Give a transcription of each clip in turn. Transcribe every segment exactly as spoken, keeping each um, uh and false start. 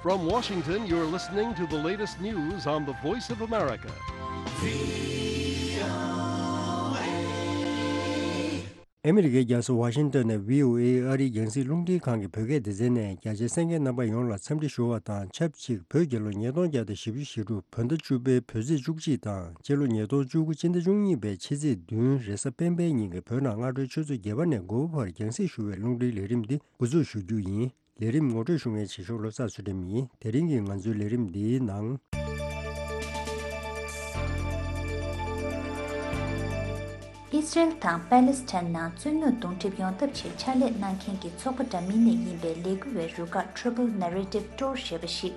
From Washington, you're listening to the latest news on the Voice of America. ཨ་མི་རི་ཀའི་རྒྱལ་ས་ཝ་ཤིང་ཏོན་ནས་བྷི་ཨོ་ཨེ་ཨ་རིའི་རྒྱང་སྲིང་རླུང་འཕྲིན་ཁང་གི་བོད་སྐད་སྡེ་ཚན་ནས་རྒྱ་ཆེའི་གསན་མཁན་རྣམ་པ་ཡོངས་ལ་འཚམས་འདྲི་ཞུ་བ་དང་ཆབས་ཅིག་བོད་རྒྱལ་ལོ་ཉིས་སྟོང་བརྒྱ་དང་བཞི་བཅུ་ཞེ་དྲུག་བོད་ཟླ་བཅུ་པའི་བོད་ཚེས་བཅུ་གཅིག་དང་སྤྱི་ལོ་ཉིས་སྟོང་བཅུ་དགུ་སྤྱི་ཟླ་བཅུ་གཉིས་པའི་ཕྱི་ཚེས་བདུན་རེས་གཟའ་སྤེན་པའི་ཉིན་གྱི་བོད་ནང་སྔ་དྲོའི་ཆུ་ཚོད་བརྒྱད་པ་ནས་དགུ་པ་བར་རྒྱང་སྲིང་ཞུ་བའི་རླུང་འཕྲིན་ལས་རིམ་འདི་འགོ་འཛུགས་ཞུ་རྒྱུ་ཡིན། ལས་རིམ་ངོ་སྤྲོད་ཞུ་མཁན་བྱེད་ཤོག་བློ་བཟང་ཚུལ་ཁྲིམས་ཡིན། དེ་རིང་གི་ང་ཚོའི་ལས་རིམ་འདིའི་ནང་། ཨི་སི་རེལ་དང་པེ་ལེ་སི་ཐན་ནང་རྩོད་རྙོག་གདོང་འགྲིབ་ཡོང་ཐབས་ཆེད་ཕྱག་ལས་གནང་མཁན་གྱི་ཚོགས་པ་འདྲ་མིན་ནས་ཡིན་པའི་ལས་འགུལ་བའི་རུ་ཁག་Troubled Narrative Tour ཞེས་པ་ཞིག་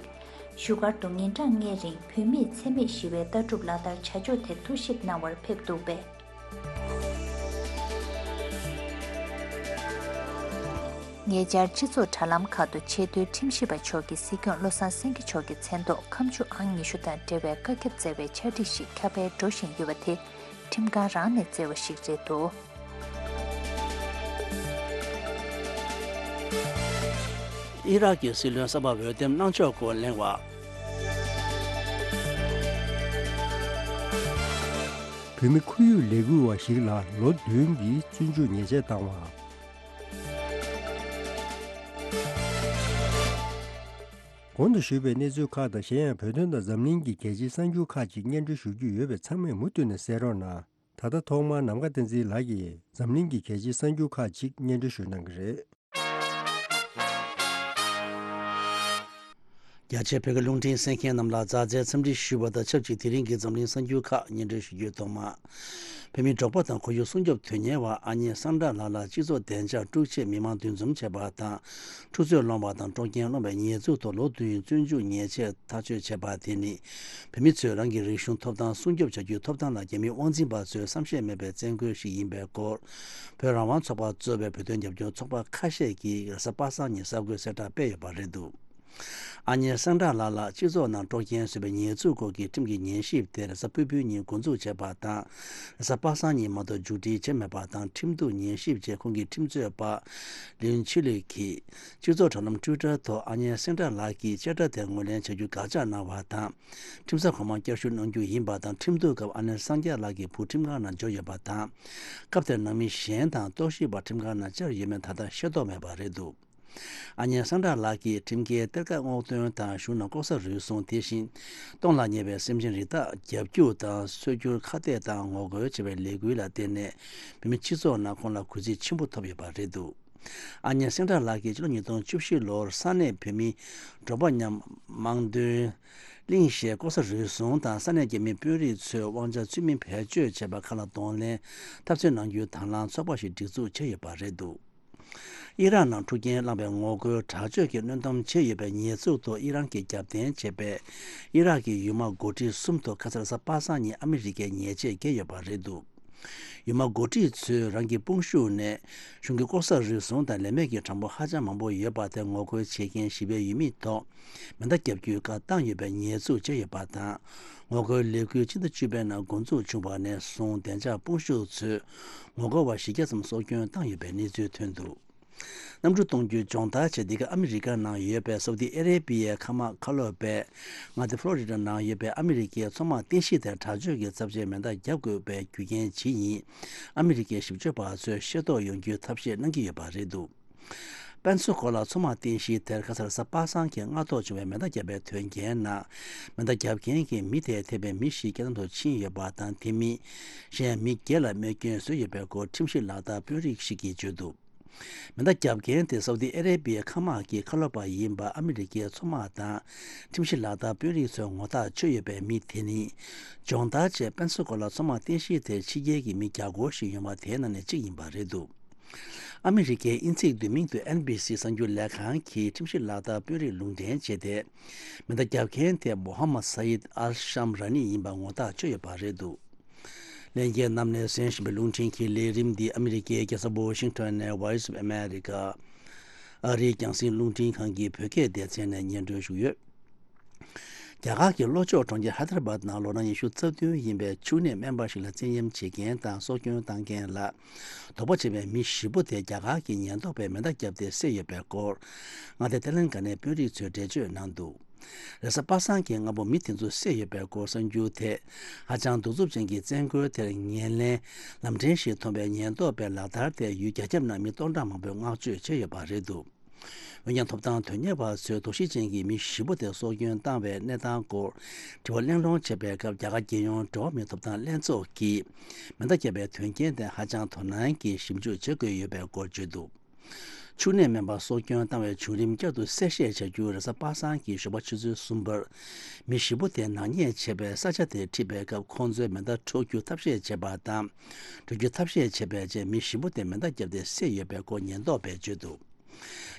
བཞུགས་སྒར་དུ་ཉིན་གྲངས་ལྔའི་རིང་བུད་མེད་འཚེ་མེད་ཞི་བའི་ལྟ་གྲུབ་ལག་བསྟར་བྱ་ཕྱོགས་ཐད་ཐུགས་ཞིབ་གནང་བར་ཕེབས་འདུག་པས། ཉེ་ཆར་སྤྱི་ཚོགས་དྲ་ལམ་ཁག་ཏུ་ཆེས་མཐོའི་ཁྲིམས་ཞིབ་པ་མཆོག་གིས་སྲིད་སྐྱོང་བློ་བཟང་སེང་གེ་མཆོག་གི་མཚན་ཐོག་ཁ་མཆུ་ཨང་ཉི་ཤུ་དང་འབྲེལ་བའི་བཀའ་ཁྱབ་བསྩལ་བའི་ཕྱག་བྲིས་ཤིག་ཁྱབ་སྤེལ་འགྲོ་བཞིན་ཡོད་པ་དེ་ཁྲིམས་ཁང་རང་ནས་བསྩལ་བ་ཞིག་རེད་འདུག་ཨི་རག་གི་སྲིད་བློན་གསར་པ་འོས་འདེམས་གནང་ཕྱོགས་སྐོར་གླེང་བ། བོད་མི་ཁོར་ཡུག་ལས་འགུལ་བ་ཞིག་ལ་ལོ་བདུན་གྱི་བཙོན་འཇུག་ཉེས་ཆད་བཏང་བ། གོང་དུ་ཞུས་པའི་གནས་ཚུལ་ཁག་དང་གཞན་ཡང་བོད་དོན་དང་འཛམ་གླིང་གི་གལ་ཆེའི་གསར་འགྱུར་ཁག་ཅིག་སྙན་སྒྲོན་ཞུ་རྒྱུ་ཡོད་པས་ཚང་མས་མུ་མཐུད་ནས་གསན་རོགས་གནང་། ད་ལྟ་ཐོག་མར་ནམ་མཁའ་བསྟན་འཛིན་ལགས་ཀྱིས་འཛམ་གླིང་གི་གལ་ཆེའི་གསར་འགྱུར་ཁག་ཅིག་སྙན་སྒྲོན་ཞུ་གནང་གི་རེད། རྒྱ་ཆེའི་བོད་ཀྱི་རླུང་འཕྲིན་གསན་མཁན་རྣམས་ལ་མཛའ་བརྩེའི་འཚམས་འདྲི་ཞུ་བ་དང་ཆབས་ཅིག་དེ་རིང་གི་འཛམ་གླིང་གསར་འགྱུར་ཁག་སྙན་སྒྲོན་ཞུ་རྒྱུའི་ཐོག་མ། བོད་མིའི་འབྲོག་པ་དང་ཁོར་ཡུག་སྲུང་སྐྱོབ་དོན་གཉེར་བ་ཨ་མྱེས་སངས་དྲག་ལགས་ལ་སྤྱི་ཚོགས་བདེ་འཇགས་དཀྲུག་ཆེད་མི་མང་འདུ་འཛོམས་བྱས་པ་དང་། འཁྲུག་རྩོད་སློང་བ་དང་དཀྲོག་རྐྱེན་སློང་བའི་ཉེས་འཛུགས་ཐོག་ལོ་བདུན་བཙོན་འཇུག་ཉེས་ཆད་ཐག་གཅོད་བྱས་པ་དེ་ནི། བོད་མི་ཚོས་རང་གི་རིག་གཞུང་ཐོབ་ཐང་སྲུང་སྐྱོབ་བྱ་རྒྱུའི་ཐོབ་ཐང་ལ་རྒྱ་མིའི་དབང་འཛིན་པ་ཚོས་བསམ་ཤེས་མེད་པའི་བཙན་རྒོལ་ཞིག་ཡིན་པའི་སྐོར། བོད་རང་དབང་ཚོགས་པ་གཙོས་པའི་བོད་དོན་རྒྱབ་སྐྱོར་ཚོགས་པ་ཁ་ཤས་ཀྱིས་རེས་གཟའ་པ་སངས་ཉིན་གསར་འགོད་གསལ་བསྒྲགས་སྤེལ་ཡོད་པ་རེད་འདུག་ཨ་མྱེས་སངས་དྲག་ལགས་ལ་སྤྱི་ཚོགས་ནང་དཀྲོག་རྐྱེན་བཟོས་པའི་ཉེས་འཛུགས་སྐོར་གྱི་ཁྲིམས་ཀྱི་ཉན་ཞིབ་དེ་རེས་གཟའ་ཕུར་བུའི་ཉིན་འགོ་འཛུགས་བྱས་པ་དང་། རེས་གཟའ་པ་སངས་ཉིན་མ་གཏོགས་མཇུག་སྒྲིལ་བྱས་མེད་པ་དང་། ཁྲིམས་གཏུག་ཉན་ཞིབ་རྗེས་ཁོང་གི་ཁྲིམས་རྩོད་པ་ལིན་ཆི་ལི་གིས་སྤྱི་ཚོགས་དྲ་ལམ་Twitter་ཐོག་ཨ་མྱེས་སངས་དྲག་ལགས་ཀྱིས་བཅད་ཁྲ་དེ་ངོས་ལེན་བྱ་རྒྱུ་དགག་བྱ་གནང་བ་དང་། ཁྲིམས་ས་གོང་མར་བསྐྱར་ཞུ་གནང་རྒྱུ་ཡིན་པ་དང་། ཁྲིམས་གཏུག་སྐབས་ཨ་མྱེས་སངས་དྲག་ལགས་ཀྱི་བུ་ཁྲིམས་ཁང་ནང་འབྱོར་ཡོད་པ་དང་། སྐབས་དེར་ནང་མི་གཞན་དང་རྟོག་ཞིབ་པ་ཁྲིམས་ཁང་ནང་བཅར་ཡོད་མེད་ད་ལྟ་ཤེས་རྟོགས་མེད་པ་རེད་འདུག་ཨ་མྱེས་སངས་དྲག་ལགས་ཀྱིས་ཁྲིམས་འགལ་གཏེར་ཁ་སྔོག་འདོན་དང་གཞུང་ནང་ལྐོག་ཟ་རུལ་སུངས། དེ་བཞིན་སྟོངས་ལ་ཉེ་བའི་སེམས་ཅན་རི་དྭགས་རྒྱ་སྒྱུར་དང་སོ་སྒྱུར་ཁ་གཏད་དང་ངོ་རྒོལ་བྱེད་པའི་ལས་འགུལ་ལ་བརྟེན་ནས་བོད་མི་སྤྱི་ཚོགས་ནང་ཁོང་ལ་གུས་བརྩི་ཆེན་པོ་ཐོབ་ཡོད་པ་རེད་འདུག་ཨ་མྱེས་སངས་དྲག་ལགས་ཀྱིས་ཕྱི་ལོ་ཉིས་སྟོང་བཅུ་བཞི་ལོར་ས་གནས་བོད་མི་འབྲོག་པ་མཉམ་དམངས་དོན་གླིང་ཞེས་ལྐོག་ཟ་རུལ་སུངས་དང་ས་གནས་རྒྱ་མིའི་དཔོན་རིགས་ཚོས་དབང་ཆ་ཚུལ་མིན་བེད་སྤྱོད་བྱས་པ་ཁག་ལ་གདོང་ལེན་འཐབ་རྩོད་གནང་རྒྱུའི་དང་བླངས་ཚོགས་པ་ཞིག་སྒྲིག་འཛུགས་བྱས་ཡོད་པ་རེད་འདུག་ཨི་རག་ནང་འཁྲུག་རྐྱེན་བསླངས་པའི་ངོ་རྒོལ་དྲག་སྤྱོད་ཀྱི་གནོན་གཏམ་བྱས་ཡོད་པའི་ཉེས་འཛུགས་ཐོག་ཨི་རན་གྱིས་རྒྱབ་རྟེན་བྱས་པའི་ཨི་རག་གི་ཡུལ་དམག་འགོ་ཁྲིད་གསུམ་ཐོག་ཁ་སང་རེས་གཟའ་པ་སངས་ཉིན་ཨ་མི་རི་ཀས་ཉེས་ཆད་བཀལ་ཡོད་པ་རེད་འདུག་ཡུལ་དམག་འགོ་ཁྲིད་ཚོས་རང་གི་དཔུང་ཤུགས་ནས་གཞུང་གི་ལྐོག་ཟ་རུལ་སུངས་དང་ལས་མེད་ཀྱི་གྲངས་འབོར་ཧ་ཅང་མང་པོ་ཡོད་པ་དེ་ངོ་རྒོལ་བྱེད་མཁན་ཞི་བའི་ཡུལ་མི་ཐོག་མེ་མདའ་བརྒྱབ་རྒྱུའི་བཀའ་བཏང་ཡོད་པའི་ཉེས་འཛུགས་བྱས་ཡོད་པ་དང་། ངོ་རྒོལ་ལས་འགུལ་སྤྱི་ཟླ་བཅུ་པའི་ནང་འགོ་འཛུགས་བྱུང་བ་ནས་བཟུང་བདེ་འཇགས་དཔུང་ཤུགས་ཚོས་ངོ་རྒོལ་བ་བཞི་བརྒྱ་ཙམ་སྲོག་སྐྱོན་བཏང་ཡོད་པའི་གནས་ཚུལ་ཐོན་འདུག་གནམ་གྲུ་གཏོང་རྒྱུའི་སྦྱོང་བརྡར་ཆེད་འདི་ག་ཨ་མི་རི་ཀ་ནང་ཡོད་པའི་སའུ་ཏི་ཨ་རེ་བི་ཡའི་མཁའ་དམག་མཁའ་སློབ་པས་མངའ་སྡེ་ཕློ་རི་ཌ་ནང་ཡོད་པའི་ཨ་མི་རི་ཀའི་མཚོ་དམག་རྟེན་གཞི་དེར་དྲག་སྤྱོད་ཀྱི་ཚབས་ཆེའི་མེ་མདའ་བརྒྱབ་དགོས་པའི་རྒྱུ་རྐྱེན་ཇི་ཡིན་ཨ་མི་རི་ཀའི་ཞིབ་དཔྱོད་པ་ཚོས་ཤེས་རྟོགས་ཡོང་རྒྱུའི་ཐབས་ཤེས་གནང་གི་ཡོད་པ་རེད་འདུག་པན་སུ་གོ་ལ་མཚོ་དམག་རྟེན་གཞི་དེར་ཁ་སང་རེས་གཟའ་པ་སངས་ཀྱི་སྔ་ཐོག་བྱུང་བའི་མེ་མདའ་བརྒྱབ་པའི་དོན་རྐྱེན་ནང་། མེ་མདའ་བརྒྱབ་མཁན་གྱི་མི་དེ་ཐེ་བའི་མི་ཞིག་སྐྱེ་གཏམ་དུ་ཕྱིན་ཡོད་པ་དང་། དེ་མིན་གཞན་མི་བརྒྱད་ལ་རྨས་སྐྱོན་བཟོས་ཡོད་པའི་སྐོར་ཁྲིམས་ཞིབ་ལག་བསྟར་དཔོན་རིགས་ཤིག་གིས་བརྗོད་འདུག་མེ་མདའ་བརྒྱབ་མཁན་དེ་སའུ་ཏི་ཨ་རེ་བི་ཡའི་མཁའ་དམག་གི་མཁའ་སློབ་པ་ཡིན་པ་ཨ་མི་རི་ཀའི་མཚོ་དམག་དང་ཁྲིམས་ཞིབ་ལག་བསྟར་དཔོན་རིགས་ཚོས་ངོ་ཐག་ཆོད་ཡོད་པའི་མི་དེ་ནི། སྦྱོང་བརྡར་ཆེད་པན་སུ་གོ་ལ་མཚོ་དམག་རྟེན་གཞི་དེར་ཕྱི་རྒྱལ་གྱི་མི་བརྒྱ་སྐོར་ཞིག་ཡོང་བ་དེའི་ནང་ནས་གཅིག་ཡིན་པ་རེད་འདུག་ཨ་མི་རི་ཀའི་དབྱིན་ཚིག་བསྡུས་མིང་དུ་ཨེན་བྷི་སི་གསར་འགྱུར་ལས་ཁང་གིས་ཁྲིམས་ཞིབ་ལག་བསྟར་དཔོན་རིགས་ལུང་འདྲེན་བྱས་ཏེ། མེ་མདའ་བརྒྱབ་མཁན་དེ་མོ་ཧམ་མད་ས་ཡིད་ཨལ་ཤམ་ར་ནི་ཡིན་པ་ངོ་ཐག་ཆོད་ཡོད་པ་རེད་འདུག་ལྷན་རྒྱས་རྣམས་ནས་གསན་བཞིན་པའི་རླུང་འཕྲིན་གྱི་ལས་རིམ་འདི་ཨ་མི་རི་ཀའི་རྒྱལ་ས་ཝོ་ཤིང་ཊོན་ནས་Voice of America ཨ་རིའི་རྒྱང་སྲིང་རླུང་འཕྲིན་ཁང་གི་བོད་སྐད་སྡེ་ཚན་ནས་སྙན་སྒྲོན་ཞུས་ཡོད། རྒྱ་གར་གྱི་ལྷོ་ཕྱོགས་གྲོང་ཁྱེར་ཧའི་དར་བཱད་ནང་ལོ་ན་ཉི་ཤུ་རྩ་བདུན་ཡིན་པའི་ཕྱུགས་ནད་སྨན་པ་ཞིག་ལ་བཙན་གཡེམ་བྱེད་མཁན་དང་སྲོག་སྐྱོན་བཏང་མཁན་ལ་དོགས་པ་བྱེད་པའི་མི་བཞི་པོ་དེ་རྒྱ་གར་གྱི་ཉེན་རྟོག་པས་མེ་མདའ་བརྒྱབ་སྟེ་བསད་ཡོད་པའི་སྐོར། མངའ་སྡེ་ཏེ་ལན་ག་ནའི་དཔོན་རིགས་ཚོས་འགྲེལ་བརྗོད་གནང་འདུག་རེས་གཟའ་པ་སངས་ཀྱི་སྔ་པོ་མི་དེ་ཚོ་བསད་ཡོད་པའི་སྐོར་གསར་འགྱུར་དེ། ཧ་ཅང་གདུག་རྩུབ་ཅན་གྱི་བཙན་རྒོལ་དེར་ངོས་ལེན་ལམ་འཕྲང་ཞིག་མཐོང་བའི་ཉེན་རྟོག་པའི་ལག་བསྟར་དེ་ཡུལ་རྒྱ་ཁྱབ་ནང་མི་སྟོང་ཕྲག་མང་པོས་བསྔགས་བརྗོད་བྱས་ཡོད་པ་རེད་འདུག་འོན་ཀྱང་ཐོབ་ཐང་དོན་གཉེར་བ་ཚོས་དོགས་གཞི་ཅན་གྱི་མི་བཞི་པོ་དེ་སྲོག་སྐྱོན་བཏང་བའི་གནས་སྟངས་སྐོར་དྲི་བ་གླེང་སློང་བྱས་པའི་སྐབས། རྒྱ་གར་རྒྱལ་ཡོངས་འགྲོ་བ་མིའི་ཐོབ་ཐང་ལྷན་ཚོགས་ཀྱིས་མེ་མདའ་བརྒྱབ་པའི་དོན་རྐྱེན་དེ་ཧ་ཅང་དོ་སྣང་གིས་ཞིབ་འཇུག་བྱེད་དགོས་ཡོད་པའི་སྐོར་བརྗོད་འདུག་ཕྱུགས་ནད་སྨན་པ་སྲོག་སྐྱོན་བཏང་བའི་བྱུང་རིམ་བསྐྱར་དུ་གསལ་བཤད་བྱ་རྒྱུ། རེས་གཟའ་པ་སངས་ཀྱི་ཞོགས་པ་ཆུ་ཚོད་གསུམ་པར་མི་བཞི་པོ་དེ་ནག་ཉེས་བྱས་པའི་ས་ཆ་དེར་ཁྲིད་པའི་སྐབས། ཁོང་ཚོས་མེ་མདའ་འཕྲོག་རྒྱུ་ཐབས་ཤེས་བྱས་པ་དང་། འགྲོ་རྒྱུ་ཐབས་ཤེས་བྱས་པའི་རྗེས་མི་བཞི་པོ་དེ་མེ་མདའ་བརྒྱབ་སྟེ་བསད་ཡོད་པའི་སྐོར་ཉེན་རྟོག་པས་བརྗོད་འདུག་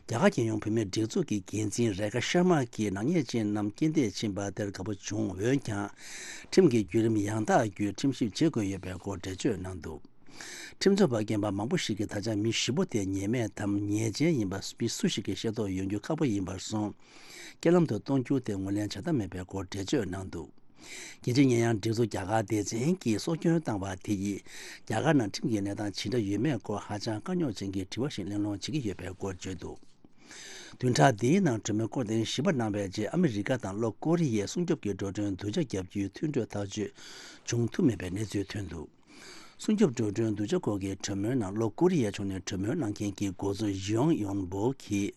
རྒྱ་གར་རྒྱལ་ཡོངས་བུད་མེད་སྒྲིག་འཛུགས་ཀྱི་འགན་འཛིན་རེ་ཁ་ཤར་མ་གིས་ནག་ཉེས་ཅན་རྣམས་རྐྱེན་འདས་ཕྱིན་པ་དེར་དགའ་པོ་བྱུང་། འོན་ཀྱང་། ཁྲིམས་ཀྱི་བརྒྱུད་རིམ་ཡང་དག་བརྒྱུད་ཁྲིམས་ཞིབ་བྱེད་དགོས་ཡོད་པའི་སྐོར་འགྲེལ་བརྗོད་གནང་འདུག་ཁྲིམས་རྩོད་པ་རྒན་པ་མང་པོ་ཞིག་གིས་ད་ཆ་མི་བཞི་པོ་དེ་ཉེས་མེད་དམ་ཉེས་ཅན་ཡིན་པ་མི་སུ་ཞིག་གིས་ཤེས་རྟོགས་ཡོང་རྒྱུ་ཁག་པོ་ཡིན་པར་སོང་། རྐྱེན་ལམ་དུ་གཏོང་རྒྱུ་དེ་ངོས་ལེན་བྱ་ཐབས་མེད་པའི་སྐོར་འགྲེལ་བརྗོད་གནང་འདུག་རྒྱལ་སྤྱིའི་ཉེས་ཡངས་སྒྲིག་འཛུགས་རྒྱ་གར་སྡེ་ཚན་གྱིས་སྲོག་སྐྱོན་བཏང་བ་དེ་ཡིས་རྒྱ་གར་ནང་ཁྲིམས་ཀྱི་གནས་སྟངས་ཇི་འདྲ་ཡོད་མེད་སྐོར་ཧ་ཅང་དཀའ་རྙོག་ཅན་གྱི་དྲི་བ་ཞིག་གླེང་སློང་བྱེད་ཀྱི་ཡོད་པའི་སྐོར་བརྗོད་འདུག་བདུན་ཕྲག་འདིའི་ནང་གྲོས་མོལ་སྐོར་ཐེངས་བཞི་པ་གནང་བའི་རྗེས། ཨ་མི་རི་ཀ་དང་ལྷོ་ཀོ་རི་ཡས་སྲུང་སྐྱོབ་ཀྱི་འགྲོ་གྲོན་བསྡུ་ཆ་བརྒྱབ་རྒྱུའི་མཐུན་གྲོས་ཐག་གཅོད་བྱུང་ཐུབ་མེད་པའི་གནས་ཚུལ་ཐོན་འདུག་སྲུང་སྐྱོབ་འགྲོ་གྲོན་བསྡུ་ཆ་སྐོར་གྱི་གྲོས་མོལ་ནང་ལྷོ་ཀོ་རི་ཡའི་ཕྱོགས་ནས་གྲོས་མོལ་གནང་མཁན་གྱི་འགོ་གཙོ་ཡོང་ཡོན་པོ་གིས།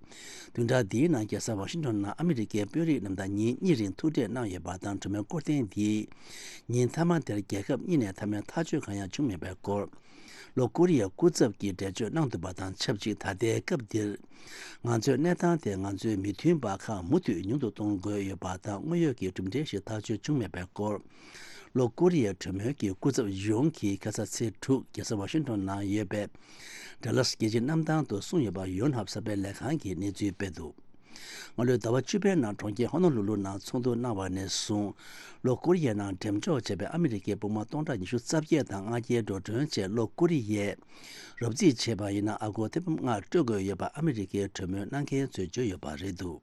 བདུན་ཕྲག་འདིའི་ནང་རྒྱལ་ས་ཝ་ཤིང་ཊོན་ནང་ཨ་མི་རི་ཀའི་དཔོན་རིགས་རྣམས་དང་ཉིན་གཉིས་རིང་ཐུག་འཕྲད་གནང་ཡོད་པ་དང་། གྲོས་མོལ་སྐོར་ཐེངས་འདིའི་ཉིན་མཐའ་མ་དེར་རྒྱལ་ཁབ་གཉིས་ནས་མཐའ་མའི་ཐག་གཅོད་གང་ཡང་བྱུང་མེད་པའི་སྐོར། ལྷོ་ཀོ་རི་ཡའི་སྐུ་ཚབ་ཀྱིས་འགྲེལ་བརྗོད་གནང་འདུག་པ་དང་ཆབས་ཅིག་ད་ལྟའི་སྐབས་འདིར། ང་ཚོས་གནས་སྟངས་དེ་ང་ཚོའི་མི་མཐུན་པ་ཁག་མུ་མཐུད་ཉུང་དུ་གཏོང་དགོས་ཡོད་པ་དང་། དངོས་ཡོད་ཀྱི་གྲུབ་འབྲས་ཤིག་ཐག་གཅོད་བྱུང་མེད་པའི་སྐོར། ལྷོ་ཀོ་རི་ཡའི་གྲོས་མོལ་གྱི་སྐུ་ཚབ་ཡོང་གིས་ཁ་ས་ཚེས་དྲུག་རྒྱལ་ས་ཝ་ཤིང་ཊོན་ནང་ཡོད་པའི་ཌལ་ལཱས་རྒྱལ་སྤྱིའི་གནམ་ཐང་དུ་གསུངས་ཡོད་པ། ཡོན་ཧབ་གསར་སྤེལ་ལས་ཁང་གིས་གནས་ཚུལ་སྤེལ་འདུག་སྔ་ལོའི་ཟླ་བ་བཅུ་པའི་ནང་གྲོང་ཁྱེར་ཧོ་ནོ་ལུ་ལུ་ནང་ཚོགས་འདུ་གནང་བ་ནས་བཟུང་། ལྷོ་ཀོ་རི་ཡའི་ནང་འགྲེམས་འཇོག་བྱས་པའི་ཨ་མི་རི་ཀའི་དཔུང་དམག་སྟོང་ཕྲག་ཉི་ཤུ་རྩ་བརྒྱད་དང་ལྔ་བརྒྱའི་འགྲོ་གྲོན་བཅས་ལྷོ་ཀོ་རི་ཡས་རོབ་རྩིས་བྱས་པ་ཡིན་ན། ཨ་སྒོར་ཐེར་འབུམ་ལྔ་སྤྲོད་དགོས་ཡོད་པ་ཨ་མི་རི་ཀའི་གྲོས་མོལ་གནང་མཁན་ཚོས་བརྗོད་ཡོད་པ་རེད་འདུག་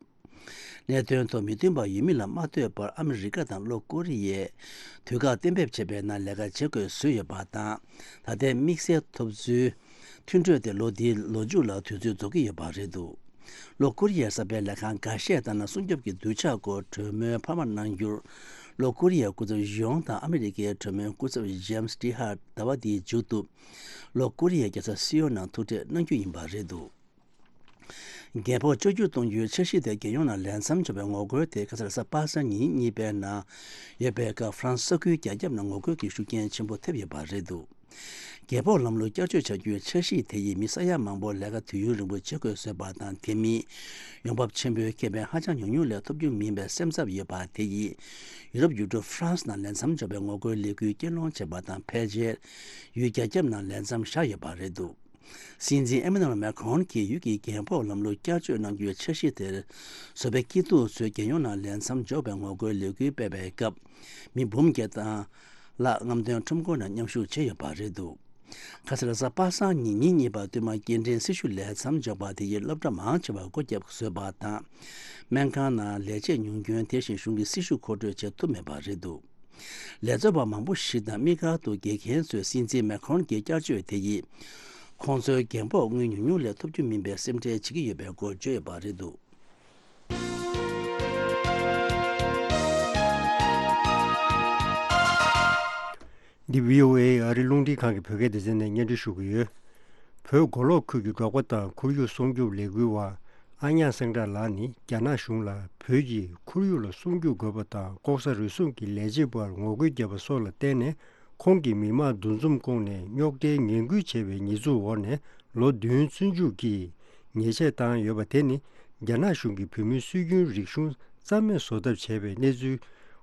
གནད་དོན་ཐོག་མི་མཐུན་པ་ཡོད་མིན་ལ་མ་ལྟོས་པར་ཨ་མི་རི་ཀ་དང་ལྷོ་ཀོ་རི་ཡས་དུས་བཀག་གཏན་འབེབས་བྱས་པའི་ནང་ལས་ཀ་བྱེད་དགོས་བཟོས་ཡོད་པ་དང་། ད་ལྟའི་དམིགས་བསལ་ཐོབ་ཚུལ་མཐུན་གྲོས་དེ་ལོ་འདིའི་ལོ་མཇུག་ལ་དུས་ཚོད་རྫོགས་ཀྱི་ཡོད་པ་རེད་འདུག་ལྷོ་ཀོ་རི་ཡའི་གསར་སྤེལ་ལས་ཁང་འགའ་ཤས་ལྟར་ན། སྲུང་སྐྱོབ་ཀྱི་གདུལ་བྱ་སྐོར་གྲོས་མོལ་འཕར་མ་གནང་རྒྱུར། ལྷོ་ཀོ་རི་ཡའི་སྐུ་ཚབ་ཡོང་དང་ཨ་མི་རི་ཀའི་གྲོས་མོལ་སྐུ་ཚབ་ཇེམ་སི་ཏི་ཧར་ཟླ་བ་འདིའི་མཇུག་ཏུ་ལྷོ་ཀོ་རི་ཡའི་རྒྱལ་ས་སི་ཡོལ་ནང་ཐུག་འཕྲད་གནང་རྒྱུ་ཡིན་པ་རེད་འདུག་རྒྱལ་ཕོགས་བཅོ་བསྒྱུར་གཏོང་རྒྱུའི་འཆར་གཞི་དེ་རྒྱལ་ཡོངས་ནང་ལས་མཚམས་འཇོག་པའི་ངོ་རྒོལ་དེ་ཁ་སང་རེས་གཟའ་པ་སངས་ཉིན་གཉིས་པའི་ནང་ཡོད་པའི་སྐབས། ཧྥ་རན་སི་ས་ཁུལ་རྒྱ་ཁྱབ་ནང་ངོ་རྒོལ་གྱི་ཤུགས་རྐྱེན་ཆེན་པོ་ཐེབས་ཡོད་པ་རེད་འདུག་རྒྱལ་ཕོགས་ལམ་ལུགས་བསྐྱར་བཅོས་བྱ་རྒྱུའི་འཆར་གཞི་དེ་ཡིས་མི་ས་ཡ་མང་པོར་ལས་ཀ་དུས་ཡུན་རིང་པོ་བྱེད་དགོས་བཟོས་པ་དང་། དེ་མིན་ཡོང་འབབ་ཆེན་པོའི་ཁེ་ཕན་ཧ་ཅང་ཉུང་ཉུང་ལས་ཐོབ་རྒྱུ་མིན་པའི་སེམས་འཚབ་ཡོད་པ་དེ་ཡིས། ཡུ་རོབ་ཡུལ་གྲུ་ཧྥ་རན་སི་ནང་ལས་མཚམས་འཇོག་པའི་ངོ་རྒོལ་ལས་འགུལ་སྐུལ་སློང་བྱས་པ་དང་། ཕལ་ཆེར་ཡུལ་རྒྱ་ཁྱབ་ནང་ལས་མཚམས་བཞག་ཡོད་པ་རེད་འདུག་སྲིད་འཛིན་ཨེ་མ་ནུ་ཨེལ་མེ་ཁོན་གྱིས་ཡུལ་གྱི་རྒྱལ་ཕོགས་ལམ་ལུགས་བསྐྱར་བཅོས་གནང་རྒྱུའི་འཆར་གཞི་དེར་བཟོ་པའི་སྐྱིད་སྡུག་ཚོས་རྒྱལ་ཡོངས་ནང་ལས་མཚམས་འཇོག་པའི་ངོ་རྒོལ་ལས་འགུལ་སྤེལ་བའི་སྐབས། མི་འབུམ་བརྒྱད་དང་ལྷག་རྔམ་སྟོན་ཁྲོམ་སྐོར་ནང་མཉམ་ཞུགས་བྱས་ཡོད་པ་རེད་འདུག་ཁ་སང་རེས་གཟའ་པ་སངས་ཉིན་ཉིན་གཉིས་པ་བསྟུད་མར་སྐྱེལ་འདྲེན་སྲི་ཞུ་ལས་མཚམས་འཇོག་པ་དེ་ཡིས་སློབ་གྲྭ་མང་ཆེ་བར་སྒོ་བརྒྱབ་བཟོས་པ་དང་། སྨན་ཁང་ནང་ལས་བྱེད་ཉུང་སྐྱོན། དེ་བཞིན་གཞུང་གི་སྲི་ཞུ་མཁོ་སྤྲོད་བྱེད་ཐུབ་མེད་པ་རེད་འདུག་ལས་བཟོ་བ་མང་པོ་ཞིག་དང་དམིགས་བཀར་དུ་དགེ་རྒན་ཚོས་སྲིད་འཛིན་མེ་ཁོན་གྱི་བསྐྱར་བཅོས་དེ་ཡིས་ཁོང་ཚོའི་རྒན་ཕོགས་དངུལ་ཉུང་ཉུང་ལས་ཐོབ་རྒྱུ་མིན་པའི་སེམས་ཁྲལ་བྱེད་ཀྱི་ཡོད་པའི་སྐོར་བརྗོད་ཡོད་པ་རེད་འདུག་འདི་བྷི་ཨོ་ཨེ་ཨ་རི་རླུང་འཕྲིན་ཁང་གི་བོད་སྐད་སྡེ་ཚན་ནས་སྙན་སྒྲོན་ཞུ་གི་ཡོད། བོད་མགོ་ལོག་ཁུལ་གྱི་འབྲོག་པ་དང་ཁོར་ཡུག་སྲུང་སྐྱོབ་ལས་འགུལ་བ་ཨ་ཉག་སེང་བྲག་ལགས་ནི། རྒྱ་ནག་གཞུང་ལ་བོད་ཀྱིས་ཁོར་ཡུག་ལ་སྲུང་སྐྱོབ་དགོས་པ་དང་ལྐོག་ཟ་རུལ་སུངས་ཀྱི་ལས་བྱེད་པར་ངོ་རྒོལ་བརྒྱབ་པ་སོགས་ལ་བརྟེན་ནས། ཁོང་གིས་མི་དམངས་འདུ་འཛོམས་བསྐོངས་ནས་རྙོག་དྲའི་ངན་སྐུལ་བྱས་པའི་ཉེས་འཛུགས་འོག་ནས་ལོ་བདུན་བཙོན་འཇུག་གིས་ཉེས་ཆད་བཏང་ཡོད་པ་དེ་ནི། རྒྱ་ནག་གཞུང་གིས་བོད་མིའི་སྲོལ་རྒྱུན་རིག་གཞུང་རྩ་མེད་བཟོ་ཐབས་བྱས་པའི་གནས་ཚུལ་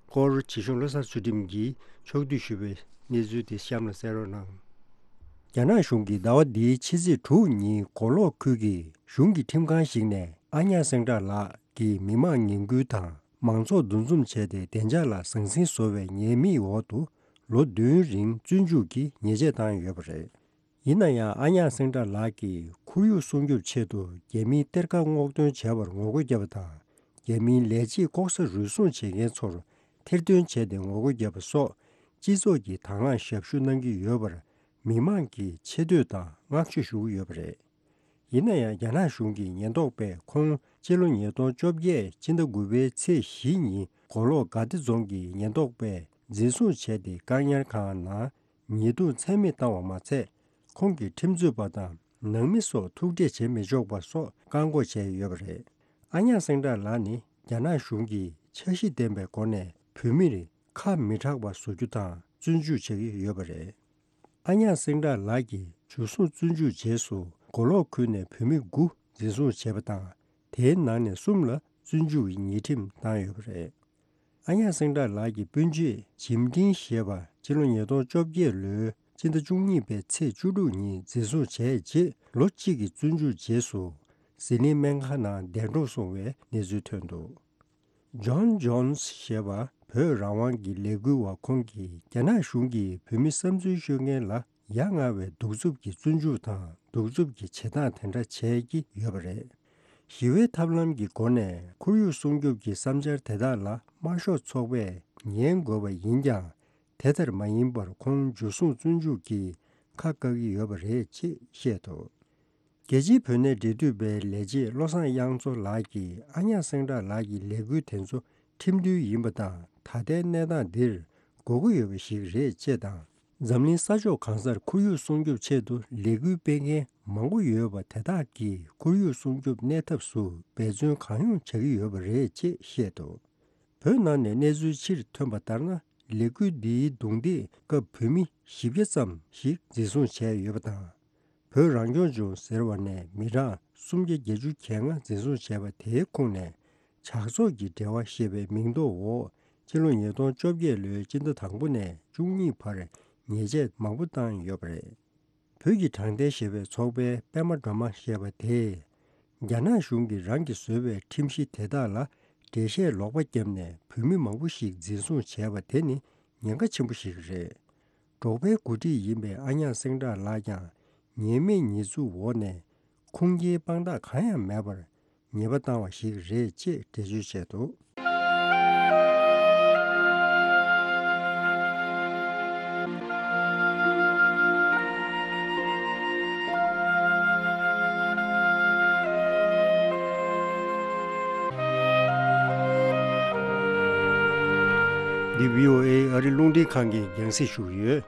སྐོར། བྱིས་གཞུང་བློ་བཟང་ཚུལ་ཁྲིམས་ཀྱིས་ཕྱོགས་བསྡུས་ཞུས་པའི་གནས་ཚུལ་དེ་གཤམ་ལ་གསན་རོགས་གནང་། རྒྱ་ནག་གཞུང་གིས་ཟླ་བ་འདིའི་ཕྱི་ཚེས་དྲུག་ཉིན་མགོ་ལོག་ཁུལ་གྱི་གཞུང་གི་ཁྲིམས་ཁང་ཞིག་ནས་ཨ་ཉག་སེང་བྲག་ལགས་ཀྱིས་མི་དམངས་ངན་སྐུལ་དང་མང་ཚོགས་འདུ་འཛོམས་བྱས་ཏེ་བདེ་འཇགས་ལ་ཟང་ཟིང་བཟོ་བའི་ཉེས་དམིགས་འོག་ཏུ་ལོ་བདུན་རིང་བཙོན་འཇུག་གིས་ཉེས་ཆད་བཏང་ཡོད་པ་རེད། ཡིན་ན་ཡང་ཨ་ཉག་སེང་བྲག་ལགས་ཀྱིས་ཁོར་ཡུག་སྲུང་སྐྱོབ་ཆེད་དུ་རྒྱ་མིའི་གཏེར་ཁ་སྔོག་འདོན་བྱས་པར་ངོ་རྒོལ་བརྒྱབ་པ་དང་། རྒྱ་མིའི་ལས་བྱེད་ལྐོག་ཟ་རུལ་སུངས་བྱེད་མཁན་ཚོར་ཐེར་འདོན་བྱས་ཏེ་ངོ་རྒོལ་བརྒྱབ་པ་སོགས་སྤྱི་ཚོགས་ཀྱི་དང་བླངས་ཞབས་ཞུ་གནང་གི་ཡོད་པར་མི་མང་གིས་ཆེ་བསྟོད་དང་བསྔགས་བརྗོད་ཞུ་གི་ཡོད་པ་རེད། ཡིན་ན་ཡང་རྒྱ་ནག་གཞུང་གི་ཉེན་རྟོག་པས་ཁོང་སྤྱི་ལོ་ཉིས་སྟོང་བཅོ་བརྒྱད་ཕྱི་ཟླ་དགུ་པའི་ཚེས་བཞི་ཉིན་མགོ་ལོག་དགའ་བདེ་རྫོང་གི་ཉེན་རྟོག་པས་འཛིན་བཟུང་བྱས་ཏེ་བཀག་ཉར་ཁང་ནང་ཉེས་རྡུང་ཚད་མེད་བཏང་བ་མ་ཚད། ཁོང་གི་ཁྲིམས་རྩོད་པ་དང་ནང་མི་སོགས་ཐུག་འཕྲད་བྱེད་མི་ཆོག་པ་སོགས་བཀག་འགོག་བྱས་ཡོད་པ་རེད། ཨ་ཉག་སེང་བྲག་ལགས་ནི་རྒྱ་ནག་གཞུང་གིས་འཆར་གཞི་ལྡན་པའི་སྒོ་ནས་བོད་མིར་ཁ་མི་གྲག་པ་བཟོ་རྒྱུ་དང་བཙོན་འཇུག་བྱེད་ཀྱི་ཡོད་པ་རེད། ཨ་ཉག་སེང་བྲག་ལགས་ཀྱིས་འཇུ་བཟུང་བཙོན་འཇུག་རྗེས་སུ་མགོ་ལོག་ཁུལ་ནས་བོད་མི་དགུ་འཛིན་བཟུང་བྱས་པ་དང་། དེའི་ནང་ནས་གསུམ་ལ་བཙོན་འཇུག་གི་ཉེས་ཁྲིམས་བཏང་ཡོད་པ་རེད། ཨ་ཉག་སེང་བྲག་ལགས་ཀྱི་སྤུན་མཆེད་ཇིམ་ཀྲིན་ཞེས་པ་ཕྱི་ལོ་ཉིས་སྟོང་བཅོ་བརྒྱད་ལོའི་ཕྱི་ཟླ་བཅུ་གཉིས་པའི་ཚེས་བཅུ་དྲུག་ཉིན་འཛིན་བཟུང་བྱས་རྗེས་ལོ་གཅིག་གི་བཙོན་འཇུག་རྗེས་སུ་ཟི་ལིང་སྨན་ཁང་ནང་གདན་དྲངས་སོང་བའི་གནས་ཚུལ་ཐོན་འདུག་ཇོན་ཇོན་སི་ཞེས་པ་བོད་རང་དབང་གི་ལས་འགུལ་བ་ཁོང་གིས་རྒྱ་ནག་གཞུང་གིས་བོད་མི་བསམ་ཚུལ་ཤོད་མཁན་ལ་ཡ་ང་བའི་གདུག་རྩུབ་ཀྱི་བཙོན་འཇུག་དང་གདུག་རྩུབ་ཀྱི་བྱེད་སྟངས་དེ་འདྲ་བྱས་ཀྱི་ཡོད་པ་རེད། ཞི་བའི་ཐབས་ལམ་གྱི་སྒོ་ནས་ཁོར་ཡུག་སྲུང་སྐྱོབ་ཀྱི་བསམ་འཆར་དེ་དག་ལ་དམར་ཤོག་ཚོགས་པས་ཉན་དགོས་པ་ཡིན་ཀྱང་དེ་ལྟར་མ་ཡིན་པར་ཁོང་འཇུ་བཟུང་བཙོན་འཇུག་གིས་ཁ་བཀག་གི་ཡོད་པ་རེད་ཅེས་བཤད་འདུག་རྒྱལ་སྤྱིའི་བོད་གནས་འབྲེལ་མཐུད་པའི་ལས་བྱེད་བློ་བཟང་དབྱངས་མཚོ་ལགས་ཀྱིས་ཨ་ཉག་སེང་བྲག་ལགས་ཀྱི་ལས་འགུལ་དེ་ཚོ་ཁྲིམས་མཐུན་ཡིན་པ་དང་། ད་ལྟའི་གནས་སྟངས་འདིར་དགོས་མཁོ་ཡོད་པ་ཞིག་རེད་ཅེས་དང་། འཛམ་གླིང་ས་ཕྱོགས་གང་སར་ཁོར་ཡུག་སྲུང་སྐྱོབ་ཆེད་དུ་ལས་འགུལ་སྤེལ་མཁན་མང་པོ་ཡོད་པ་དེ་དག་གིས་ཁོར་ཡུག་སྲུང་སྐྱོབ་གནས་ཐབས་སུ་འབད་བརྩོན་གང་ཡོང་བྱ་གི་ཡོད་པ་རེད་ཅེས་བཤད་འདུག་བོད་ནང་ནས་གནས་ཚུལ་ཕྱིར་ཐོན་པ་ལྟར་ན། ལས་འགུལ་འདིའི་རྡུང་རྡེག་སྐབས་བོད་མི་བཞི་བརྒྱ་ཙམ་ཞིག་འཛིན་བཟུང་བྱས་ཡོད་པ་དང་། བོད་རང་སྐྱོང་ལྗོངས་ཟེར་བ་ནས་མི་གྲངས་སུམ་བརྒྱ་བརྒྱད་ཅུ་གྱ་ལྔ་འཛིན་བཟུང་བྱས་པ་དེའི་ཁོངས་ནས་ཇག་ཚོགས་ཀྱི་འབྲེལ་བ་ཞེས་པའི་མིང་འདོགས་འོག་ཕྱི་ལོ་ཉིས་སྟོང་བཅོ་བརྒྱད་ལོའི་སྤྱི་ཟླ་དང་པོ་ནས་བཅུ་གཉིས་བར་ཉེས་ཆད་མང་པོ་བཏང་ཡོད་པ་རེད། བོད་ཀྱི་དྲང་བདེན་ཞེས་པའི་ཚོགས་པའི་པད་མ་སྒྲོལ་མ་ཞེས་པ་དེས། རྒྱ་ནག་གཞུང་གིས་རང་གིས་བཟོས་པའི་ཁྲིམས་གཞི་དེ་དག་ལ་འགྲེལ་བཤད་ལོག་པ་བརྒྱབ་ནས་བོད་མི་མང་པོ་ཞིག་འཛིན་བཟུང་བྱས་པ་དེ་ནི་ཉེན་ཁ་ཆེན་པོ་ཞིག་རེད། འབྲོག་པའི་འགོ་ཁྲིད་ཡིན་པའི་ཨ་ཉག་སེང་བྲག་ལགས་ཀྱང་ཉེས་མེད་ཉེས་འཛུགས་འོག་ནས་ཁུངས་སྐྱེལ་དཔང་རྟགས་གང་ཡང་མེད་པར་ཉེས་པ་བཏང་བ་ཞིག་རེད་ཅེས་འགྲེལ་བརྗོད་བྱས་འདུག་འདི་བྷི་ཨོ་ཨེ་ཨ་རི་རླུང་འཕྲིན་ཁང་གིས་རྒྱང་སྲིང་ཞུ་གི་ཡོད།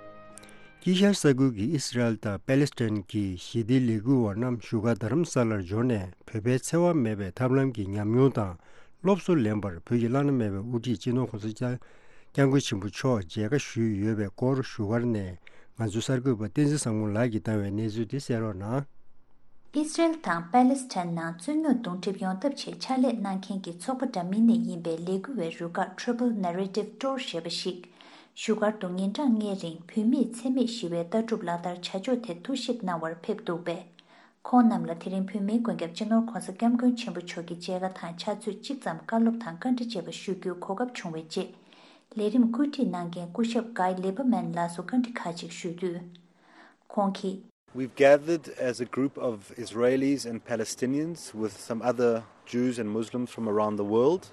དཀྱིལ་ཤར་ས་ཁུལ་གྱི་ཨི་སི་རལ་དང་པེ་ལེ་སི་ཐན་གྱི་ཞི་བདེའི་ལས་འགུལ་བ་རྣམས་བཞུགས་སྒར་རྡ་རམ་ས་ལར་འབྱོར་ནས་བོད་པའི་འཚེ་བ་མེད་པའི་ཐབས་ལམ་གྱི་ཉམས་མྱོང་དང་སློབ་གསོ་ལེན་པར་བོད་ཀྱི་བླ་ན་མེད་པའི་དབུ་ཁྲིད་སྤྱི་ནོར་༸གོང་ས་༸སྐྱབས་༸སྐྱབས་མགོན་ཆེན་པོ་མཆོག་མཇལ་ཁ་ཞུས་ཡོད་པའི་སྐོར་བཞུགས་སྒར་ནས་ང་ཚོའི་གསར་འགོད་པ་བསྟན་འཛིན་བཟང་མོ་ལགས་ཀྱིས་བཏང་བའི་གནས་ཚུལ་དེ་གསན་རོགས་གནང་། ཨི་སི་རལ་དང་པེ་ལེ་སི་ཐན་ནང་རྩོད་རྙོག་གདོང་འགྲིབ་ཡོང་ཐབས་ཆེད་ཕྱག་ལས་གནང་མཁན་གྱི་ཚོགས་པ་འདྲ་མིན་ནས་ཡིན་པའི་ལས་འགུལ་བའི་རུ་ཁག་Triple Narrative Tour ཞེས་པ་ཞིག་བཞུགས་སྒར་དུ་ཉིན་གྲངས་ལྔའི་རིང་བོད་མིས་འཚེ་མེད་ཞི་བའི་ལྟ་གྲུབ་ལག་བསྟར་བྱ་ཕྱོགས་ཐད་ཐུགས་ཞིབ་གནང་བར་ཕེབས་འདུག་པས། ཁོང་རྣམས་ལ་དེ་རིང་བོད་མིའི་མགོན་སྐྱབས་སྤྱི་ནོར་༸གོང་ས་༸སྐྱབས་མགོན་ཆེན་པོ་མཆོག་གི་མཇལ་ཁ་དང་ཕྱག་ཚོད་གཅིག་ཙམ་བཀའ་སློབ་དང་བཀའ་འདྲི་བཅས་པ་ཞུ་རྒྱུའི་གོ་སྐབས་བྱུང་བའི་རྗེས། ལས་རིམ་བཀོད་སྒྲིག་གནང་མཁན་སྐུ་ཞབས་Guy Lieberman ལགས་སུ་བཀའ་འདྲི་ཁག་ཅིག་ཞུས་དུས། ཁོང་གིས། We've gathered as a group of Israelis and Palestinians with some other Jews and Muslims from around the world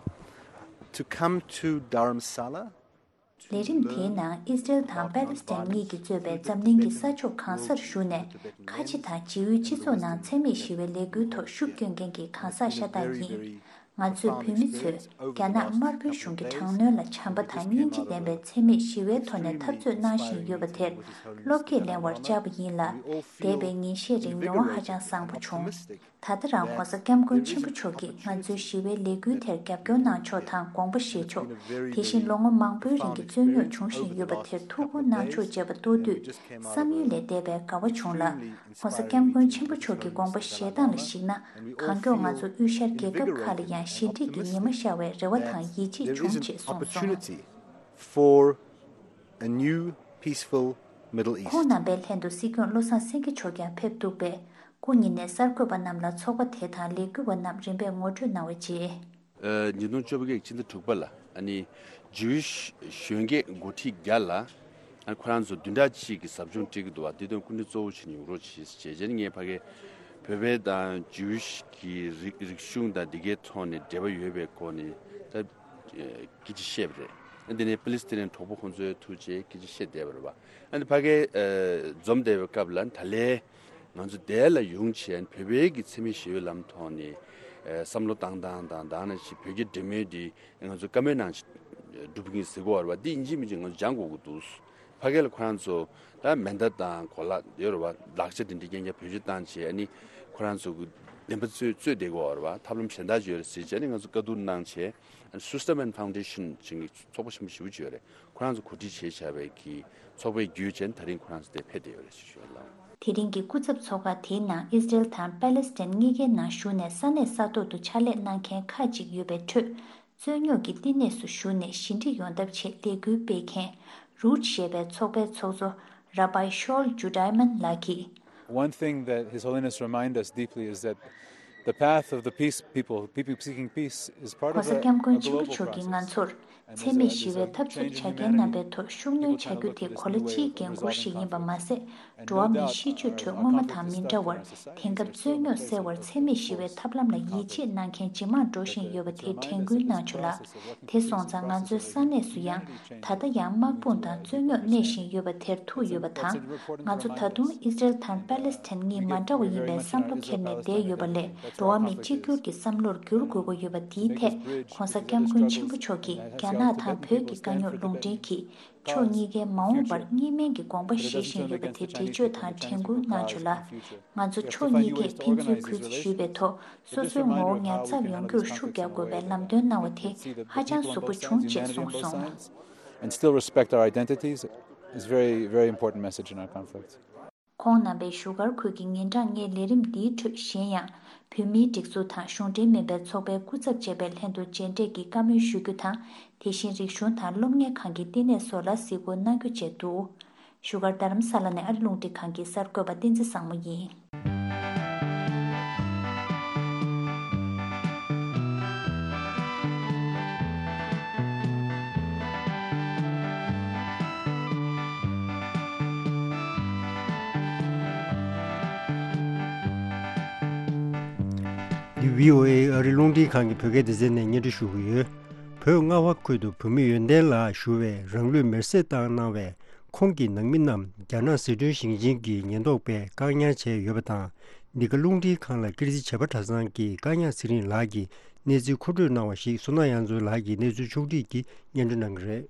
to come to Dharamsala. ལས་རིམ་དེའི་ནང་ཨི་སི་རེལ་དང་པེ་ལེ་སི་ཐན་གཉིས་ཀྱིས་གཙོས་པའི་འཛམ་གླིང་གི་ས་ཕྱོགས་གང་སར་བཞུགས་ནས་ཁ་ཆེ་དང་བྱེས་ཡུལ་སྤྱི་ཚོགས་ནང་འཚེ་མེད་ཞི་བའི་ལས་འགུལ་ཐོག་ཤུགས་བསྐྱོན་མཁན་གྱི་གང་ཟག་ཤ་སྟག་ཡིན། ང་ཚོས་བོད་མི་ཚོས་རྒྱ་ནག་དམར་པོའི་གཞུང་གི་དྲག་གནོན་ལ་བྱམས་པ་དང་སྙིང་རྗེ་ལྡན་པའི་འཚེ་མེད་ཞི་བའི་ཐོག་ནས་འཐབ་རྩོད་གནང་བཞིན་ཡོད་པ་དེར་བློ་སྐྱེད་ལེན་པར་བཅར་བ་ཡིན་ལ། འདས་པའི་ཉིན་ཤས་རིང་མྱོང་བ་ཧ་ཅང་བཟང་པོ་བྱུང་། ད་ལྟ་རང་༸གོང་ས་༸སྐྱབས་མགོན་ཆེན་པོ་མཆོག་གིས་ང་ཚོའི་ཞི་བའི་ལས་འགུལ་དེར་རྒྱབ་སྐྱོར་གནང་ཕྱོགས་དང་དགོངས་པ་བཞེས་ཕྱོགས། དེ་བཞིན་ལོ་ངོ་མང་པོའི་རིང་གི་རྩོད་རྙོག་འབྱུང་བཞིན་ཡོད་པ་དེར་ཐུགས་ཁུར་གནང་ཕྱོགས་བཅས་པ་མཐོང་དུས་བསམ་ཡུལ་ལས་འདས་པའི་དགའ་བ་བྱུང་ལ། ༸གོང་ས་༸སྐྱབས་མགོན་ཆེན་པོ་མཆོག་གི་དགོངས་པ་བཞེས་སྟངས་ལ་གཞིགས་ན། གང་མགྱོགས་ང་ཚོ་དབུས་ཤར་རྒྱལ་ཁབ་ཁག་ལ་ཡང་ཞི་འགྲིག་གི་ཉི་མ་ཤར་བའི་རེ་བ་དང་ཡིད་ཆེས་བྱུང་ཅེས་གསུངས་སོང་། For a new peaceful Middle East. ཁོང་རྣམ་པའི་ལྷན་དུ་སྲིད་སྐྱོང་བློ་བཟང་སེང་གེ་མཆོག་ཀྱང་ཕེབས་འདུག་པས། སྐུ་ཉིད་ནས་གསར་འགོད་པ་རྣམས་ལ་ཚོགས་པ་དེ་དང་ལས་འགུལ་བ་རྣམས་རིམ་པས་ངོ་སྤྲོད་གནང་བའི་རྗེས། ཨ། ཉིས་སྟོང་བཅོ་བརྒྱད་ཕྱི་ཟླ་དྲུག་པ་ལ་ཨ་ནི་ཇུའི་ཤི་གཞོན་སྐྱེས་འགོ་ཁྲིད་བརྒྱ་ལ་ཨ་ནི་ཁོ་རང་ཚོ་བདུན་ཕྲག་གཅིག་གི་ཟབ་སྦྱོང་སྤྲད་ཀྱི་འདུག་པ། འདི་དོན་སྐུ་མགྲོན་གཙོ་བོ་བྱས་ནས་ཡོང་རོགས་བྱེད་ཅེས་བྱས་ནས་ངས་ཕ་གིར་ བོད་པའི་དང་ཇུའུ་ཤི་གི་རིག་རིག་གཞུང་དང་འདི་གའི་ཐོག་ནས་འབྲེལ་བ་ཡོད་པའི་སྐོར་ནས་ད་སྐད་ཆ་བཤད་པ་རེད། འདི་ནས་པ་ལི་སི་ཐན་གྲོགས་པོ་ཁོང་ཚོའི་ཐུགས་རྗེ་སྐད་ཆ་བཤད་བསྡད་པ་རེད་པ། ཨ་ནི་ཕ་གིའི་འཛོམས་བསྡད་པའི་སྐབས་ལ་ད་ལན་ང་ཚོ་འདིར་ལ་ཡོང་བྱས་བོད་པའི་གི་འཚེ་མེད་ཞི་བའི་ལམ་ཐོག་ནས་བསམ་བློ་བཏང་སྟངས་དང་དེ་ནང་བཞིན་བོད་ཀྱི་འབྲེལ་མོལ་འདི་ང་ཚོ་བཀའ་མོལ་གནང་བྱས་སྒྲུབ་ཀྱི་ཡིན་ཟེར་གྱི་ཡོད་རེད་པ། འདི་ཡིན་གཅིག་མིན་གཅིག་ང་ཚོ་སྦྱང་དགོས་ཀྱི་འདུག་ཕ་གི་ལ་ཁོ་རང་ཚོ་ད་མེ་མདའ་དང་གོ་ལ་ཡོད་རེད་པ། ལག་ཆ་དེ་འདྲ་རྐྱང་རྐྱང་བེད་སྤྱོད་བཏང་བྱས་ཨ་ནི་ཁོ་རང་ཚོ་གི་བདེན་པ་རྩོད་རྩོད་བསྡད་ཀྱི་ཡོད་རེད་པ། ཐབས་ལམ་གཞན་དག་ཅིག་ཡོད་རེད་ཟེར་བྱས་ཨ་ནི་ང་ཚོ་བཀའ་བསྡུར་གནང་བྱས། Sustain Foundation ཅིག་གི་ཚོགས་པ་ཆེན་པོ་ཞེ་པོ་ཅིག་ཡོད་རེད། ཁོ་རང་ཚོ་གོ་སྒྲིག་བྱས་བྱས་པའི་གི་ཚོགས་པའི་བརྒྱུད་བྱས་ད་རིང་ཁོ་རང་ཚོ་དེ་ཕེབས་བསྡད་ཡོད་རེད་ཞུ་ཞུ་ལ། དེ་རིང་གི་སྐུ་ཚབ་ཚོགས་ཁག་དེའི་ནང་ཨི་སི་རེལ་དང་པ་ལེ་སི་ཐན་གཉིས་ཀའི་ནང་བཞུགས་ནས་ས་གནས་ས་ཐོག་ཏུ་ཕྱག་ལས་གནང་མཁན་ཁག་ཅིག་ཡོད་པའི་ཁྲོད། རྩོད་རྙོག་གི་བསྟི་གནས་སུ་བཞུགས་ནས་ཞི་འགྲིག་ཡོང་ཐབས་ཆེད་ལས་འགུལ་སྤེལ་མཁན་རུཊ་ཞེས་པའི་ཚོགས་པའི་ཚོགས་གཙོ་ར་བྷའི་ཤོལ་ཇུ་ཌའི་མན་ལགས་ཀྱིས། One thing that His Holiness remind us deeply is that the path of the peace people, people seeking peace, is part of a, a global process. གོང་ས་སྐྱབས་མགོན་ཆེན་པོ་མཆོག་གིས་ང་ཚོར་འཚེ་མེད་ཞི་བའི་འཐབ་རྩོད་བྱ་མཁན་རྣམ་པའི་ཐོག་ཤུགས་སྣོན་བྱ་རྒྱུ་དེ་གོ་ལ་སྤྱིའི་འགན་ཁུར་ཞིག་ཡིན་པ་མ་ཟད། འགྲོ་བ་མིའི་གཤིས་སྤྱོད་ཁྲོད་སྔོན་མ་དང་མི་འདྲ་བར་དེང་སྐབས་རྩོད་རྙོག་སེལ་བར་འཚེ་མེད་ཞི་བའི་ཐབས་ལམ་ལ་ཡིད་ཆེས་གནང་མཁན་ཇེ་མང་འགྲོ་བཞིན་ཡོད་པ་དེ་དྲན་སྐུལ་གནང་བྱུང་ལ། དེ་སོང་ཙང་ང་ཚོའི་ས་གནས་སུ་ཡང་ད་ལྟ་ཡང་དམག་དཔུང་དང་རྩོད་རྙོག་གནས་བཞིན་ཡོད་པ་དེར་ཐུག་ཡོད་པ་དང་། ང་ཚོ་ད་དུང་ཨི་སི་རེལ་དང་པ་ལེ་སི་ཐན་གཉིས་མ་འདྲ་བ་ཡིན་པའི་བསམ་བློ་འཁྱེར་ནས་བསྡད་ཡོད་པ་ལས། འགྲོ་བ་མི་གཅིག་གྱུར་གྱི་བསམ་བློར་འགྱུར་དགོས་ཀྱི་ཡོད་པ་འདིའི་ཐད་གོང་ས་སྐྱབས་མགོན་ཆེན་པོ་མཆོག་གིས་རྒྱ་ནག་དང་བོད་ཀྱི་དཀའ་རྙོག་ལུང་འདྲེན་གྱིས། ཕྱོགས་གཉིས་ཀའི་མ་འོངས་པར་གཉིས་སྨན་གྱི་དགོངས་པ་བཞེས་བཞིན་ཡོད་པ་དེ་འགྲེལ་བརྗོད་དང་དྲན་སྐུལ་གནང་བྱུང་ལ། ང་ཚོ་ཕྱོགས་གཉིས་ཀས་ཕན་ཚུན་གུས་བརྩི་ཞུས་པའི་ཐོག་སོ་སོའི་ངོ་བོ་ཉར་ཚགས་ཡོང་རྒྱུར་ཤུགས་རྒྱག་དགོས་པའི་ལམ་སྟོན་གནང་བ་དེ་ཧ་ཅང་གཟུགས་པོ་བྱུང་ཅེས་གསུངས་སོང་། And still respect our identities is very, very important message in our conflict. ཁོང་རྣམ་པས་བཞུགས་སྒར་ཁུལ་གྱི་ཉིན་གྲངས་ལྔའི་ལས་རིམ་འདིའི་ཁྲོད་གཞན་ཡང་། བོད་མིའི་སྒྲིག་འཛུགས་དང་གཞུང་འབྲེལ་མིན་པའི་ཚོགས་པའི་སྐུ་ཚབ་བཅས་པའི་ལྷན་དུ་མཇལ་འཕྲད་ཀྱིས་བཀའ་མོལ་ཞུ་རྒྱུ་དང་། དེ་བཞིན་རིག་གཞུང་དང་སློབ་གཉེར་ཁང་གི་བསྟི་གནས་སོགས་ལ་གཟིགས་སྐོར་གནང་རྒྱུ་བཅས་འདུག་བཞུགས་སྒར་རྡ་རམ་ས་ལ་ནས་ཨ་རི་རླུང་འཕྲིན་ཁང་གི་གསར་འགོད་པ་བསྟན་འཛིན་བཟང་མོ་ཡིན། འདི་བྷི་ཨོ་ཨེ་ཨ་རི་རླུང་འཕྲིན་ཁང་གི་བོད་སྐད་སྡེ་ཚན་ནས་སྙན་སྒྲོན་ཞུ་གི་ཡོད། བོད་རྔ་བ་ཁུལ་དུ་བོད་མི་ཡོན་ཏན་ལགས་ཞུ་བས་རང་ལུས་མེར་སྲེག་བཏང་གནང་བས། ཁོང་གི་ནང་མི་རྣམས་རྒྱ་ནག་ཟི་ཁྲོན་ཞིང་ཆེན་གྱི་ཉེན་རྟོག་པས་བཀག་ཉར་བྱས་ཡོད་པ་དང་། འདི་ག་རླུང་འཕྲིན་ཁང་ལ་ཀིརྟི་བྱེས་པ་གྲྭ་ཚང་གིས་བཀག་ཉར་ཚེ་རིང་ལགས་ཀྱི་གནས་ཚུལ་མཁོ་སྤྲོད་གནང་བ་ཞིག་བསོད་ནམས་དབྱངས་མཚོ་ལགས་ཀྱིས་གནས་ཚུལ་ཕྱོགས་བསྒྲིགས་ཀྱིས་སྙན་སྒྲོན་གནང་གི་རེད།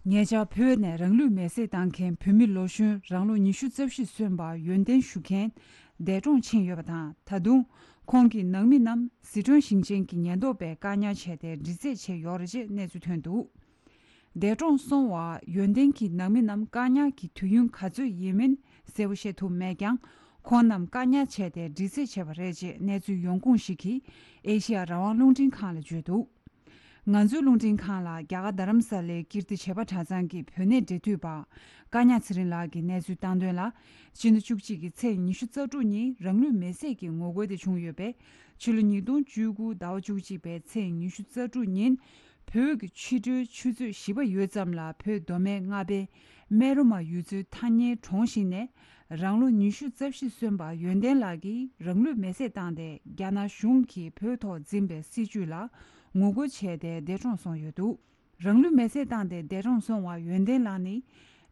ཉེ་ཆར་བོད་ནས་རང་ལུས་མེར་སྲེག་བཏང་མཁན་བོད་མི་ལོ་གཞོན་རང་ལོ་ཉི་ཤུ་རྩ་བཞི་སོན་པ་ཡོན་ཏན་ཞུ་མཁན་འདས་གྲོངས་ཕྱིན་ཡོད་པ་དང་། ད་དུང་ཁོང་གི་ནང་མི་རྣམས་ཟི་ཁྲོན་ཞིང་ཆེན་གྱི་ཉེན་རྟོག་པས་བཀག་ཉར་བྱས་ཏེ་འདྲི་རྩད་བྱས་ཡོད་རེད་ཅེས་གནས་ཚུལ་ཐོན་འདུག་འདས་གྲོངས་སོང་བ་ཡོན་ཏན་གྱི་ནང་མི་རྣམས་བཀག་ཉར་གྱི་དུས་ཡུན་ག་ཚོད་ཡིན་མིན་གསལ་པོ་བཤད་ཐུབ་མེད་ཀྱང་། ཁོང་རྣམས་བཀག་ཉར་བྱས་ཏེ་འདྲི་རྩད་བྱས་པ་རེད་ཅེས་གནས་ཚུལ་ཡོང་ཁུངས་ཤིག་གིས་ཨེ་ཤི་ཡ་རང་དབང་རླུང་འཕྲིན་ཁང་ལ་བརྗོད་འདུག་ང་ཚོའི་རླུང་འཕྲིན་ཁང་ལ་རྒྱ་གར་རྡ་རམ་ས་ལའི་ཀིརྟི་བྱེས་པ་གྲྭ་ཚང་གི་བོད་གནས་འབྲེལ་མཐུད་པ་བཀའ་ཉག་ཚེ་རིང་ལགས་ཀྱིས་གནས་ཚུལ་བཏང་དོན་ལ། ཕྱི་ཟླ་བཅུ་གཅིག་གི་ཚེས་ཉི་ཤུ་རྩ་དྲུག་ཉིན་རང་ལུས་མེར་སྲེག་གི་ངོ་རྒོལ་དེ་བྱུང་ཡོད་པས། ཕྱི་ལོ་ཉིས་སྟོང་བཅུ་དགུ་ཟླ་བ་བཅུ་གཅིག་པའི་ཚེས་ཉི་ཤུ་རྩ་དྲུག་ཉིན། བོད་ཀྱི་ཕྱི་དྲོའི་ཆུ་ཚོད་བཞི་པ་ཡོལ་ཙམ་ལ་བོད་མདོ་སྨད་རྔ་པའི་སྨད་རོ་མ་ཡུལ་ཚོའི་ཐག་ཉེའི་གྲོང་ཞིག་ནས། རང་ལོ་ཉི་ཤུ་རྩ་བཞི་སོན་པ་ཡོན་ཏན་ལགས་ཀྱིས་རང་ལུས་མེར་སྲེག་བཏང་སྟེ། རྒྱ་ནག་གཞུང་གིས་བོད་ཐོག་འཛིན་པའི་སྲིད་བྱུས་ལ་ངོ་རྒོལ་བྱས་ཏེ་འདས་གྲོངས་སོང་ཡོད་འདུག་རང་ལུས་མེར་སྲེག་བཏང་སྟེ་འདས་གྲོངས་སོང་བ་ཡོན་ཏན་ལགས་ནི།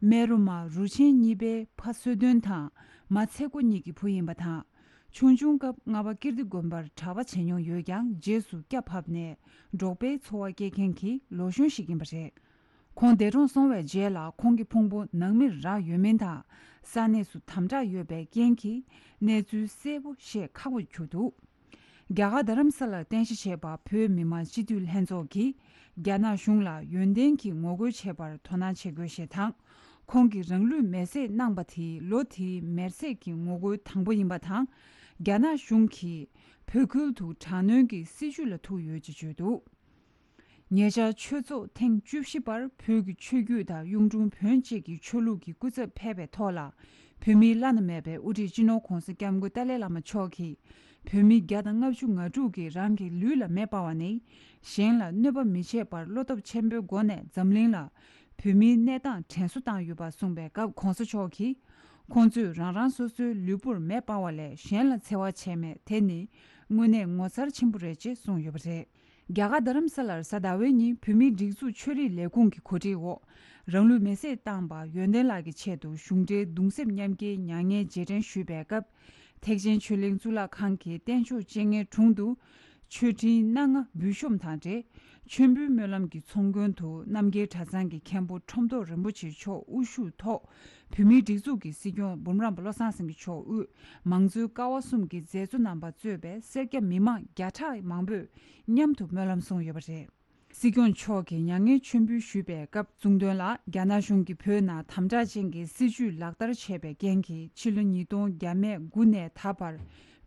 སྨད་རོ་མ་རུ་ཆེན་གཉིས་པའི་ཕ་བསོད་དོན་དང་མ་ཚེ་སྒོ་གཉིས་ཀྱི་བུ་ཡིན་པ་དང་། ཆུང་ཆུང་སྐབས་རྔ་པ་ཀིརྟི་དགོན་པར་གྲྭ་པ་བྱེད་མྱོང་ཡོད་ཀྱང་། རྗེས་སུ་སྐྱ་ཕབ་ནས་འབྲོག་པའི་འཚོ་བ་སྐྱེལ་མཁན་གྱི་ལོ་གཞོན་ཞིག་ཡིན་པ་རེད། ཁོང་འདས་གྲོངས་སོང་བའི་རྗེས་ལ་ཁོང་གི་ཕུང་པོ་ནང་མིར་རག་ཡོད་མིན་དང་། ས་གནས་སུ་དམ་དྲག་ཡོད་པའི་རྐྱེན་གྱིས་གནས་ཚུལ་གསལ་པོ་ཤེས་ཁག་པོ་གྱུར་འདུག་རྒྱ་གར་རྡ་རམ་ས་ལར་རྟེན་གཞི་བྱས་པ་བོད་མི་མང་སྤྱི་འཐུས་ལྷན་ཚོགས་ཀྱིས་རྒྱ་ནག་གཞུང་ལ་ཡོན་ཏན་གྱི་ངོ་རྒོལ་བྱེད་པར་དོ་སྣང་བྱེད་དགོས་ཞེས་དང་། ཁོང་གིས་རང་ལུས་མེར་སྲེག་གནང་པ་དེ་ལོ་དེའི་མེར་སྲེག་གི་ངོ་རྒོལ་དང་པོ་ཡིན་པ་དང་། རྒྱ་ནག་གཞུང་གིས་བོད་ཁུལ་དུ་དྲག་གནོན་གྱི་སྲིད་བྱུས་ལ་ཐུག་ཡོད་ཅེས་བརྗོད་འདུག་ཉེ་ཆར་ཆོས་ཚོགས་ཐེངས་བཅུ་བཞི་པར་བོད་ཀྱི་ཆོས་བརྒྱུད་དང་གཡུང་དྲུང་བོན་བཅས་ཀྱི་ཆོས་ལུགས་ཀྱི་སྐུ་ཚབ་ཕེབས་པའི་ཐོག་ལ། བོད་མིའི་བླ་ན་མེད་པའི་དབུ་ཁྲིད་སྤྱི་ནོར་༧གོང་ས་༧སྐྱབས་མགོན་ཏཱ་ལའི་བླ་མ་མཆོག་གིས། བོད་མི་བརྒྱ་དང་ལྔ་བཅུ་ང་དྲུག་གིས་རང་གི་ལུས་ལ་མེ་སྤར་བ་ནི། གཞན་ལ་གནོད་པ་མི་བྱེད་པར་བློ་སྟོབས་ཆེན་པོའི་སྒོ་ནས་འཛམ་གླིང་ལ་བོད་མིའི་གནས་སྟངས་དྲན་གསོ་བཏང་ཡོད་པ་གསུངས་པའི་སྐབས། ྋགོང་ས་མཆོག་གིས། ཁོང་ཚོས་རང་རང་སོ་སོའི་ལུས་པོར་མེ་སྤར་བ་ལས་གཞན་ལ་འཚེ་བ་བྱས་མེད། དེ་ནི་དངོས་གནས་ངོ་མཚར་ཆེན་པོ་རེད་ཅེས་གསུངས་ཡོད་པ་རེད། རྒྱ་གར་རྡ་རམ་ས་ལར་གཟའ་ཟླ་བའི་ཉིན་བོད་མིའི་སྒྲིག་འཛུགས་ཆོས་རིག་ལས་ཁུངས་ཀྱི་གོ་སྒྲིག་འོག་རང་ལུས་མེར་སྲེག་བཏང་པ་ཡོན་ཏན་ལགས་ཀྱི་ཆེད་དུ་གཞུང་འབྲེལ་གདུང་སེམས་མཉམ་སྐྱེའི་མྱ་ངན་རྗེས་དྲན་ཞུས་པའི་སྐབས། ཐེག་ཆེན་ཆོས་གླིང་གཙུག་ལག་ཁང་གི་རྟེན་མཆོག་སྤྱན་སྔའི་དྲུང་དུ། མཆོད་སྤྲིན་སྣ་ལྔ་འབུལ་ཤོམ་དང་འབྲེལ། མཆོད་འབུལ་སྨོན་ལམ་གྱི་ཚོགས་མགོན་དུ་རྣམ་རྒྱལ་གྲྭ་ཚང་གི་མཁན་པོ་ཁྲོམ་ཐོག་རིན་པོ་ཆེ་མཆོག་དབུ་བཞུགས་ཐོག་བོད་མིའི་སྒྲིག་འཛུགས་ཀྱི་སྲིད་སྐྱོང་འབུམ་རམས་པ་བློ་བཟང་སེང་གེ་མཆོག་དབུས་མང་གཙོའི་ཀ་བ་གསུམ་གྱི་མཛད་གཙོ་རྣམ་པ་གཙོས་པའི་སེར་སྐྱ་མི་མང་བརྒྱ་ཕྲག་མང་པོས་མཉམ་དུ་སྨོན་ལམ་གསུངས་ཡོད་པ་རེད། སྲིད་སྐྱོང་མཆོག་གིས་མྱ་ངན་མཆོད་འབུལ་ཞུས་པའི་སྐབས་གསུངས་དོན་ལ། རྒྱ་ནག་གཞུང་གིས་བོད་ནང་དམ་དྲག་ཅན་གྱི་སྲིད་བྱུས་ལག་བསྟར་བྱས་པའི་རྐྱེན་གྱིས། ཕྱི་ལོ་ཉིས་སྟོང་བརྒྱ་མེད་དགུ་ནས་ད་བར་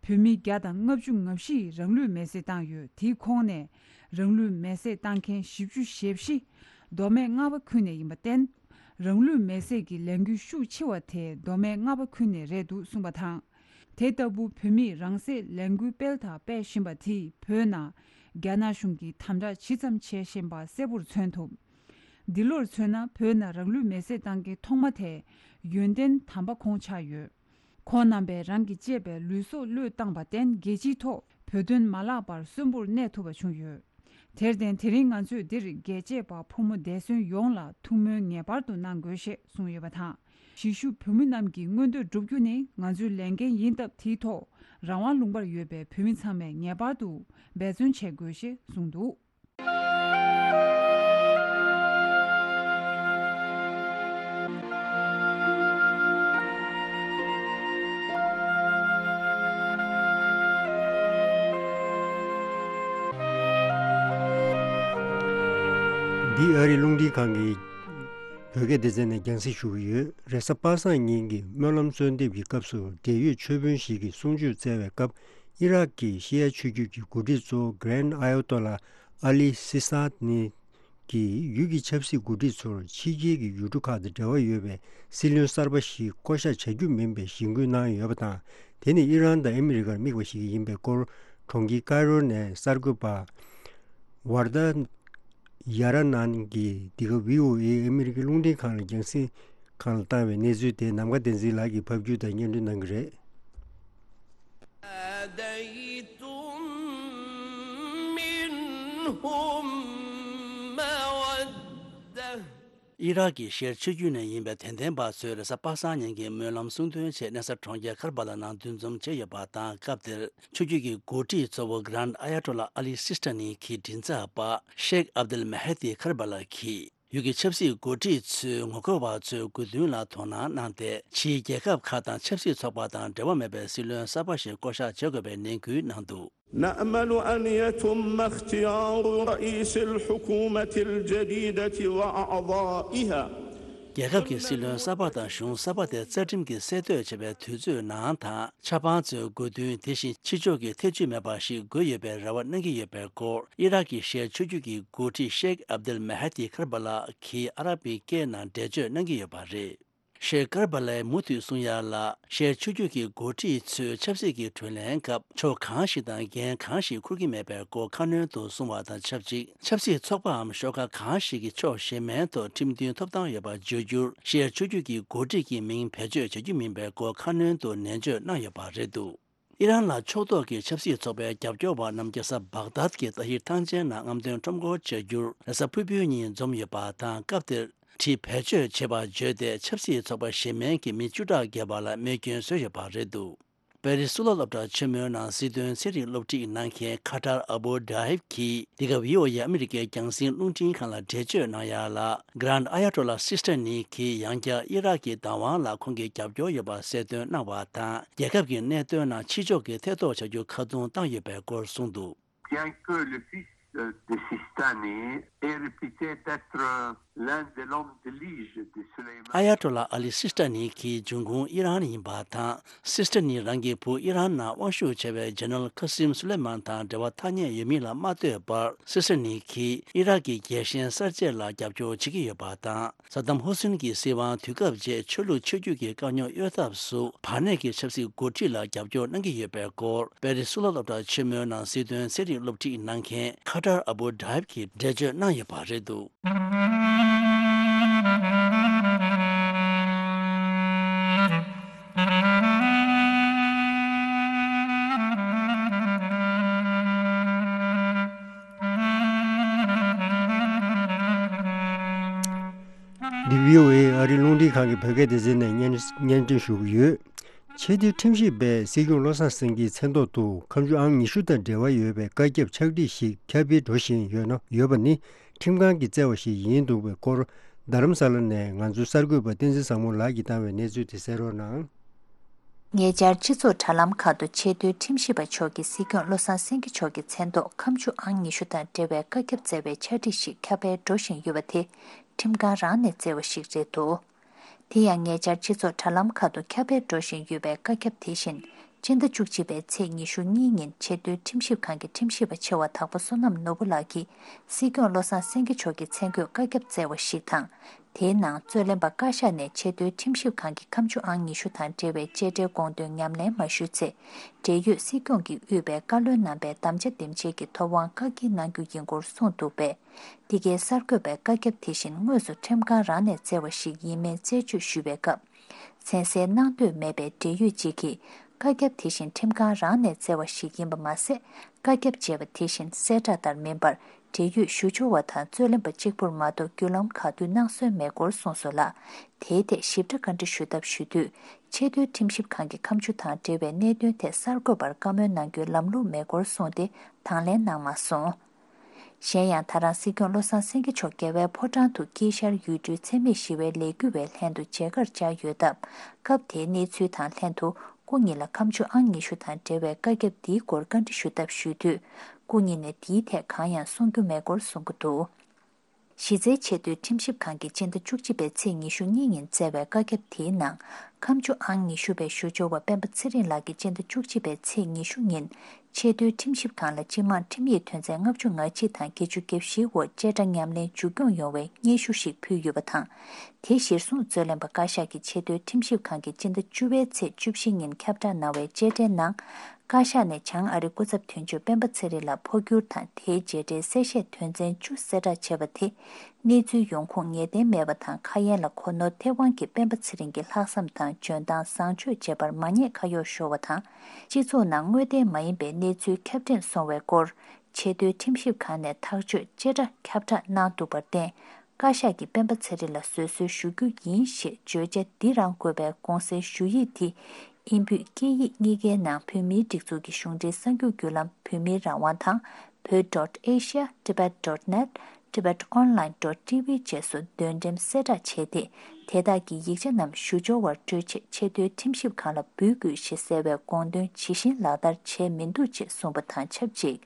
བོད་མི་བརྒྱ་དང་ལྔ་བཅུ་ང་བཞི་ཡིས་རང་ལུས་མེར་སྲེག་བཏང་ཡོད། དེའི་ཁོངས་ནས་རང་ལུས་མེར་སྲེག་བཏང་མཁན་བཞི་བཅུ་ཞེ་བཞི་མདོ་སྨད་རྔ་བ་ཁུལ་ནས་ཡིན་པར་བརྟེན། རང་ལུས་མེར་སྲེག་གི་ལས་འགུལ་ཤུགས་ཆེ་བ་དེ་མདོ་སྨད་རྔ་བ་ཁུལ་ནས་རེད་འདུག་གསུངས་པ་དང་། དེ་ལྟ་བུ་བོད་མིས་རང་སྲེག་ལས་འགུལ་སྤེལ་དང་སྤེལ་བཞིན་པ་དེས་བོད་ནང་རྒྱ་ནག་གཞུང་གིས་དམ་དྲག་ཇི་ཙམ་བྱེད་བཞིན་པ་གསལ་པོར་མཚོན་ཐུབ། འདི་ལོར་མཚོན་ན། བོད་ནང་རང་ལུས་མེར་སྲེག་བཏང་མཁན་ཐོག་མ་དེ་ཡོན་ཏན་དམ་པ་ཁོང་ཆགས་ཡོད། ཁོང་རྣམ་པས་རང་གི་གཅེས་པའི་ལུས་སྲོག་བློས་བཏང་པར་བརྟེན། རྒྱལ་སྤྱིའི་ཐོག་བོད་དོན་མ་བརླག་པར་གསོན་པོར་གནས་ཐུབ་པ་བྱུང་ཡོད། དེར་བརྟེན། དེ་རིང་ང་ཚོས་འདིར་རྒྱལ་གཅེས་པ་ཕོ་མོ་འདས་གསོན་ཡོངས་ལ་ཐུགས་སྨོན་ངེས་པར་དུ་གནང་དགོས་ཞེས་གསུངས་ཡོད་པ་དང་། གཞིས་བཞུགས་བོད་མི་རྣམས་ཀྱི་མངོན་འདོད་བསྒྲུབ་རྒྱུ་ནི་ང་ཚོའི་ལས་འགན་ཡིན་སྟབས། དེའི་ཐོག་རང་དབང་ལུང་པར་ཡོད་པའི་བོད་མི་ཚང་མས་ངེས་པར་དུ་འབད་བརྩོན་བྱེད་དགོས་ཞེས་གསུངས་འདུག། འདི་ཨ་རིའི་རླུང་འཕྲིན་ཁང་གི་བོད་སྐད་སྡེ་ཚན་ནས་རྒྱང་སྲིང་ཞུ་གི་ཡོད། རེས་གཟའ་པ་སངས་ཉིན་གྱི་སྨོན་ལམ་གསོལ་འདེབས་ཀྱི་སྐབས་སུ། འབྲེལ་ཡོད་མཆོད་དཔོན་ཞིག་གིས་གསུང་ཆོས་སྩལ་བའི་སྐབས། ཨི་རག་གི་ཤི་ཡ་ཆོས་བརྒྱུད་ཀྱི་འགོ་ཁྲིད་གཙོ་བོ་Grand Ayatollah Ali Sistani གིས་ཡུལ་གྱི་ཆབ་སྲིད་འགོ་ཁྲིད་ཚོར་ཕྱི་རྒྱལ་གྱི་ཡུལ་གྲུ་ཁག་དང་འབྲེལ་བ་ཡོད་པའི་སྲིད་བློན་གསར་པ་ཞིག་བསྐོ་གཞག་བྱ་རྒྱུ་མིན་པའི་གཞེན་སྐུལ་གནང་ཡོད་པ་དང་། དེ་ནི་ཨི་རན་དང་ཨ་མི་རི་ཀར་དམིགས་པ་ཞིག་ཡིན་པའི་སྐོར། གྲོང་ཁྱེར་ཀའི་རོ་ནས་གསར་འགོད་པ་ཝར་དཱ་ཡ་ར་ནན་གྱིས་འདི་ག་བྷི་ཨོ་ཨེ་ཨ་མི་རི་ཀའི་རླུང་འཕྲིན་ཁང་ལ་རྒྱང་སྲིང་ཁང་ལ་བཏང་བའི་གནས་ཚུལ་དེ་ནམ་མཁའ་བསྟན་འཛིན་ལགས་ཀྱིས་ཕབ་སྒྱུར་དང་སྙན་སྒྲོན་གནང་གི་རེད། ناديتم منهم مودة ཨི་རག་གི་ཤར་ཕྱོགས་ནས་ཡིན་པའི་དད་ལྡན་པ་ཚོས་རེས་གཟའ་པ་སངས་ཉིན་གྱི་སྨོན་ལམ་གསུང་འདོན་ཆེད་གནས་ས་གྲོང་ཁྱེར་ཁར་བ་ལ་ནང་འདུ་འཛོམས་བྱས་ཡོད་པ་དང་། སྐབས་དེར་ཆོས་བརྒྱུད་ཀྱི་འགོ་ཁྲིད་གཙོ་བོ་Grand Ayatollah Ali Sistani གྱི་མགྲིན་ཚབ་པ་ཤེག་ཨབ་དུལ་མ་ཧེ་ཏི་ཁར་བ་ལ་གྱིས། ཡུལ་གྱི་ཆབ་སྲིད་འགོ་ཁྲིད་ཚོས་ངོ་རྒོལ་བ་ཚོའི་དགོས་འདུན་ལ་དོ་སྣང་གནང་སྟེ། ཕྱིའི་རྒྱལ་ཁབ་ཁག་དང་ཆབ་སྲིད་ཚོགས་པ་དང་འབྲེལ་བ་མེད་པའི་སྲིད་བློན་གསར་པ་ཞིག་བསྐོ་གཞག་བྱེད་དགོས་པའི་ནན་སྐུལ་གནང་འདུག། نأمل أن يتم اختيار رئيس الحكومة الجديدة وأعضائها. རྒྱལ་ཁབ་ཀྱི་སྲིད་བློན་གསར་པ་དང་གཞུང་གསར་པ་དེ་རྩ་ཁྲིམས་ཀྱིས་གསལ་གཏོད་བྱས་པའི་དུས་ཚོད་ནང་དང་། ཆབ་འབངས་ཚོའི་དགོས་འདུན། དེ་བཞིན་ཕྱི་ཕྱོགས་ཀྱི་ཐེ་བྱུས་མེད་པ་ཞིག་དགོས་ཡོད་པའི་རེ་བ་གནང་གི་ཡོད་པའི་སྐོར། ཨི་རག་གི་ཤར་ཕྱོགས་ཀྱི་འགོ་ཁྲིད་ཤེག་ཨབ་དུལ་མ་ཧ་ཏི་ཁར་བ་ལ་གིས་ཨ་ར་བི་སྐད་ནང་འགྲེལ་བརྗོད་གནང་གི་ཡོད་པ་རེད། ཤེག་ཀར་བ་ལའི་མུ་མཐུད་གསུང་ཡ་ལ། ཤར་ཕྱོགས་ཀྱི་འགོ་ཁྲིད་ཚོས་ཆབ་སྲིད་ཀྱི་གྲོས་གླེང་སྐབས་ཕྱོགས་གང་ཞིག་དང་འགན་གང་ཞིག་འཁུར་གྱི་མེད་པའི་སྐོར་ཁ་སྣོན་དུ་གསུངས་པ་དང་ཆབས་ཅིག། ཆབ་སྲིད་ཚོགས་པའམ་ཤོག་ཁག་གང་ཞིག་གི་ཕྱོགས་གཞན་མའི་ཐོག་ཁྲིམས་མཐུན་ཐོབ་ཐང་ཡོད་པར་བརྗོད་རྒྱུར། ཤར་ཕྱོགས་ཀྱི་འགོ་ཁྲིད་ཀྱི་མིང་བེད་སྤྱོད་བྱ་རྒྱུ་མིན་པའི་སྐོར་ཁ་སྣོན་དུ་ནན་བརྗོད་གནང་ཡོད་པ་རེད་འདུག། ཨི་རན་ལ་ཕྱོགས་གཏོགས་ཀྱི་ཆབ་སྲིད་ཚོགས་པའི་རྒྱབ་སྐྱོར་བ་རྣམས་རྒྱལ་ས་བག་དཱད་ཀྱི་ཏ་ཧིར་ཐང་ཆེན་ནང་རྔམ་སྟོན་ཁྲོམ་སྐོར་བྱ་རྒྱུར་རེས་གཟའ་ཕུར་བུའི་ཉིན་འཛོམས་ཡོད་པ་དང་། སྐབས་དེར་ཁྲི་བེད་སྤྱོད་བྱེད་པར་བརྗོད་དེ། ཆབ་སྲིད་ཚོགས་པ་གཞན་མིན་གྱི་མི་བཅུ་ཕྲག་བརྒལ་བ་ལ་རྨས་སྐྱོན་བཟོས་ཡོད་པ་རེད་འདུག། པེ་རི་གཙུག་ལག་སློབ་གྲྭ་ཆེན་མོའི་ནང་སྲིད་དོན་ཚན་རིག་སློབ་ཁྲིད་གནང་མཁན་ཁ་ཏར་ཨ་བུ་ཌ་ཧིབ་ཀྱིས་འདི་ག་བྷི་ཨོ་ཨེ་ཨ་མི་རི་ཀའི་རྒྱང་སྲིང་རླུང་འཕྲིན་ཁང་ལ་འགྲེལ་བརྗོད་གནང་ཡ་ལ། Grand Ayatollah Sistani གིས་ཡང་བསྐྱར་ཨི་རག་གི་བདག་དབང་ལ་ཁོང་གི་རྒྱབ་སྐྱོར་ཡོད་པ་གསལ་སྟོན་གནང་བ་དང་། རྒྱལ་ཁབ་ཀྱི་གནད་དོན་ནང་ཕྱི་ཕྱོགས་ཀྱིས་ཐེ་གཏོགས་བྱ་རྒྱུ་ཁ་རྡུང་བཏང་ཡོད་པའི་སྐོར་གསུངས་འདུག། Bien que le fils, euh, de Sistani est réputé d'être, euh, l'un de l'homme de lige de Soleimani. ཨ་ཡ་ཏོ་ལ་ཨ་ལི་སི་ཏ་ནི་གིས་འབྱུང་ཁུངས་ཨི་རན་ཡིན་པ་དང་། སི་ཏ་ནི་རང་གི་བུ་ཨི་རན་ནང་དབང་ཤུགས་ཆེ་བའི་ཇེ་ནལ་ཁ་སིམ་སུ་ལེ་མན་དང་འབྲེལ་བ་ཐག་ཉེ་ཡོད་མིན་ལ་མ་ལྟོས་པར། སི་ཏ་ནི་གིས་ཨི་རག་གི་རྒྱལ་ཞེན་གསར་བརྗེ་ལ་རྒྱབ་སྐྱོར་བྱེད་ཀྱི་ཡོད་པ་དང་། སད་དམ་ཧུ་སིན་གྱི་སྲིད་དབང་དུས་སྐབས་རྗེས་ཆོས་ལུགས་ཆོས་བརྒྱུད་ཀྱི་དཀའ་རྙོག་གཡོལ་ཐབས་སུ་བར་གནས་ཀྱི་ཆབ་སྲིད་འགོ་ཁྲིད་ལ་རྒྱབ་སྐྱོར་གནང་གི་ཡོད་པའི་སྐོར། པེ་རི་གཙུག་ལག་སློབ་གྲྭ་ཆེན་མོའི་ནང་སྲིད་དོན་ཚན་རིག་སློབ་ཁྲིད་གནང་མཁན་ཁ་ཏར་ཨ་བུ་ཌ་ཧིབ་ཀྱིས་འགྲེལ་བརྗོད་གནང་ཡོད་པ་རེད་འདུག། འདི་བྷི་ཨོ་ཨེ་ཨ་རིའི་རླུང་འཕྲིན་ཁང་གི་བོད་སྐད་སྡེ་ཚན་ནས་སྙན་སྙན་སྒྲོན་ཞུ་གི་ཡོད། ཆེས་མཐོའི་ཁྲིམས་ཞིབ་པས་སྲིད་སྐྱོང་བློ་བཟང་སེང་གེའི་མཚན་ཐོག་ཏུ་ཁ་མཆུ་ཨང་ཉི་ཤུ་དང་འབྲེལ་བ་ཡོད་པའི་བཀའ་ཁྱབ་ཕྱག་བྲིས་ཤིག་ཁྱབ་སྤེལ་འགྲོ་བཞིན་ཡོད་ན་ཡོད་པ་ནི་ཁྲིམས་ཁང་གིས་བསྩལ་བ་ཞིག་ཡིན་འདུག་པའི་སྐོར། རྡ་རམ་ས་ལ་ནས་ང་ཚོའི་གསར་འགོད་པ་བསྟན་འཛིན་བཟང་མོ་ལགས་ཀྱིས་བཏང་བའི་གནས་ཚུལ་དེ་གསན་རོགས་གནང་། ཉེ་ཆར་སྤྱི་ཚོགས་དྲ་ལམ་ཁག་ཏུ་ཆེས་མཐོའི་ཁྲིམས་ཞིབ་པ་མཆོག་གིས་སྲིད་སྐྱོང་བློ་བཟང་སེང་གེ་མཆོག་གི་མཚན་ཐོག་ཁ་མཆུ་ཨང་ཉི་ཤུ་དང་འབྲེལ་བའི་བཀའ་ཁྱབ་བསྩལ་བའི་ཕྱག་བྲིས་ཤིག་ཁྱབ་སྤེལ་འགྲོ་བཞིན་ཡོད་པ་དེ་ཁྲིམས་ཁང་རང་ནས་བསྩལ་བ་ཞིག་རེད་འདུག་དེ་ཡང་ཉེ་ཆར་སྤྱི་ཚོགས་དྲ་ལམ་ཁག་ཏུ་ཁྱབ་སྤེལ་འགྲོ་བཞིན་ཡོད་པའི་བཀའ་ཁྱབ་དེ་བཞིན་སྤྱི་ཟླ་བཅུ་གཅིག་པའི་ཚེས་ཉི་ཤུ་གཉིས་ཉིན་ཆེས་མཐོའི་ཁྲིམས་ཞིབ་ཁང་གི་ཁྲིམས་ཞིབ་པ་ཆེ་བ་དྭགས་པོ་བསོད་ནམས་ནོར་བུ་ལགས་ཀྱིས་སྲིད་སྐྱོང་བློ་བཟང་སེང་གེ་མཆོག་གི་མཚན་འཁོད་བཀའ་ཁྱབ་བསྩལ་བ་ཞིག་དང་། དེའི་ནང་རྩོད་ལེན་པ་བཀའ་ཤག་ནས་ཆེས་མཐོའི་ཁྲིམས་ཞིབ་ཁང་གི་ཁ་མཆུ་ཨང་ཉི་ཤུ་དང་འབྲེལ་བའི་བཅད་ཁྲའི་དགོངས་དོན་ཉམས་ལེན་མ་ཞུས་ཚེ། འབྲེལ་ཡོད་སྲིད་སྐྱོང་གིས་དབུས་པའི་བཀའ་བློན་རྣམ་པའི་དམ་བཅའ་འདེམས་བྱེད་ཀྱི་ཐོབ་དབང་བཀག་སྐྱིལ་གནང་རྒྱུ་ཡིན་སྐོར་གསུངས་འདུག་པས། འདི་གའི་གསར་འགོད་པའི་བཀའ་ཁྱབ་དེ་བཞིན་དངོས་སུ་ཁྲིམས་ཁང་རང་ནས་བསྩལ་བ་ཞིག་ཡིན་མིན་རྩད་གཅོད་ཞུས་པའི་སྐབས། མཚན་གསལ་གནང་འདོད་མེད་པའི་འབྲེལ་ཡོད་ཅིག་གིས། བཀའ་ཁྱབ་དེ་བཞིན་ཁྲིམས་ཁང་རང་ནས་བསྩལ་བ་ཞིག་ཡིན་པ་མ་ཟད། བཀའ་ཁྱབ་ཅེས་པ་དེ་བཞིན་གསལ་བསྒྲགས་ལྟར་མིན་པར། འབྲེལ་ཡོད་ཞུ་སྦྱོར་བ་དང་རྩོད་ལེན་པ་གཅིག་པུར་མ་གཏོགས་བརྒྱུད་ལམ་ག་དུས་གནང་སྲོལ་མེད་སྐོར་གསུངས་སོང་ལ། དེའི་ཐད་ཞིབ་ཕྲ་བཀའ་འདྲི་ཞུ་ཐབས་ཞུ་དུས། ཆེས་མཐོའི་ཁྲིམས་ཞིབ་ཁང་གི་ཁ་མཆུ་དང་འབྲེལ་བའི་གནད་དོན་ཐད་གསར་འགོད་པར་བཀའ་མོལ་གནང་རྒྱུའི་ལམ་ལུགས་མེད་སྐོར་གསུངས་ཏེ། དང་ལེན་གནང་མ་སོང་། གཞན་ཡང་། ད་རང་སྲིད་སྐྱོང་བློ་བཟང་སེང་གེ་མཆོག་རྒྱལ་བའི་ཕོ་བྲང་དུ་དཀྱིལ་ཤར་ཡུལ་གྲུའི་འཚེ་མེད་ཞི་བའི་ལས་འགུལ་བའི་ལྷན་དུ་མཇལ་ཁར་བཅར་ཡོད་སྟབས། སྐབས་དེའི་གནས་ཚུལ་དང་ལྷན་དུ། སྐུ་ཉིད་ལ་ཁ་མཆུ་ཨང་ཉི་ཤུ་དང་འབྲེལ་བའི་བཀའ་ཁྱབ་འདིའི་སྐོར་བཀའ་འདྲི་ཞུ་ཐབས་ཞུས་དུས། སྐུ་ཉིད་ནས་འདིའི་ཐད་གང་ཡང་གསུང་རྒྱུ་མེད་སྐོར་གསུང་གི་འདུག་གཞི་རྩའི་ཆེས་མཐོའི་ཁྲིམས་ཞིབ་ཁང་གིས་སྤྱི་ཟླ་བཅུ་གཅིག་པའི་ཚེས་ཉི་ཤུ་གཉིས་ཉིན་བསྩལ་བའི་བཀའ་ཁྱབ་དེའི་ནང་། ཁ་མཆུ་ཨང་ཉི་ཤུ་པའི་ཞུ་སྦྱོར་བ་སྤེན་པ་ཚེ་རིང་ལགས་ཀྱིས་སྤྱི་ཟླ་བཅུ་གཅིག་པའི་ཚེས་ཉི་ཤུ་ཉིན། ཆེས་མཐོའི་ཁྲིམས་ཞིབ་ཁང་ལ་སྤྱི་དམངས་ཁྲིམས་ཡིག་དོན་ཚན་ལྔ་བཅུ་ང་གཅིག་དང་བརྒྱད་ཅུ་གྱ་བཞིའི་འོག་བཅད་ཁྲ་ཉམས་ལེན་མཇུག་སྐྱོང་ཡོང་བའི་སྙན་ཞུ་ཞིག་ཕུལ་ཡོད་པ་དང་། དེ་གཞིར་བཟུང་རྩོད་ལེན་པ་བཀའ་ཤག་གིས་ཆེས་མཐོའི་ཁྲིམས་ཞིབ་ཁང་གི་སྤྱི་ཟླ་བཅུ་པའི་ཚེས་བཅུ་བཞི་ཉིན་ཁྱབ་བསྒྲགས་གནང་བའི་བཅད་ཁྲའི་ནང་། བཀའ་ཤག་ནས་བྱང་ཨ་རི་སྐུ་ཚབ་དོན་གཅོད་སྤེན་པ་ཚེ་རིང་ལ་འཕོ་འགྱུར་དང་དེའི་རྗེས་འབྲེལ་གསལ་བཤད་དོན་ཚན་བཅུ་གསལ་བསྒྲགས་བྱས་པ་དེ། གནས་ཚུལ་ཡོང་ཁུངས་ངེས་གཏན་མེད་པ་དང་། ཁ་ཡན་ལ་གོ་ནོར་ཐེབས་དབང་གིས་སྤེན་པ་ཚེ་རིང་གི་ལྷག་བསམ་དང་འཇོན་ཐང་བཟང་སྤྱོད་བཅས་པར་མ་ཉེས་ཁ་གཡོགས་ཤོར་བ་དང་། སྤྱི་ཚོགས་ནང་དངོས་བདེན་མ་ཡིན་པའི་གནས་ཚུལ་ཁྱབ་སྤེལ་སོང་བའི་སྐོར། ཆེས་མཐོའི་ཁྲིམས་ཞིབ་ཁང་ནས་ཐག་གཅོད་བཅད་ཁྲ་ཁྱབ་བསྒྲགས་གནང་འདུག་པར་བརྟེན། བཀའ་ཤག་གིས་སྤེན་པ་ཚེ་རིང་ལ་བཟོད་གསོལ་ཞུ་རྒྱུ་ཡིན་ཞེས་བརྗོད་བྱ་འདི་རང་འཁོད་པའི་དགོངས་སེལ་ཞུ་ཡིག་དེ། ཨིན་བོད་སྐད་ཡིག་གཉིས་ཀའི་ནང་བོད་མིའི་སྒྲིག་འཛུགས་ཀྱི་གཞུང་འབྲེལ་གསར་འགྱུར་བརྒྱུད་ལམ་བོད་མིའི་རང་དབང་དང་། བོད་dot asia tibet dot net tibet online dot tv བཅས་སུ་འདོན་འགྲེམས་གསལ་བསྒྲགས་བྱས་ཏེ། དེ་དག་གི་ཡིག་ཆ་རྣམས་ཞུ་སྦྱོར་བར་སྤྲོད་ཆེད་ཆེས་མཐོའི་ཁྲིམས་ཞིབ་ཁང་ལ་འབུལ་དགོས་ཞེས་གསལ་བའི་དགོངས་དོན་ཇི་བཞིན་ལག་བསྟར་བྱས་མི་འདུག་ཅེས་གསུངས་པ་དང་ཆབས་ཅིག་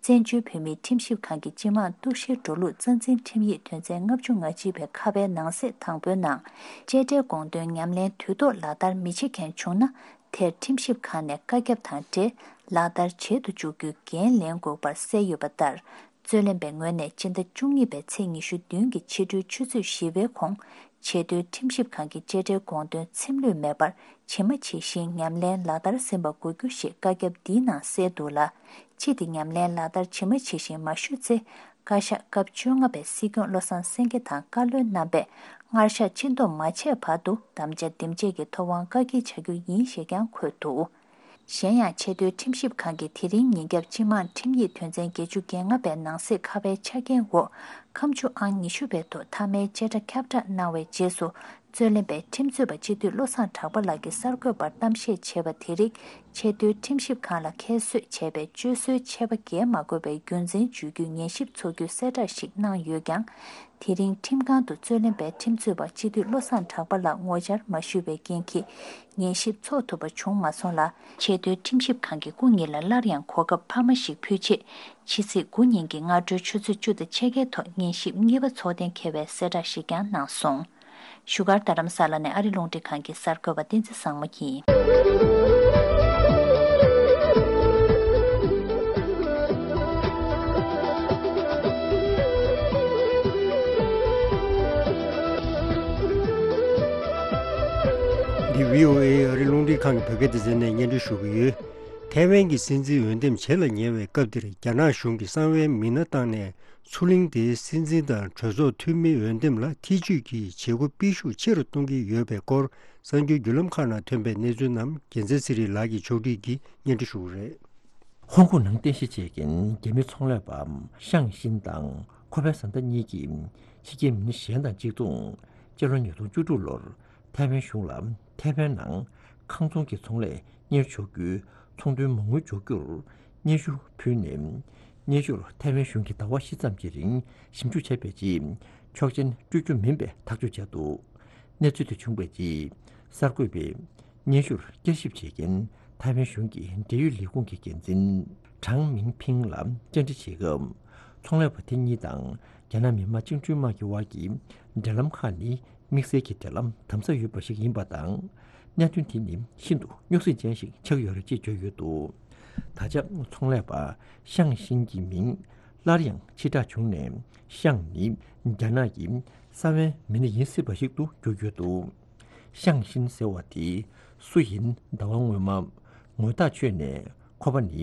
བཙན་བྱོལ་བོད་མིའི་ཁྲིམས་ཞིབ་ཁང་གི་སྤྱི་དམངས་གཏུག་བཤེར་འགྲོ་ལུགས་རྩ་འཛིན་ཁྲིམས་ཡིག་དོན་ཚན་ལྔ་བཅུ་ང་གཅིག་པའི་ཁ་པའི་ནང་གསེས་དང་པོའི་ནང་། བཅད་ཁྲའི་དགོངས་དོན་ཉམས་ལེན་དུས་ཐོག་ལག་བསྟར་མི་བྱེད་མཁན་བྱུང་ན། དེར་ཁྲིམས་ཞིབ་ཁང་ནས་བཀའ་ཁྱབ་དང་འབྲེལ་ལག་བསྟར་བྱེད་དུ་འཇུག་རྒྱུའི་འགན་ལེན་དགོས་པར་གསལ་ཡོད་པ་ལྟར། རྩོད་ལེན་པའི་ངོས་ནས་སྤྱི་ཟླ་བཅུ་གཉིས་པའི་ཚེས་ཉི་ཤུ་བདུན་གྱི་ཕྱི་དྲོའི་ཆུ་ཚོད་བཞི་པའི་གོང་། ཆེས་མཐོའི་ཁྲིམས་ཞིབ་ཁང་གི་བཅད་ཁྲའི་དགོངས་དོན་ཚེམས་ལྷོད་མེད་པར་ཇི་མ་ཇི་བཞིན་ཉམས་ལེན་ལག་བསྟར་ཟིན་པ་དགོས་རྒྱུ་ཞེས་བཀའ་ཁྱབ་འདིའི་ནང་གསལ་འདུག་ལ། སྤྱི་དེ་ཉམས་ལེན་ལག་བསྟར་ཇི་མ་ཇི་བཞིན་མ་ཞུས་ཚེ། བཀའ་ཤག་སྐབས་བཅོ་ལྔ་པའི་སྲིད་སྐྱོང་བློ་བཟང་སེང་གེ་དང་བཀའ་བློན་རྣམ་པས་སྔར་བཞག་སྤྱི་འདོམས་མ་བྱས་བར་དུ་དམ་བཅའ་འདེམས་བྱེད་ཀྱི་ཐོབ་དབང་བཀག་སྐྱིལ་བྱ་རྒྱུ་ཡིན་ཞེས་ཀྱང་འཁོད་འདུག་གཞན་ཡང་། ཆེས་མཐོའི་ཁྲིམས་ཞིབ་ཁང་གིས་དེ་རིང་ཉིན་རྒྱབ་སྤྱི་དམངས་ཁྲིམས་ཡིག་དོན་ཚན་བརྒྱད་ཅུ་གྱ་ལྔ་པའི་ནང་གསེས་ཁ་པའི་ཆ་རྐྱེན་འོག་ཁ་མཆུ་ཨང་ཉི་ཤུ་པའི་ཐོག་མཐའ་མའི་བཅད་ཁྲ་ཁྱབ་བསྒྲགས་གནང་བའི་རྗེས་སུ། རྩོད་ལེན་པས་ཁྲིམས་རྩོད་པ་སྤྱི་འཐུས་བློ་བཟང་གྲགས་པ་ལགས་ཀྱིས་གསར་འགོད་པར་གཏམ་བཤད་བྱས་པ་དེ་རིགས་ཆེས་མཐོའི་ཁྲིམས་ཞིབ་ཁང་ལ་ཁྱད་གསོད་བྱས་པའི་སྤྱོད་སྲོལ་འཆད་པ་འགེལ་མ་དགོས་པའི་རྒྱུ་མཚན་བརྗོད་རྒྱུའི་ཉན་ཞིབ་ཚོགས་རྒྱུའི་གསལ་བསྒྲགས་ཤིག་གནང་ཡོད་ཀྱང་། དེ་རིང་ཁྲིམས་ཁང་དུ་རྩོད་ལེན་པས་ཁྲིམས་རྩོད་པ་སྤྱི་འཐུས་བློ་བཟང་གྲགས་པ་ལགས་ངོ་བཅར་མ་ཞུས་པའི་རྐྱེན་གྱིས་ཉན་ཞིབ་འཚོགས་ཐུབ་པ་བྱུང་མ་སོང་ལ། ཆེས་མཐོའི་ཁྲིམས་ཞིབ་ཁང་གིས་སྐུ་ཉིད་ལ་སླར་ཡང་གོ་སྐབས་འཕར་མ་ཞིག་ཕུལ་ཆེད། ཕྱི་ཚེས་དགུ་ཉིན་གྱི་སྔ་དྲོའི་ཆུ་ཚོད་བཅུ་དང་ཕྱེད་ཀའི་ཐོག་ཉན་ཞིབ་གཉིས་པ་འཚོགས་གཏན་འཁེལ་བའི་གསལ་བསྒྲགས་ཤིག་ཀྱང་གནང་སོང་། བཞུགས་སྒར་རྡ་རམ་ས་ལ་ནས་ཨ་རི་རླུང་འཕྲིན་ཁང་གི་གསར་འགོད་པ་བསྟན་འཛིན་བཟང་མོ་ཡིན། འདི་བྷི་ཨོ་ཨེ་ཨ་རི་རླུང་འཕྲིན་ཁང་གི་བོད་སྐད་སྡེ་ཚན་ནས་སྙན་སྒྲོན་ཞུ་གི་ཡོད། ཐའེ་ཝན་གྱི་སྲིད་འཛིན་འོས་འདེམས་བྱེད་ལ་ཉེ་བའི་སྐབས་འདིར། རྒྱ་ནག་གཞུང་གི་གསང་བའི་མི་སྣ་བཏང་ནས། མཚོ་གླིང་དེའི་སྲིད་འཛིན་དང་གྲོས་ཚོགས་འཐུས་མི་འོས་འདེམས་ལ་ཐེ་ཇུས་ཀྱི་བྱེད་སྒོ་སྤེལ་ཤུགས་ཆེ་རུ་གཏོང་གི་ཡོད་པའི་སྐོར། གསར་འགྱུར་བརྒྱུད་ལམ་ཁག་ནང་ཐོན་པའི་གནས་ཚུལ་རྣམས་རྒྱལ་མཚན་ཚེ་རིང་ལགས་ཀྱིས་ཕྱོགས་སྒྲིག་གིས་སྙན་སྒྲོན་ཞུ་གི་རེད། ཧོང་ཀོང་ནང་རྟེན་གཞི་བྱེད་མཁན་རྒྱ་མི་ཚོང་ལས་པ་ཤང་ཤིན་དང་ཁོ་པའི་བཟའ་ཟླ་གཉིས་ཀྱིས་ཕྱི་རྒྱལ་མི་སྣ་གཞན་དང་གཅིག་མཚུངས། སྤྱི་ལོ་ཉིས་སྟོང་བཅུ་དྲུག་ལོར་ཐའེ་ཝན་གཞུང་ལ་ཐའེ་ཝན་ནང་ཁང་ཚོང་གི་ཚོང་ལས་གཉེར་ཆོག་རྒྱུའི་ཚོང་དོན་མ་དངུལ་འཇོག་རྒྱུར་སྙན་ཞུ་ཕུལ་ནས། སྙན་ཞུར་ཐའེ་ཝན་གཞུང་གིས་ཟླ་བ་བཞི་ཙམ་གྱི་རིང་ཞིབ་འཇུག་བྱས་པའི་རྗེས་ཆོག་མཆན་སྤྲོད་རྒྱུ་མིན་པའི་ཐག་གཅོད་བྱས་འདུག་གནས་ཚུལ་དེ་བྱུང་བའི་རྗེས་གསར་འགོད་པས་སྙན་ཞུར་བསྐྱར་ཞིབ་བྱེད་མཁན་ཐའེ་ཝན་གཞུང་གི་འབྲེལ་ཡོད་ལས་ཁུངས་ཀྱི་འགན་འཛིན་ཀྲང་མིང་ཕིང་ལ་བཅར་འདྲི་བྱེད་སྐབས། ཚོང་ལས་པ་དེ་གཉིས་དང་རྒྱ་ནག་མི་དམངས་བཅིངས་འགྲོལ་དམག་གི་དབར་གྱི་འབྲེལ་ལམ་ཁག་ནི་དམིགས་བསལ་གྱི་འབྲེལ་ལམ་དམ་ཟབ་ཡོད་པ་ཞིག་ཡིན་པ་དང་། གནད་དོན་དེ་ནི་ཤིན་ཏུ་རྙོག་ཟིང་ཅན་ཞིག་ཆགས་ཡོད་རེད་ཅེས་བརྗོད་ཡོད་འདུག་ད་ཆ་ཚོང་ལས་པ་ཤང་ཤིན་གྱི་མིང་སླར་ཡང་ཕྱིར་བསྒྲགས་བྱུང་ནས། ཤང་ནི་རྒྱ་ནག་གི་ས་བོན་མི་སྣ་ཡིན་སྲིད་པ་ཞིག་ཏུ་གྱུར་ཡོད་འདུག་ཤང་ཤིན་ཟེར་བ་དེ་སུ་ཡིན། ཟླ་བ་སྔོན་མ་ངོ་ཐག་ཆོད་ནས། ཁོ་པ་ནི་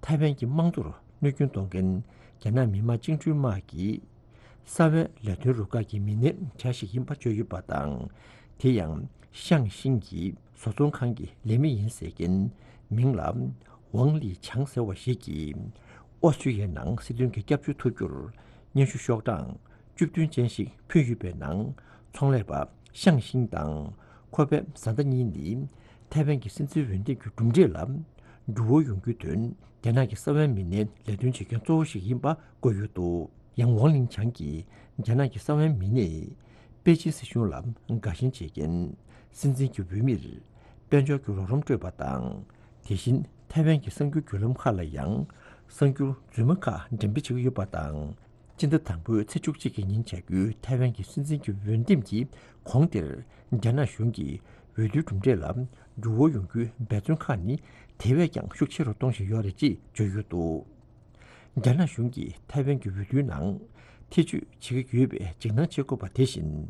ཐའེ་ཝན་གྱི་དམངས་གཙོར་གནོད་སྐྱོན་གཏོང་མཁན་རྒྱ་ནག་མི་དམངས་བཅིངས་འགྲོལ་དམག་གི་ས་བོན་ལས་དོན་རུ་ཁག་གི་མི་སྣའི་གྲས་ཤིག་ཡིན་པ་བརྗོད་ཡོད་པ་དང་། དེ་ཡང་ཤང་ཤིན་གྱི་བཟོ་ཚོང་ཁང་གི་ལས་མི་ཡིན་ཟེར་མཁན་མིང་ལ་ཝང་ལི་ཆང་ཟེར་བ་ཞིག་གིས་ཨོ་སི་ཀྲི་ཡའི་ནང་སྲིད་དོན་གྱི་སྐྱབས་བཅོལ་ཐོབ་རྒྱུར་སྙན་ཞུ་ཤོག་གྲངས་བཅུ་བདུན་ཅན་ཞིག་ཕུལ་ཡོད་པའི་ནང་། ཚོང་ལས་པ་ཤང་ཤིན་དང་ཁོ་པའི་བཟའ་ཟླ་གཉིས་ནི་ཐའེ་ཝན་གྱི་སྲིད་འཛིན་འོས་འདེམས་ཀྱི་གྲུབ་འབྲས་ལ་འགྱུར་བ་ཡོང་རྒྱུའི་དོན། རྒྱ་ནག་གི་ས་བོན་མི་སྣའི་ལས་དོན་བྱེད་མཁན་གཙོ་བོ་ཞིག་ཡིན་པ་བཀོད་ཡོད་འདུག་ཡང་ཝང་ལིང་ཆང་གིས་རྒྱ་ནག་གི་ས་བོན་མི་སྣས་པེ་ཅིན་སྲིད་གཞུང་ལ་དགའ་ཞེན་བྱེད་མཁན་སྲིད་འཛིན་གྱི་འོས་མིར་དཔལ་འབྱོར་གྱི་རོགས་རམ་སྤྲོད་པ་དང་། དེ་བཞིན་ཐའེ་ཝན་གྱི་གསར་འགྱུར་བརྒྱུད་ལམ་ཁག་ལ་ཡང་གསར་འགྱུར་རྫུན་མ་ཁག་འགྲེམས་སྤེལ་བྱེད་ཀྱི་ཡོད་པ་དང་། སྤྱི་ཟླ་དང་པོའི་ཚེས་བཅུ་གཅིག་གི་ཉིན་བྱ་རྒྱུའི་ཐའེ་ཝན་གྱི་སྲིད་འཛིན་གྱི་འོས་འདེམས་ཀྱི་གོང་དེར། རྒྱ་ནག་གཞུང་གིས་འོས་བསྡུའི་གྲུབ་འབྲས་ལ་འགྱུར་བ་ཡོང་རྒྱུའི་འབད་བརྩོན་ཁག་ནི་དེ་བས་ཀྱང་ཤུགས་ཆེ་རུ་གཏོང་བཞིན་ཡོད་རེད་ཅེས་བརྗོད་ཡོད་འདུག་རྒྱ་ནག་གཞུང་གིས་ཐའེ་ཝན་གྱི་འོས་བསྡུའི་ནང་ཐེ་བྱུས་བྱེད་ཀྱི་ཡོད་པའི་འཇིགས་སྣང་བྱེད་དགོས་པ་དེ་བཞིན།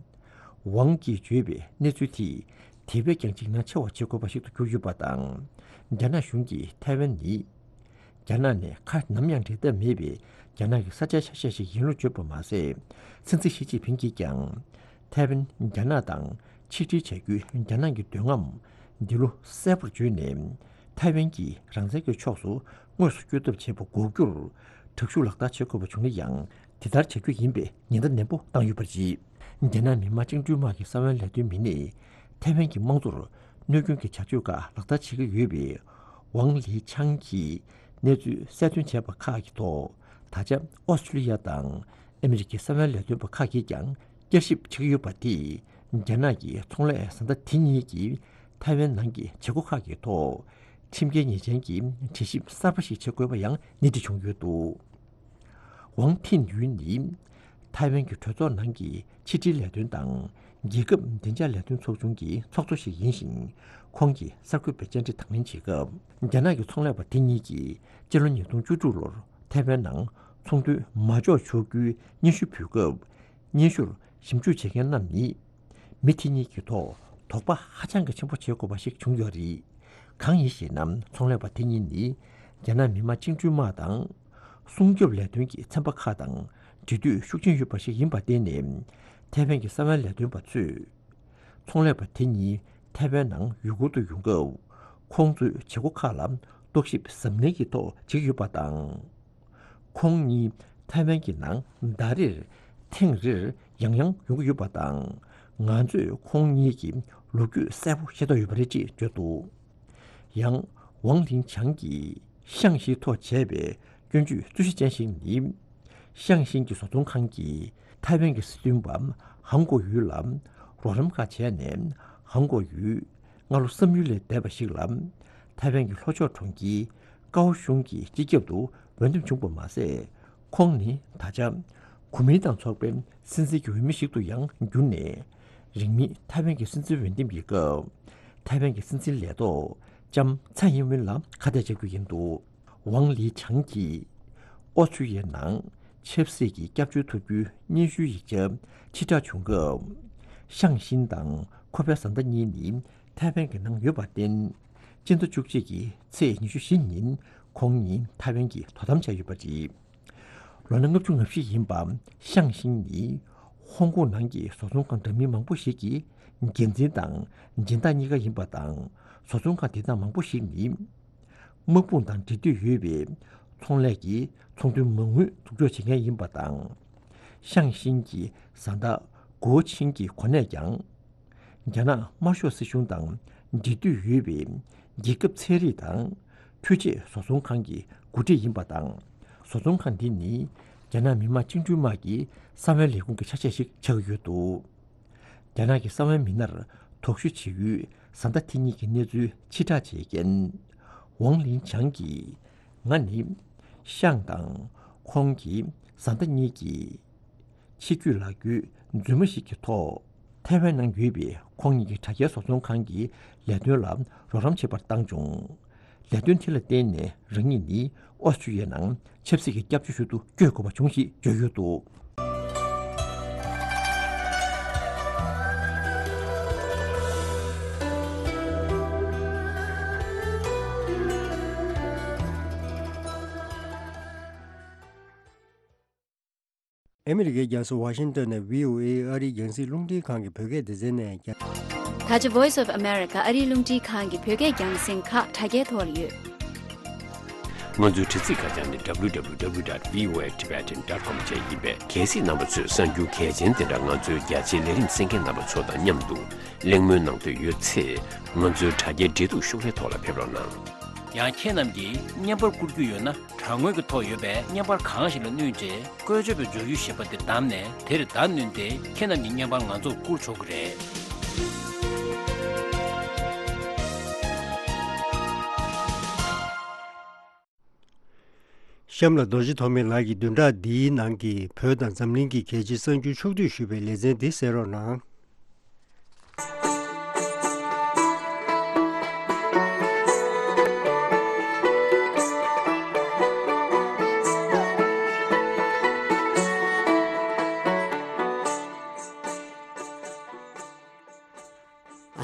ཝང་གིས་བརྗོད་པའི་གནས་ཚུལ་དེས་དེ་བས་ཀྱང་འཇིགས་སྣང་ཆེ་བ་བྱེད་དགོས་པ་ཞིག་ཏུ་གྱུར་ཡོད་པ་དང་། རྒྱ་ནག་གཞུང་གིས་ཐའེ་ཝན་ནི། རྒྱ་ནག་ནས་ཁ་ནམ་ཡང་འབྲལ་ཐབས་མེད་པའི་རྒྱ་ནག་གི་ས་ཆའི་ཆ་ཤས་ཤིག་ཡིན་ལུགས་བརྗོད་པ་མ་ཟད། སྲིད་འཛིན་ཞི་ཅིན་ཕིང་གིས་ཀྱང་ཐའེ་ཝན་རྒྱ་ནག་དང་ཆིག་སྒྲིལ་བྱ་རྒྱུའི་རྒྱ་ནག་གི་འདོད་རྔམ་འདི་ལོ་གསལ་པོར་བརྗོད་ནས། ཐའེ་ཝན་གྱིས་རང་བཙན་གྱི་ཕྱོགས་སུ་དངོས་སུ་བསྐྱོད་ཐབས་བྱེད་པ་འགོག་རྒྱུར་དྲག་ཤུགས་ལག་བསྟར་བྱེད་དགོས་པ་བྱུང་ན་ཡང་དེ་ལྟར་བྱ་རྒྱུ་ཡིན་པའི་ཉེན་བརྡ་ནན་པོ་བཏང་ཡོད་པ་རེད། རྒྱ་ནག་མི་དམངས་བཅིངས་འགྲོལ་དམག་གི་ས་བོན་ལས་དོན་མི་སྣས་ཐའེ་ཝན་གྱི་དམངས་གཙོར་གནོད་སྐྱོན་གྱི་བྱ་སྤྱོད་ཁག་ལག་བསྟར་བྱེད་ཀྱི་ཡོད་པའི་ཝང་ལི་ཆང་གིས་གནས་ཚུལ་གསལ་སྟོན་བྱས་པ་ཁག་གི་ཐོག་ད་ཆ་ཨོ་སི་ཀྲི་ལི་ཡ་དང་ཨ་མི་རི་ཀའི་ས་བོན་ལས་དོན་པ་ཁག་གིས་ཀྱང་བསྐྱར་ཞིབ་བྱེད་ཀྱི་ཡོད་པ་དེས། རྒྱ་ནག་གི་ཚོང་ལས་བཟའ་ཟླ་དེ་གཉིས་ཀྱིས་ཐའེ་ཝན་ནང་གི་བྱེད་སྒོ་ཁག་གི་ཐོག་ཁྲིམས་འགལ་ཉེས་ཅན་གྱི་དྲི་ཞིབ་གསར་པ་ཞིག་བྱེད་དགོས་པ་ཡང་སྣེ་ཁྲིད་བྱུང་ཡོད་འདུག་ཝང་ཐིན་ཡུན་ནི་ཐའེ་ཝན་གྱི་གྲོས་ཚོགས་ནང་གི་ཕྱི་འབྲེལ་ལས་དོན་དང་རྒྱལ་ཁབ་བདེ་འཇགས་ལས་དོན་ཚོགས་ཆུང་གི་ཚོགས་གཙོ་ཞིག་ཡིན་ཞིང་། ཁོང་གིས་གསར་འགོད་པའི་བཅར་འདྲི་དང་ལེན་བྱེད་སྐབས། རྒྱ་ནག་གི་ཚོང་ལས་པ་དེ་གཉིས་ཀྱིས་སྤྱི་ལོ་ཉིས་སྟོང་བཅུ་དྲུག་ལོར་ཐའེ་ཝན་ནང་ཚོང་དོན་མ་འཇོག་ཆོག་རྒྱུའི་སྙན་ཞུ་ཕུལ་སྐབས། སྙན་ཞུར་ཞིབ་འཇུག་བྱེད་མཁན་རྣམས་ནི། མི་དེ་གཉིས་ཀྱི་ཐོག་དོགས་པ་ཧ་ཅང་གི་ཆེན་པོ་བྱེད་དགོས་པ་ཞིག་བྱུང་ཡོད་རེད། གང་ཡིན་ཞེ་ན། ཚོང་ལས་པ་དེ་གཉིས་ནི་རྒྱ་ནག་མི་དམངས་བཅིངས་འགྲོལ་དམག་དང་། སྲུང་སྐྱོབ་ལས་དོན་གྱི་ཚན་པ་ཁག་དང་འབྲེལ་མཐུད་ཤུགས་ཆེན་ཡོད་པ་ཞིག་ཡིན་པར་བརྟེན་ནས། ཐའེ་ཝན་གྱི་ས་བོན་ལས་དོན་པ་ཚོས། ཚོང་ལས་པ་དེ་གཉིས་ཐའེ་ཝན་ནང་ཡུལ་སྐོར་དུ་ཡོང་སྐབས། ཁོང་ཚོའི་བྱེད་སྒོ་ཁག་ལ་རྟོག་ཞིབ་གཟབ་ནན་གྱི་ཐོག་བྱེད་ཀྱི་ཡོད་པ་དང་། ཁོང་གཉིས་ཐའེ་ཝན་གྱི་ནང་ཟླ་རེར་ཐེངས་རེར་ཡང་ཡང་ཡོང་གི་ཡོད་པ་དང་། ང་ཚོས་ཁོང་གཉིས་ཀྱི་ལོ་རྒྱུས་གསལ་པོ་ཤེས་རྟོགས་ཡོད་པ་རེད་ཅེས་བརྗོད་འདུག་ཡང་ཝང་ལིང་ཆང་གིས་ཤང་ཤིན་ཐོག་བྱས་པའི་སྐྱོན་བརྗོད་རྩོད་གཞི་ཅན་ཞིག་ནི། ཤང་ཤིན་གྱི་བཟོ་ཚོང་ཁང་གིས་ཐའེ་ཝན་གྱི་སྲིད་དོན་པ་ཧང་གོ་ཡུས་ལ་རོགས་རམ་ཁག་བྱས་ནས། ཧང་གོ་ཡུས་སྔ་ལོ་བསམ་ཡུལ་ལས་འདས་པ་ཞིག་ལ་ཐའེ་ཝན་གྱི་ལྷོ་ཕྱོགས་གྲོང་ཁྱེར་ཀའོ་ཤུང་གི་སྤྱི་ཁྱབ་ཏུ་འོས་འདེམས་བྱུང་བ་མ་ཟད། ཁོང་ནི་ད་ཆ་གོ་མིན་ཏང་ཚོགས་པའི་སྲིད་འཛིན་གྱི་འོས་མི་ཞིག་ཏུ་ཡང་གྱུར་ནས། རིང་མིན་ཐའེ་ཝན་གྱི་སྲིད་འཛིན་འོས་འདེམས་ཀྱི་སྐབས། ཐའེ་ཝན་གྱི་སྲིད་འཛིན་ལས་ཐོག་ལྕམ་ཚའེ་ཡིན་ཝིན་ལ་ཁ་གཏད་བཅག་རྒྱུ་ཡིན་འདུག་ཝང་ལི་ཆང་གིས་ཨོ་སི་ཀྲི་ཡའི་ནང་ཆབ་སྲིད་ཀྱི་སྐྱབས་བཅོལ་ཐོབ་རྒྱུའི་སྙན་ཞུའི་ཡིག་ཆ་ཕྱིར་བསྒྲགས་བྱུང་སྐབས། ཤང་ཤིན་དང་ཁོ་པའི་བཟའ་ཟླ་གཉིས་ནི་ཐའེ་ཝན་གྱི་ནང་ཡོད་པར་བརྟེན། སྤྱི་ཟླ་བཅུ་གཅིག་གི་ཚེས་ཉི་ཤུ་བཞི་ཉིན་ཁོང་གཉིས་ཐའེ་ཝན་གྱི་དོ་དམ་བྱས་ཡོད་པ་རེད། ལོ་ན་ལྔ་བཅུ་ང་བཞི་ཡིན་པ་ཤང་ཤིན་ནི་ཧོང་ཀོང་ནང་གི་བཟོ་ཚོང་ཁང་འདྲ་མིན་མང་པོ་ཞིག་གི་འགན་འཛིན་དང་སྦྱིན་བདག་གཉིས་ཀ་ཡིན་པ་དང་། བཟོ་ཚོང་ཁང་དེ་དག་མང་པོ་ཞིག་ནི། དམག་དཔུང་དང་འབྲེལ་མཐུད་ཡོད་པའི་ཚོང་ལས་ཀྱི་ཚོང་དོན་མ་དངུལ་འཛུགས་འཇོག་བྱེད་མཁན་ཡིན་པ་དང་། ཤང་ཤིན་གྱི་བཟའ་ཟླ་ གོ་ཆིང་གི་གོ་གནས་ཀྱང་། རྒྱ་ནག་དམར་ཤོག་སྲིད་གཞུང་དང་འབྲེལ་མཐུད་ཡོད་པའི་རྒྱལ་ཁབ་ཚན་རིག་དང་འཕྲུལ་ཆས་བཟོ་ཚོང་ཁང་གི་འགོ་ཁྲིད་ཡིན་པ་དང་། བཟོ་ཚོང་ཁང་འདི་ནི་རྒྱ་ནག་མི་དམངས་བཅིངས་འགྲོལ་དམག་གི་གསང་བའི་ལས་ཁུངས་ཀྱི་ཆ་ཤས་ཤིག་ཆགས་ཀྱི་ཡོད་འདུག་རྒྱ་ནག་གི་གསང་བའི་མི་སྣར་དོགས་ཞུ་བྱེད་ཡུལ་བཟའ་ཟླ་དེ་གཉིས་ཀྱི་གནས་ཚུལ་ཕྱིར་བསྒྲགས་བྱས་རྐྱེན། ཝང་ལིན་ཆང་གིས། ང་ནི་ཤང་དང་ཁོང་གི་བཟའ་ཟླ་གཉིས་ཀྱི་ཆེད་བསྐྱོད་ལག་འཁྱེར་རྫུན་མ་ཞིག་གི་ཐོག་ཐའེ་ཝན་ནང་ཡོད་པའི་ཁོང་ཉིད་ཀྱི་དྲ་རྒྱའི་བཟོ་ཚོང་ཁང་གི་ལས་དོན་ལ་རོགས་རམ་བྱེད་པར་བཏང་བྱུང་། ལས་དོན་དེ་ལ་བརྟེན་ནས་རང་ཉིད་ནི་ཨོ་སི་ཀྲི་ཡའི་ནང་ཆབ་སྲིད་ཀྱི་སྐྱབས་བཅོལ་ཞུ་དུ་བསྐྱོད་དགོས་པ་བྱུང་ཞེས་བརྗོད་ཡོད་འདུག་ཨ་མི་རི་ཀའི་རྒྱལ་ས་ཝ་ཤིང་ཏོན་ནས་བྷི་ཨོ་ཨེ་ཨ་རིའི་རྒྱང་སྲིང་རླུང་འཕྲིན་ཁང་གི་བོད་སྐད་སྡེ་ཚན་ནས་རྒྱ། ད་ཆ་Voice of America ཨ་རིའི་རླུང་འཕྲིན་ཁང་གི་བོད་སྐད་རྒྱང་སྲིང་ཁག་དྲ་རྒྱའི་ཐོག་ལ་ཡོད། ང་ཚོའི་དྲ་ཚིགས་ཁ་བྱང་ནི་W W W dot V O A Tibetan dot com བཅས་ཡིན་པས། གལ་སྲིད་རྣམ་པ་ཚོས་གསར་འགྱུར་གལ་ཆེན་དེ་འདྲ་ང་ཚོའི་རྒྱ་ཆེའི་ལས་རིམ་གསན་མཁན་རྣམ་པ་ཚོ་དང་མཉམ་དུ་གླེང་མོལ་གནང་འདོད་ཡོད་ཚེ། ང་ཚོའི་དྲ་རྒྱའི་འབྲེལ་གཏུག་ཤོག་ལྷེ་ཐོག་ལ་ཕེབས་རོགས་གནང་། ཡང་ཁྱེད་རྣམས་ཀྱིས་བརྙན་པར་བསྐུར་རྒྱུ་ཡོད་ན། དྲ་ངོས་ཀྱི་ཐོག་ཡོད་པའི་བརྙན་པར་གང་ཞིག་ལ་བསྣུན་རྗེས། བཀོལ་སྤྱོད་པའི་མགྱོགས་ཡུལ་ཞེས་པ་དེ་བདམས་ནས། དེར་བརྡ་བསྣུན་ཏེ། ཁྱེད་རྣམས་ཀྱི་བརྙན་པར་ང་ཚོར་བསྐུར་ཆོག་གི་རེད། གཤམ་ལ་རྡོ་རྗེ་ཐོགས་མེད་ལགས་ཀྱིས་བདུན་ཕྲག་འདིའི་ནང་གི་བོད་དང་འཛམ་གླིང་གི་གལ་ཆེའི་གསར་འགྱུར་ཕྱོགས་བསྡུས་ཞུས་པའི་ལེ་ཚན་འདི་གསན་རོགས་གནང་།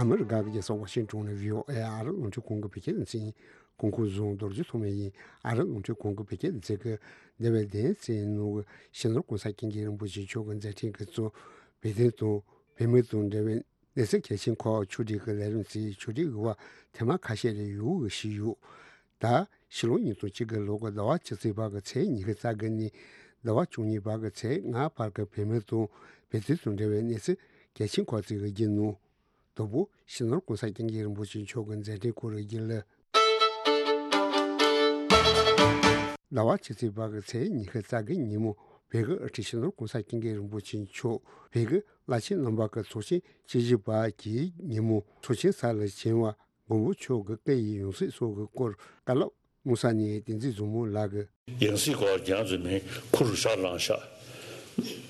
ཨ་མི་རི་ཀ་གི་རྒྱལ་ས་ཝ་ཤིང་ཏོན་ནས་བྷི་ཨོ་ཨེ་ཨ་རི་རླུང་འཕྲིན་ཁང་གི་བོད་སྐད་སྡེ་ཚན། སྐུ་ཁམས་བཟང་། རྡོ་རྗེ་ཐོགས་མེད་ཡིན། ཨ་རི་རླུང་འཕྲིན་ཁང་གི་བོད་སྐད་སྡེ་ཚན་གྱི་འདས་པའི་སྡེ་ཚན་ནང་གི་སྤྱི་ནོར་༸གོང་ས་༸སྐྱབས་མགོན་རིན་པོ་ཆེ་མཆོག་གི་མཛད་འཕྲིན་གྱི་གཙོ། བོད་དོན་དང་བོད་མི་དང་འབྲེལ་བའི་གནས་ཚུལ་གལ་ཆེན་ཁག་ཕྱོགས་སྒྲིག་གི་ལས་རིམ་གྱི་ཕྱོགས་སྒྲིག་གི་བར་ཐེངས་མ་ཁ་ཤས་རེ་ཡོང་གི་བཞིན་ཡོད། ད་ཕྱི་ལོ་ཉིས་སྟོང་གཅིག་གི་ལོ་གི་ཟླ་བ་བཅུ་གཅིག་པ་གི་ཚེས་ཉི་ཤུ་རྩ་དགུ་ནས་ཟླ་བ་བཅུ་གཉིས་པ་གི་ཚེས་ལྔ་བར་གྱི་བོད་མི་དང་བོད་དོན་དང་འབྲེལ་བའི་གནས་ཚུལ་གལ་ཆེན་ཁག་ཅིག་གི་བརྒྱུད་ནོ། དང་པོ། སྤྱི་ནོར་༸གོང་ས་༸སྐྱབས་མགོན་རིན་པོ་ཆེ་མཆོག་གི་མཛད་འཕྲིན་སྐོར་བརྗོད་ལ། ཟླ་བ་བཅུ་གཅིག་པ་གི་ཚེས་ཉི་ཤུ་རྩ་དགུ་ཉིན་མོ། བོད་ཀྱི་དབུ་ཁྲིད་སྤྱི་ནོར་༸གོང་ས་༸སྐྱབས་མགོན་རིན་པོ་ཆེ་མཆོག་བོད་ཀྱི་བླ་ཆེན་རྣམ་པ་གི་ཚོགས་ཆེན་བཅུ་བཞི་པ་གི་ཉིན་མོ། ཚོགས་ཆེན་ས་ལ་བྱོན་པ་མགོན་པོ་མཆོག་གི་སྐུ་ཡི་ཡང་སྲིད་སོགས་ཀྱི་སྐོར་བཀའ་སློབ། དམུ་ས་ནས་བསྟན་འཛིན་བཟང་མོ་ལགས་ཀྱིས། ཡང་སྲིད་སྐོར་རྒྱང་འཛིན་མིན་ཁུ་རུ་ཤ་ལང་ཤ།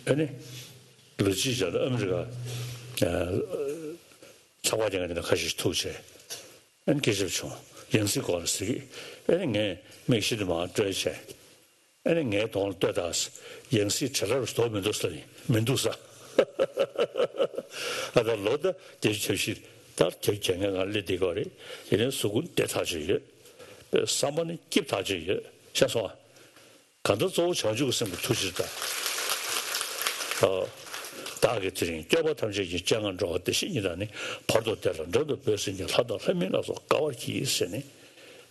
ཨ་ནི། ལོ་གཅིག་རྗེས་ལ་ཨ་མི་རི་ཀ་ཚགས་པར་རྒྱག་མཁན་དེ་འདྲ་ཁ་ཤས་ཤིག་ཐུག་བྱས། ཨ་ནི་སྐད་ཆ་བྱུང་། ཡང་སྲིད་སྐོར་ལ་ཟེར་གི། ཨ་ནི་ངས་མིག་ཤེལ་དེ་མར་བཀྲོལ་བྱས། ཨ་ནི་ངའི་གདོང་ལ་ལྟོས་དང་། ཡང་སྲིད་བྲེལ་རབས་རྡོ་མི་འདུག་ས་ནི་མི་འདུག་ས། ཨ་ད་ལོ་ད་བརྒྱད་ཅུ་གྱ་བཞི་ད་བརྒྱད་ཅུ་གྱ་ལྔའི་ནང་སླེབས་བསྡད་ཀྱི་ཡོད་རེད། དེ་ནས་གཟུགས་སྐུ་བདེ་ཐག་ཆོད་ཡོད། བསམ་པ་ནི་སྐྱིད་ཐག་ཆོད་ཡོད། ཤེས་སོང་ཨ། གང་ལྟར་གཙོ་བོ་བྱང་ཆུབ་ཀྱི་སེམས་ཀྱི་ཐུགས་རྗེ་དང་། ཨ། བདག་གིས་དེ་རིང་སྐྱོབ་པ་ཐམས་ཅད་ཀྱི་སྤྱན་སྔར་འགྲོ་བ་བདེ་གཤེགས་ཉིད་དང་ནི། བར་དུ་བདེ་ལ་འགྲོ་འདོད་འབོད་སེམས་ཀྱིས། ལྷ་དང་ལྷ་མིན་ལ་སོགས་དགའ་བར་གྱིས་ཟེར་ནས།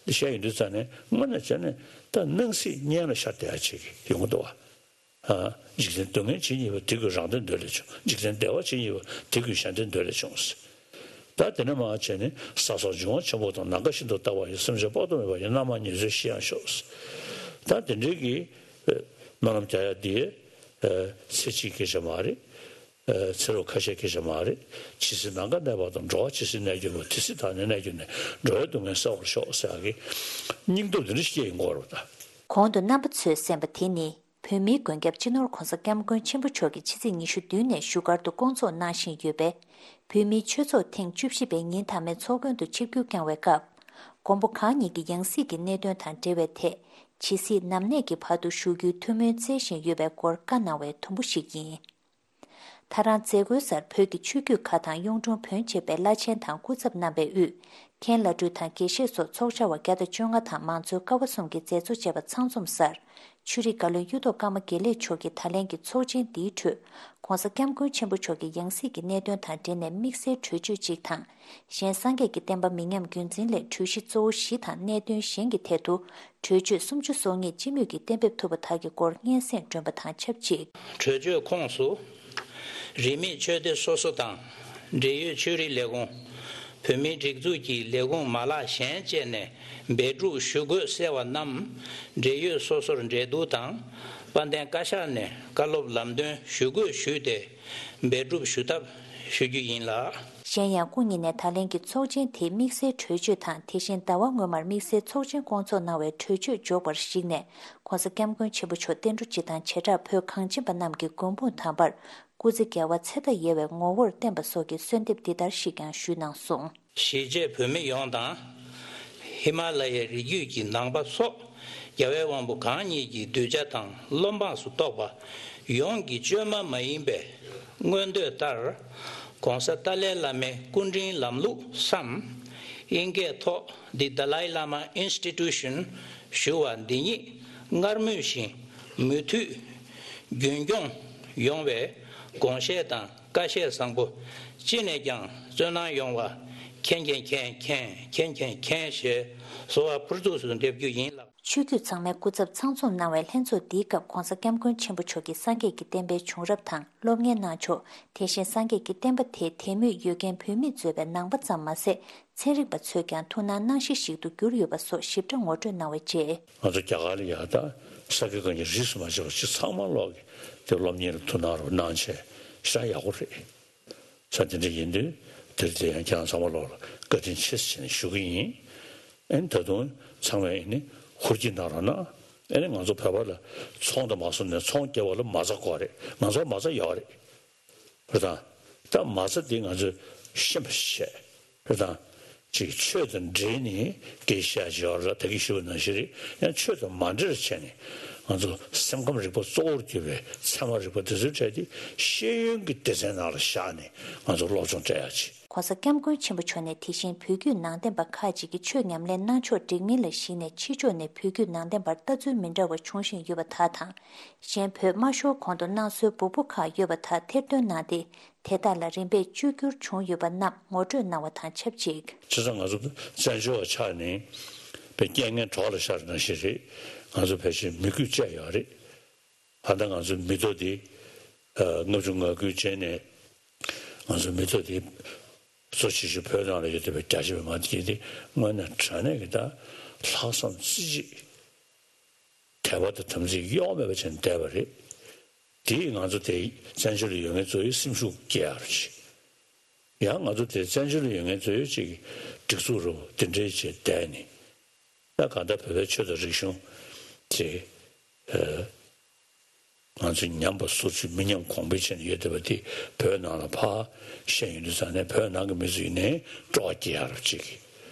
འདི་བཤད་ཡོང་དུས་ཙ་ནས་དངོས་གནས་བྱས་ནས་ད་སྣང་སྲིད་གཉེན་ལ་ཤར་བསྡད་ཡ་ཅིག་ཡོང་གི་འདུག་བ། ཨ། འཇིག་རྟེན་སྡུག་བསྔལ་ཇི་སྙེད་པ། དེ་ཀུན་རང་དོན་འདོད་ལས་བྱུང་། འཇིག་རྟེན་བདེ་བ་ཇི་སྙེད་པ། དེ་ཀུན་གཞན་དོན་འདོད་ལས་བྱུང་། ད་དེ་ནས་མར་བྱས་ནས་ས་སོགས་འབྱུང་བ་ཆེན་པོ་དང་། ནམ་མཁའ་བཞིན་དུ་དག་པ་ཡི། སེམས་ཅན་དཔག་ཏུ་མེད་པ་ཡི། རྣམ་མང་ཉེར་འཚོའི་གཞི་ཡང་ཤོག། ད་དེ་འདྲའི་གི་སྨོན་ལམ་རྒྱག་ཡ་འདི་ཚེ་གཅིག་སྐད་ཆ་མ་རེད། ཚེ་ལོ་ཁ་ཤས་སྐད་ཆ་མ་རེད། ཇི་སྲིད་ནམ་མཁའ་གནས་པ་དང་། འགྲོ་བ་ཇི་སྲིད་གནས་གྱུར་པ། དེ་སྲིད་བདག་ནི་གནས་གྱུར་ནས། འགྲོ་བའི་སྡུག་བསྔལ་སེལ་བར་ཤོག་ཟེར་ཡ་གི་སྙིང་སྟོབས་འདི་འདྲ་ཞིག་སྐྱེ་ཡོང་གི་ཡོད་རེད་ད། གོང་དུ་རྣམ་པ་ཚོས་གསན་པ་དེ་ནི། བོད་མིའི་མགོན་སྐྱབས་སྤྱི་ནོར་༸གོང་ས་༸སྐྱབས་མགོན་ཆེན་པོ་མཆོག་གིས་ཕྱི་ཚེས་ཉི་ཤུ་བདུན་ནས་བཞུགས་སྒར་དུ་སྐོང་ཚོགས་གནང་བཞིན་ཡོད་པའི་བོད་མིའི་ཆོས་ཚོགས་ཐེངས་བཅུ་བཞི་པའི་ཉིན་མཐའ་མའི་ཚོགས་མགོན་དུ་ཆིབས་བསྒྱུར་བསྐྱངས་བའི་སྐབས། མགོན་པོ་གང་ཉིད་ཀྱི་ཡང་སྲིད་ཀྱི་གནད་དོན་དང་འབྲེལ་བའི་ཐད། ཇི་སྲིད་ནམ་གནས་ཀྱི་བར་དུ་བཞུགས་རྒྱུའི་ཐུགས་སྨོན་བསྩལ་བཞིན་ཡོད་པའི་སྐོར་བཀའ་གནང་བའི་དུམ་བུ་ཞིག་ཡིན། ད་རང་མཛད་སྒོའི་སར་བོད་ཀྱི་ཆོས་བརྒྱུད་ཁག་དང་གཡུང་དྲུང་བོན་བཅས་པའི་བླ་ཆེན་དང་སྐུ་ཚབ་རྣམ་པས་དབུས། མཁན་བླ་སྤྲུལ་དང་དགེ་བཤེས་སོགས་ཚོགས་བཅར་བ་བརྒྱ་དང་བཅོ་ལྔ་དང་མང་གཙོའི་ཀ་བ་གསུམ་གྱི་མཛད་གཙོ་བཅས་པ་ཚང་འཛོམས་སར། ཆོས་རིག་བཀའ་བློན་གཡུ་ཐོག་ཀརྨ་དགེ་ལེགས་མཆོག་གིས་ད་ལན་གྱི་ཚོགས་ཆེན་འདིའི་ཁྲོད། ༸གོང་ས་༸སྐྱབས་མགོན་ཆེན་པོ་མཆོག་གི་ཡང་སྲིད་ཀྱི་གནད་དོན་དང་འབྲེལ་ནས་དམིགས་བསལ་གྲོས་ཆོད་ཅིག་དང་། གཞན་སངས་རྒྱས་ཀྱི་བསྟན་པ་མི་ཉམས་རྒྱུན་འཛིན་སླད་གྲོས་གཞི་གཙོ་བོ་བཞི་དང་གནད་དོན་གཞན་གྱི་ཐད་དུ། གྲོས་ཆོད་སུམ་ཅུ་སོ་ལྔ་སྤྱི་མོས་ཀྱིས་གཏན་འབེབས་ཐུབ་པ་དག་གི་སྐོར་སྙན་སེང་བསྒྲོན་པ་དང་ཆབས་ཅིག། གྲོས་ཆོད་ཁོངས་སུ། རིས་མེད་ཆོས་སྡེ་སོ་སོ་དང་། འབྲེལ་ཡོད་ཆོས་རིག་ལས་ཁུངས། བོད་མིའི་སྒྲིག་འཛུགས་ཀྱི་ལས་ཁུངས་མ་ལག་གཞན་བཅས་ནས་འབད་སྒྲུབ་ཞུ་དགོས་གསལ་བ་རྣམས། འབྲེལ་ཡོད་སོ་སོར་འབྲེལ་གཏུག་དང་། དཔལ་ལྡན་བཀའ་ཤག་ནས་བཀའ་སློབ་ལམ་སྟོན་ཞུ་དགོས་ཞུས་ཏེ། འབད་སྒྲུབ་ཞུ་ཐབས་ཞུ་རྒྱུ་ཡིན་ལགས། གཞན་ཡང་སྐུ་ཉིད་ནས་ད་ལན་གྱི་ཚོགས་ཆེན་དེའི་དམིགས་བསལ་གྲོས་ཆོད་དང་། དེ་བཞིན་ཟླ་བ་སྔོན་མར་དམིགས་བསལ་ཚོགས་ཆེན་བསྐོང་ཚོགས་གནང་བའི་གྲོས་ཆོད་འཇོག་པར་གཞིགས་ནས། ྋགོང་ས་ྋསྐྱབས་མགོན་ཆེན་པོ་མཆོག་བསྟན་འགྲོ་སྤྱི་དང་བྱེ་བྲག་བོད་གངས་ཅན་པ་རྣམས་ཀྱི་མགོན་དཔུང་དམ་པར་སྐུ་ཚེ་རྒྱལ་བ་ཚེ་མཐའ་ཡས་པའི་ངོ་བོར་བརྟན་པ་སོགས་ཀྱི་གསོལ་འདེབས་འདི་ལྟར་ཞིག་ཀྱང་ཞུས་གནང་སོང་། གཞིས་བྱེས་བོད་མི་ཡོངས་དང་། ཧི་མ་ལ་ཡའི་རི་རྒྱུད་ཀྱི་ནང་པ་སོགས་རྒྱལ་བའི་དབང་པོ་གང་ཉིད་ཀྱི་གདུལ་བྱ་དང་བློ་འབངས་སུ་གཏོགས་པ་ཡོངས་ཀྱི་བཅོས་མ་མ་ཡིན་པའི་མངོན་འདོད་ལྟར། ྋགོང་ས་ཏཱ་ལའི་བླ་མའི་སྐུ་དྲིན་ལམ་ལུགས་སམ། ཨིན་སྐད་ཐོག་The Dalai Lama Institution ཞུ་བ་འདི་ཉིད་སྔར་མུས་བཞིན་མུ་མཐུད་རྒྱུན་སྐྱོང་ཡོང་བའི་དགོངས་བཞེས་དང་བཀའ་བཞེས་བཟང་པོ་ཅི་ནས་ཀྱང་བརྩོན་གནང་ཡོང་བ་མཁྱེན་མཁྱེན་མཁྱེན་མཁྱེན་མཁྱེན་མཁྱེན་མཁྱེན་ཞེས་གསོལ་བ་ཕུར་ཚུགས་སུ་འདེབས་རྒྱུ་ཡིན་ལགས། ཆོས་བརྒྱུད་ཚང་མའི་སྐུ་ཚབ་ཚང་འཛོམས་གནང་བའི་ལྷན་ཚོགས་འདིའི་སྐབས་ྋགོང་ས་ྋསྐྱབས་མགོན་ཆེན་པོ་མཆོག་གིས་སངས་རྒྱས་ཀྱི་བསྟན་པའི་བྱུང་རབས་དང་སློབ་གཉེར་གནང་ཕྱོགས། དེ་བཞིན་སངས་རྒྱས་ཀྱི་བསྟན་པ་དེ་དད་མོས་ཡོད་མཁན་བོད་མིས་གཙོས་པའི་ནང་པ་ཙམ་མ་ཟད། ཚན་རིག་པ་ཚོས་ཀྱང་ཐུགས་སྣང་གནང་གཞི་ཞིག་ཏུ་གྱུར་ཡོད་པ་སོགས་ཞིབ་ཕྲ་ངོ་སྤྲོད་གནང་བའི་རྗེས། ང་ཚོ་རྒྱ་གར་ལ་ཡ་ད་ས་དགེ་བཀའ་རྙིང་རིས་སུ་མ་ཆད་པ་ཅིག་ཚང་མ་ལོག་གི་དེ་སློབ་གཉེར་ལ་ཐུགས་སྣང་རོགས་གནང་བྱས་ཤ་ཡག་པོ་རེད། ས་དེ་འདྲ་ཡིན་དུས་དེར་དེ་ཡང་ཁྱེད་རང་ཚང་མ་ལོག་ལ་བཀའ་དྲིན་ཆེ་ཟེར་ནས་ཞུ་གི་ཡིན། ཨེ་ནི་ད་དུང་ཚང་མས་ཨེ་ནི་ཧུར་གྱིས་གནང་རོགས་གནང་། ཨེ་ནི་ང་ཚོ་བོད་པ་ལ་ཚོང་དང་མ་སོང་ནས་ཚོང་སྐྱེལ་བ་ལ་མ་རྩ་དགོས་རེད། ང་ཚོར་མ་རྩ་ཡོད་རེད། རེད་དང་། ད་མ་རྩ་འདི་ང་ཚོས་ཤེས་པ་ཞིག་བྱས། རེད་དང་། ཅིག་ཆོས་དང་འབྲེལ་ནས་སྐད་ཆ་བཤད་ཡོད་རེད། ད་གིན་ཞུས་པ་ནང་བཞིན་རེད། ཡང་ཆོས་དང་མ་འབྲེལ་བྱས་ནས་ང་ཚོ་སེམས་ཁམས་རིག་པ་གཙོ་བོར་གྱུར་པའི་ཚད་མ་རིག་པ་དེ་ཚོའི་གྲས་དེ་ཤེས་ཡོན་གྱི་སྡེ་ཚན་ནང་ལ་བཞག་ནས་ང་ཚོ་སློབ་སྦྱོང་སྤྲད་ཡག་ཅིག ྋགོང་ས་ྋསྐྱབས་མགོན་ཆེན་པོ་མཆོག་ནས་དེ་བཞིན་བོད་བརྒྱུད་ནང་བསྟན་པ་ཁག་ཅིག་གིས་ཆོས་ཉམས་ལེན་གནང་ཕྱོགས་འགྲིག་མིན་ལ་གཞིགས་ནས་ཕྱི་ཕྱོགས་ནས་བོད་བརྒྱུད་ནང་བསྟན་པར་ལྟ་ཚུལ་མི་འདྲ་བ་འབྱུང་བཞིན་ཡོད་པ་དག་དང་། གཞན་བོད་དམར་ཤོག་གོང་དུ་གནང་སྲོལ་འབུར་པོ་ཁག་ཡོད་པ་དག་ཐེར་འདོན་གནང་སྟེ། དེ་དག་ལ་རིམ་པས་བཅོས་བསྒྱུར་བྱུང་ཡོད་པ་རྣམས་ངོ་སྤྲོད་གནང་བ་དང་ཆབས་ཅིག་བྱས་ཙང་ང་ཚོ་བཙན་བྱོལ་བ་ཆགས་ནས་པའི་རྐྱེན་ངན་གྲོགས་ལ་ཤར་ནང་བཞིན་རེད། ང་ཚོ་ཕལ་ཆེར་མི་རྒོད་བཅས་ཡོད་རེད། ད་ལྟ་ང་ཚོའི་མི་ཐོག་འདི་ལྔ་བཅུ་ང་དགུའི་རྗེས་ནས་ང་ཚོའི་མི་ཐོག་འདི་གཙོ་ཆེ་ཤོས་བོད་ནང་ལ་ཡོད་བསྡད་པའི་རྒྱ་ཆེ་བའི་མང་སྡེ་འདི་དངོས་གནས་དྲང་གནས་ཀྱི་ད་ལྷག་བསམ་རྩེ་གཅིག་དད་པ་དང་དམ་ཚིག་གཡོ་བ་མེད་པ་བྱས་ནས་བསྡད་པ་རེད། དེས་ང་ཚོ་དེ་བཙན་བྱོལ་ལ་ཡོད་མཁན་ཚོ་ཡི་སེམས་ཤུགས་སྐྱེད་ཡག་རེད། ཡང་ང་ཚོ་དེ་བཙན་བྱོལ་ལ་ཡོད་མཁན་ཚོ་ཡི་ཅིག་སྒྲིག་འཛུགས་རུ་དེ་འདྲའི་བྱས་བསྡད་ནས། ད་གང་ལྟར་བོད་པའི་ཆོས་དང་རིག་གཞུང་དེ་ང་ཚོ་ཉམས་པ་སོར་ཆུད་མི་ཉམས་གོང་འཕེལ་བྱས་ནས་ཡོད་བསྡད་པ་དེ་བོད་ནང་ལ་ཕར་བཤད་ཡོང་དུས་ཙང་ནས་བོད་ནང་གི་མི་ཚོ་ཡིན་ནའི་སྤྲོ་བ་སྐྱེ་ཡག་རུ་ཅིག་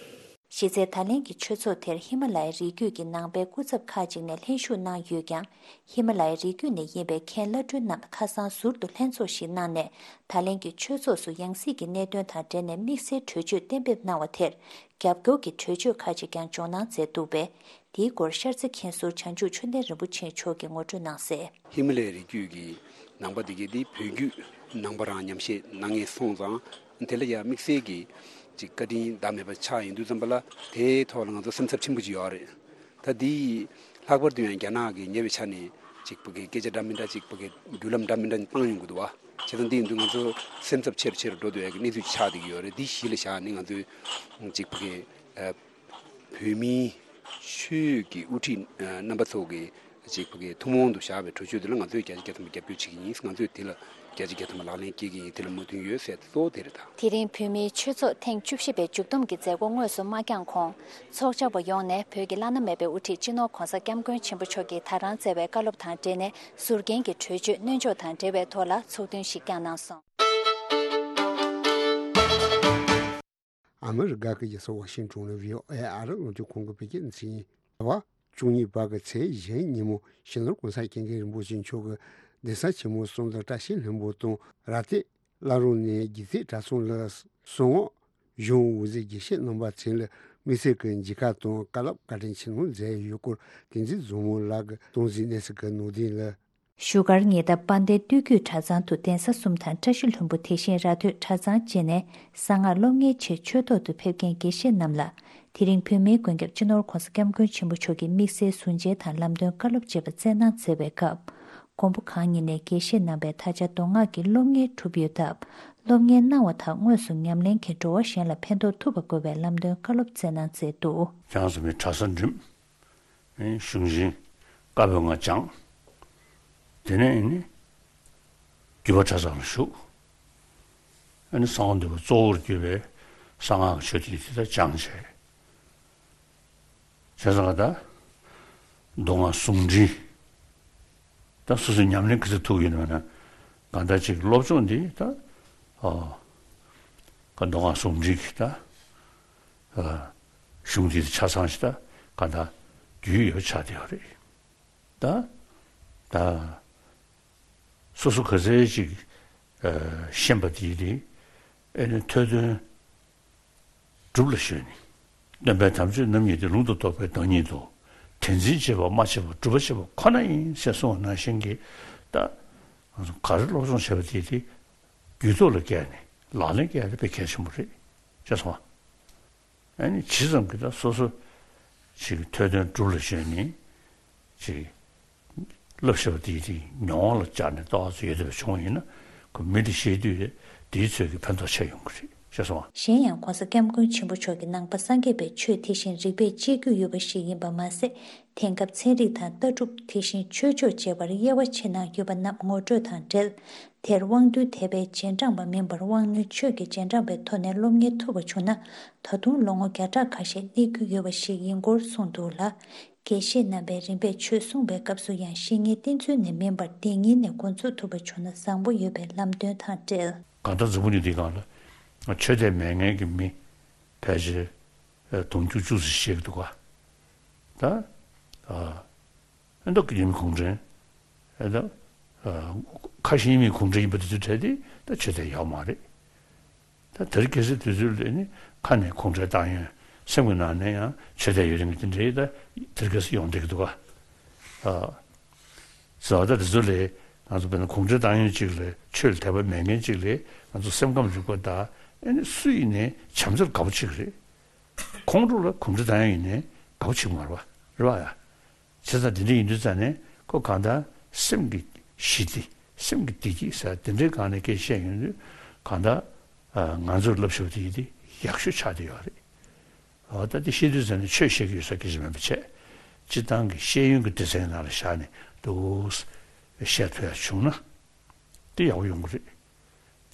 གཞི་རྩའི་ད་ལན་གྱི་ཆོས་ཚོགས་དེར་ཧི་མ་ལ་ཡའི་རི་རྒྱུད་ཀྱི་ནང་པའི་སྐུ་ཚབ་ཁག་ཅིག་ནས་ལྷན་ཞུགས་གནང་ཡོད་ཀྱང་། ཧི་མ་ལ་ཡའི་རི་རྒྱུད་ནས་ཡིན་པའི་མཁན་བླ་སྤྲུལ་རྣམས་ཁ་སང་ཟུར་དུ་ལྷན་ཚོགས་ཤིག་གནང་ནས། ད་ལན་གྱི་ཆོས་ཚོགས་སུ་ཡང་སྲིད་ཀྱི་གནད་དོན་དང་འབྲེལ་ནས་དམིགས་བསལ་གྲོས་ཆོད་གཏན་འབེབས་གནང་བ་དེར། རྒྱབ་སྐྱོར་གྱི་གྲོས་ཆོད་ཁག་ཅིག་ཀྱང་འཇོག་གནང་མཛད་འདུག་པས། དེའི་སྐོར་ཤར་རྩེ་མཁན་ཟུར་བྱང་ཆུབ་ཆོས་ལྡན་རིན་པོ་ཆེ་མཆོག་གིས་ངོ་སྤྲོད་གནང་གསལ། ཧི་མ་ལ་ཡའི་རི་རྒྱུད་ཀྱི་ནང་པ་དེ་གའི་དེ་བོད་བརྒྱུད་ནང་པ་རང་ཉམས་བཞེས་གནང་མཁན་སོང་ཙང་། དེ་ལ་ཡང་དམིགས་བསལ་གྱི་ཅིག་བཀའ་དྲིན་ཟླ་མེད་པ་ཆགས་ཡོང་དུས་ཙམ་པ་ལ་དེའི་ཐོག་ལ་ང་ཚོ་སེམས་འཚབ་ཆེན་པོ་ཅིག་ཡོད་རེད། ད་དེ་ལྷག་པར་དུ་ཡང་རྒྱ་ནག་གི་ཉེ་བའི་ཆ་ནས་ཅིག་ཕ་གི་སྐད་ཆ་འདྲ་མི་འདྲ་ཅིག་ཕ་གི་བརྒྱུད་ལམ་འདྲ་མི་འདྲ་བཏང་ཡོང་གི་འདུག་བ། བྱས་ཙང་དེ་ཡིན་དུས་ང་ཚོ་སེམས་འཚབ་ཆེ་རུ་ཆེ་རུ་འགྲོ་སྡོད་ཡག་གི་གནས་ཚུལ་ཆགས་བསྡད་ཀྱི་ཡོད་རེད། དེ་གཞི་ལ་བཞག་ནས་ང་ཚོས་ཅིག་ཕ་གི་ཨ། བོད་མིའི་ཆོས་ཀྱི་དབུ་ཁྲིད་རྣམ་པ་ཚོ་གི་ཅིག་ཕ་གི་ཐུན་མོང་དུ་བཞག་པའི་གྲོས་ཆོད་དེ་ལ་ང་ཚོས་བརྒྱ་ཆ་བརྒྱ་ཐམ་པ་རྒྱབ་སྐྱོར་བྱེད་ཀྱི་ཡིན། ང་ཚོས་དེ་ལ་བརྒྱ་ཆ་བརྒྱ་ཐམ་པ་ལག་ལེན་སྐྱེལ་གྱི་ཡིན། དེ་ལ་མོས་མཐུན་ཡོད་ཟེར་གཙོ་བོ་དེ་རེད་ད། དེ་རིང་བོད་མིའི་ཆོས་ཚོགས་ཐེངས་བཅུ་བཞི་པའི་མཇུག་བསྡོམས་ཀྱི་མཛད་སྒོ་དངོས་སུ་མ་བསྐྱངས་གོང་། ཚོགས་བཅར་བ་ཡོངས་ནས་བོད་ཀྱི་བླ་ན་མེད་པའི་དབུ་ཁྲིད་སྤྱི་ནོར་༧གོང་ས་༧སྐྱབས་མགོན་ཆེན་པོ་མཆོག་གིས་ད་རང་བསྩལ་བའི་བཀའ་སློབ་དང་འབྲེལ་ནས་ཟུར་འགན་གྱི་གྲོས་ཆོད་སྣོན་འཇོག་དང་འབྲེལ་བའི་ཐོག་ལ་ཚོགས་འདུ་ཞིག་བསྐྱངས་གནང་སོང་། ཨ་མི་རི་ཀ་གི་རྒྱལ་ས་ཝ་ཤིང་ཊོན་ནས་ཝི་ཨོ་ཨེ་ཨ་རི་རླུང་འཕྲིན་ཁང་གི་བོད་སྐད་སྡེ་ཚན་ཡིན། ཟླ་བ་བཅུ་གཉིས་པ་གི་ཚེས་གཞན་ཉིན་མོ་སྤྱི་ནོར་༧གོང་ས་༧སྐྱབས་མགོན་རིན་པོ་ཆེ་མཆོག་གིས་གདན་ས་ཆེན་མོ་གསུམ་དང་བཀྲ་ཤིས་ལྷུན་པོ་དང་ར་སྟེང་། བླ་རུང་ནས་དགེ་ཚེས་གྲྭ་ཚང་ལ་གསང་སྔགས་གཞུང་དབུ་འཛིན་དགེ་བཤེས་རྣམ་པ་ཚོ་ལ་དམིགས་བསལ་གྱི་མཇལ་ཁ་དང་བཀའ་སློབ་བཀའ་དྲིན་ཆེ་གནང་མཛད་ཡོད་སྐོར་བསྟན་འཛིན་བཟང་མོ་ལགས་ཀྱིས་གཏོང་ཟིན་གནས་ཚུལ་གྱི་ནང་དོན་ལ། བཞུགས་སྒར་ཉེ་འདབས་དཔལ་ལྡན་སྟོད་རྒྱུད་གྲྭ་ཚང་དུ་གདན་ས་གསུམ་དང་བཀྲ་ཤིས་ལྷུན་པོ་དེ་བཞིན་ར་སྟོད་གྲྭ་ཚང་བཅས་ནས་གསང་སྔགས་སློབ་གཉེར་ཆེད་ཆོས་ཐོག་ཏུ་ཕེབས་མཁན་དགེ་བཤེས་རྣམས་ལ། དེ་རིང་བོད་མིའི་མགོན་སྐྱབས་སྤྱི་ནོར་༧གོང་ས་༧སྐྱབས་མགོན་ཆེན་པོ་མཆོག་གིས་དམིགས་བསལ་གཟུངས་མཇལ་དང་ལམ་སྟོན་བཀའ་སློབ་བཅས་པ་སྩལ་གནང་མཛད་པའི་སྐབས། མགོན་པོ་གང་ཉིད་ནས་དགེ་བཤེས་རྣམ་པའི་ད་ཆ་མདོ་སྔགས་ཀྱི་སློབ་གཉེར་གྲུབ་ཡོད་སྟབས། སློབ་གཉེར་གནང་བ་དང་དངོས་སུ་ཉམས་ལེན་གྱིས་འགྲོ་བ་གཞན་ལ་ཕན་ཐོགས་ཐུབ་པ་དགོས་པའི་ལམ་སྟོན་བཀའ་སློབ་སྩལ་གནང་མཛད་འདུག། ཁྱེད་རང་ཚོ་མི་གྲྭ་ས་འགྲིམ། གཞུང་ཆེན་བཀའ་པོད་ལྔ་སྦྱངས། དེ་ནས་ནི་རྒྱུད་པ་གྲྭ་ཚང་ལ་ཞུགས། ཨ་ནི་གསང་བ་འདུས་པ་གཙོ་བོར་གྱུར་པའི་གསང་སྔགས་ཀྱི་ཆོས་དེ་དེ་དག་སྦྱངས་བྱས། བྱས་ཙང་ད་མདོ་སྔགས་ཟུང་འབྲེལ། ད་སོ་སོའི་ཉམས་ལེན་ག་ཚོད་ཐུབ་ཡོད་མེད་ན། གང་ལྟར་ཅིག་སློབ་སྦྱོང་འདི་ད་ཨ་ག་མདོ་སྔགས་ཟུང་འབྲེལ་གྱི་ད་ཨ་གཞུང་འདི་ཆ་ཚང་ཞིག་ད་གང་ལྟར་རྒྱུས་ཡོད་ཆགས་བསྡད་ཡོད་རེད། ད་ད་སོ་སོ་ག་ཚོད་ཅིག་ཨ་ཤེས་པ་དེ་དེ་ཨེ་ནི་ཐོས་དོན་སྒྲུབ་ལ་ཞོན་ནས། སྟོན་པའི་དམ་ཆོས་རྣམ་གཉིས་ཏེ། ལུང་དང་རྟོགས་པའི་བདག་ཉིད་དོ། དེ་འཛིན་བྱེད་པ་སྨྲ་བྱེད་པ་སྒྲུབ་པ་བྱེད་པ་ཁོ་ན་ཡིན་ཞེས་གསུངས་པ་ནང་བཞིན་གྱི། ད་ང་ཚོ་ག་རེ་སློབ་སྦྱོང་བྱས་པ་དེ་དེ་རྒྱུད་ཐོག་ལ་བཀལ་ནས་ལག་ལེན་བཀལ་ཡ་དེ་དཔེ་གལ་ཆེན་པོ་རེད་ཅེས་གསུངས་པ། ཨ་ནི་ཇི་ཙམ་གྱིས་ད་སོ་སོ་ཞིག་ཐོས་དོན་སྒྲུབ་ལ་ཞོན་ནས་ཅིག་བསླབ་བྱ་བ་དེའི་དེ་མྱོང་བ་ལ་སྦྱར་ནས་ལྟ་བ་ཚོ་ཡོད་བསྡད་པ་བྱུང་བ་ཡིན་ན། ཁོ་མི་དེ་ཤེས་དུས་དེའི་ཚོད་ཀྱི་ཕན་ཐོགས་ཆེ་ཡོང་གི་རེད་ཅེས་གསུངས་པ། གཞན་ཡང་༸གོང་ས་༸སྐྱབས་མགོན་ཆེན་པོ་མཆོག་གིས་ནང་པ་སངས་རྒྱས་པའི་ཆོས་དེ་བཞིན་རིག་པས་དཔྱད་རྒྱུ་ཡོད་པ་ཞིག་ཡིན་པ་མ་ཟད། དེང་སྐབས་ཚན་རིག་དང་ལྟ་གྲུབ་དེ་བཞིན་ཆོས་ཕྱོགས་བཅས་པར་དབྱེ་བ་ཕྱེ་གནང་ཡོད་པ་རྣམས་ངོ་སྤྲོད་དང་འབྲེལ། དེར་དབང་རྟུལ་དད་པའི་རྗེས་འབྲང་པ་མིན་པར་དབང་རྣོན་ཆོས་ཀྱི་རྗེས་འབྲང་པའི་ཐོག་ནས་སློབ་གཉེར་ཐུབ་པ་བྱུང་ན། ད་དུང་ལོ་ངོ་བརྒྱ་ཕྲག་ཁ་ཤས་གནས་རྒྱུ་ཡོད་པ་ཞིག་ཡིན་སྐོར་གསུངས་འདུག་ལ། དགེ་བཤེས་རྣམ་པས་རིམ་པས་ཆོས་གསུངས་པའི་སྐབས་སུ་ཡང་བཤེས་གཉེན་བསྟེན་ཚུལ་ནས་མིན་པར་བདེན་གཉིས་ནས་འགོ་འཛུགས་ཐུབ་པ་བྱུང་ན་བཟང་པོ་ཡོད་པའི་ལམ་སྟོན་དང་འབྲེལ། གང་ལྟར་འཛམ་བུ་གླིང་འདིའི་སྒང་ལ་ཆོས་དད་མེད་མཁན་གྱི་མི་ཕལ་ཆེར་དུང་ཕྱུར་བཅུ་ཙམ་ཞིག་འདུག་ག། ད་ཨ་ཨ་མདོ་དགེ་འདུན་གུང་ཁྲན། ཨ་ད་ཨ་ཁ་ཞེ་གཉིས་མེད་གུང་ཁྲན་ཡིན་པ་དེ་ཚོའི་གྲས་དེ་ད་ཆོས་དད་ཡོད་མ་རེད། ད་དེར་གལ་སྲིད་དུས་ཚོད་ལ་ནི་ཁ་ནས་གུང་ཁྲན་ཏང་ཡོན། སེམས་ཀྱི་ནང་ནས་ཡང་ཆོས་དད་ཡོད་མཁན་དེ་འདྲའི་ད་དེར་གལ་སྲིད་ཡོང་བསྡད་ཀྱི་འདུག་ག། ཨ་ཟེར་བ་ད་དེ་ཚོ་ལས་ང་ཚོ་དཔེར་ན་གུང་ཁྲན་ཏང་ཡོན་གཅིག་ལས་ཆོས་ལ་དད་པ་མེད་མཁན་གཅིག་ལས་ང་ཚོ་སེམས་ཁམས་རིག་པ་ད་ཨ་ནི་སུ་ཡིན་ནའི་བྱམས་བརྩེར་དགའ་པོ་བྱེད་ཀྱི་རེད། ཁོང་ཁྲོ་ལ་གུང་ཁྲན་ཏང་ཡོན་ཡིན་ནའི་དགའ་པོ་བྱེད་ཀྱི་མ་རེད་པ། རེད་པ་ཡ། བྱས་ཙང་དེ་འདྲ་ཡིན་དུས་ཙང་ནས་ཁོ་གང་ལྟར་སེམས་ཀྱི་ཞི་བདེ། སེམས་ཀྱི་བདེ་སྐྱིད་ཟེར་དེ་འདྲའི་སྒང་ནས་སྐད་བཤད་ཡོང་དུས་གང་ལྟར་ཨ་ང་ཚོར་བསླབ་བྱ་དེ་ཡིན་དེ་ཡག་ཤོས་ཆགས་བསྡད་ཡོད་རེད། འོ་ད་དེ་བཤད་དུས་ཙང་ནས་ཆོས་བཤད་ཀྱི་ཡོད་ས་སྐད་ཆ་མིན་པ་བྱས། སྤྱིར་བཏང་གི་ཤེས་ཡོན་གྱི་སྡེ་ཚན་ནང་ལ་བཞག་ནས་འདུག་བཤད་ཐུབ་ཡ་བྱུང་ན་དེ་ཡག་པོ་ཡོང་གི་རེད།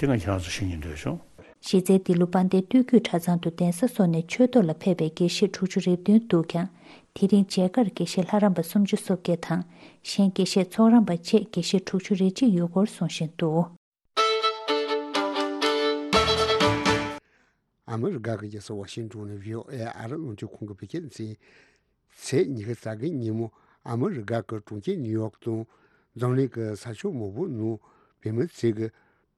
དེ་ང་ཁྱེད་རང་ཚོ་ཤེས་སྙིང་འདོད་བྱུང་། གཞི་རྩའི་འདི་ལོ་དཔལ་ལྡན་སྟོད་བརྒྱུད་གྲྭ་ཚང་དུ་གདན་ས་སོགས་ནས་ཆོས་ཐོག་ལ་ཕེབས་པའི་དགེ་བཤེས་དྲུག་ཅུ་རེ་བདུན་འདུག་ཀྱང་། དེ་རིང་མཇལ་ཁར་དགེ་བཤེས་ལྷ་རམས་པ་སུམ་ཅུ་སོ་བརྒྱད་དང་། གཞན་དགེ་བཤེས་ཚོགས་རམས་པ་བཅས་དགེ་བཤེས་དྲུག་ཅུ་རེ་གཅིག་ཡོད་སྐོར་གསུང་བཞིན་འདུག། ཨ་མི་རི་ཀ་གི་རྒྱལ་ས་ཝ་ཤིང་ཏོན་ནས་བྷི་ཨོ་ཨེ་ཨ་རི་རླུང་འཕྲིན་ཁང་གི་བོད་སྐད་སྡེ་ཚན། ཚེས་ཉི་ཤུ་རྩ་བརྒྱད་ཉིན་མོ་ཨ་མི་རི་ཀ་གི་གྲོང་ཁྱེར་ནིའུ་ཡོག་དང་འཛམ་གླིང་གི་ས་ཕྱོགས་མང་པོའི་ནང་བོད་མི་ཚོས་ཀྱི་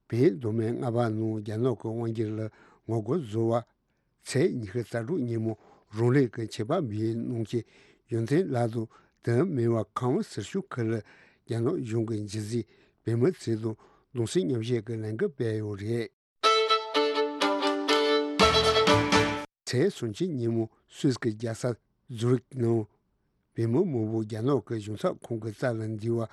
བོད་མི་མདོ་སྨད་རྔ་བ་ནང་རྒྱ་ནག་གི་དབང་སྒྱུར་ལ་ངོ་རྒོལ་བཟོ་བ། ཚེས་ཉི་ཤུ་རྩ་དྲུག་ཉིན་མོ་རང་ལུགས་ཀྱི་ཆོས་པ་འབུལ་གནང་མཁན་ཡོན་ཏན་ལགས་དང་དེ་མིན་པ་ཁམས་ཟུར་ཤོག་ཁུལ་ལ་རྒྱ་ནག་གཞུང་གི་འཇིགས་སྲིད་བོད་མི་ཚོ་དང་གདུང་སེམས་མཉམ་བསྐྱེད་ཀྱི་ལས་འགུལ་སྤེལ་ཡོད་རེད། ཚེས་སུམ་ཅུ་ཉིན་མོ་སུད་སི་གི་རྒྱལ་ས་ཛུ་རིག་ནང་བོད་མི་མང་པོ་རྒྱ་ནག་གི་གཞུང་ཚབ་ཁང་གི་རྩ་ལ་འདུས་པ། བོད་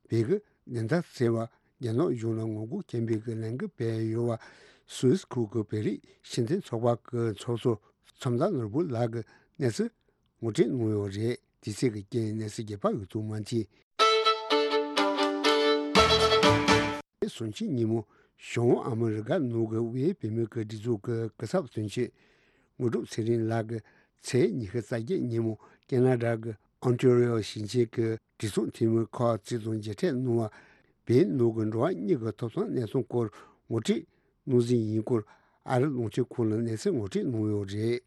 ཀྱི་བདེན་མཐའ་གསལ་བར་རྒྱ་ནག་གཞུང་ལ་ངོ་རྒོལ་ཆེན་པོའི་གི་ལས་འགུལ་སྤེལ་ཡོད་པ་སུད་སི་ཁུལ་གྱི་བོད་རིགས་སྤྱི་མཐུན་ཚོགས་པ་གི་ཚོགས་གཙོ་མཚམས་བདག་ནོར་བུ་ལགས་ཀྱིས་གནས་ཚུལ་ངོ་སྤྲོད་གནང་ཡོད་རེད། དུས་ཚོད་ཀྱི་རྐྱེན་གནས་ཚུལ་རྒྱས་པ་ཡོད་དུ་མ་མཐུན། སུམ་ཅུ་ཉིན་མོ་བྱང་ཨ་མི་རི་ཀ་ནང་གི་བོད་བོད་མི་གི་སྒྲིག་འཛུགས་ཀྱི་སྐུ་ཚབ་དོན་གཅོད་དངོས་གྲུབ་ཚེ་རིང་ལགས་ཀྱིས་ཚེས་ཉི་ཤུ་རྩ་བརྒྱད་ཉིན་མོ་ཁེ་ན་ཌ་གི་ཨོན་ཊ་རི་ཡོ་ཞིང་ཆེན་གྱི་གྲོས་ཚོགས་འཐུས་མི་ཁག་ཅིག་དང་མཇལ་འཕྲད་གནང་བ། བོད་ནང་གི་འགྲོ་བ་མིའི་གི་ཐོབ་ཐང་གནས་སྟངས་སྐོར་ངོ་སྤྲོད་གནང་ཟིན་ཡིན་སྐོར་ཨ་རི་རླུང་འཕྲིན་ཁང་ལ་གནས་ཚུལ་ངོ་སྤྲོད་གནང་ཡོད་རེད།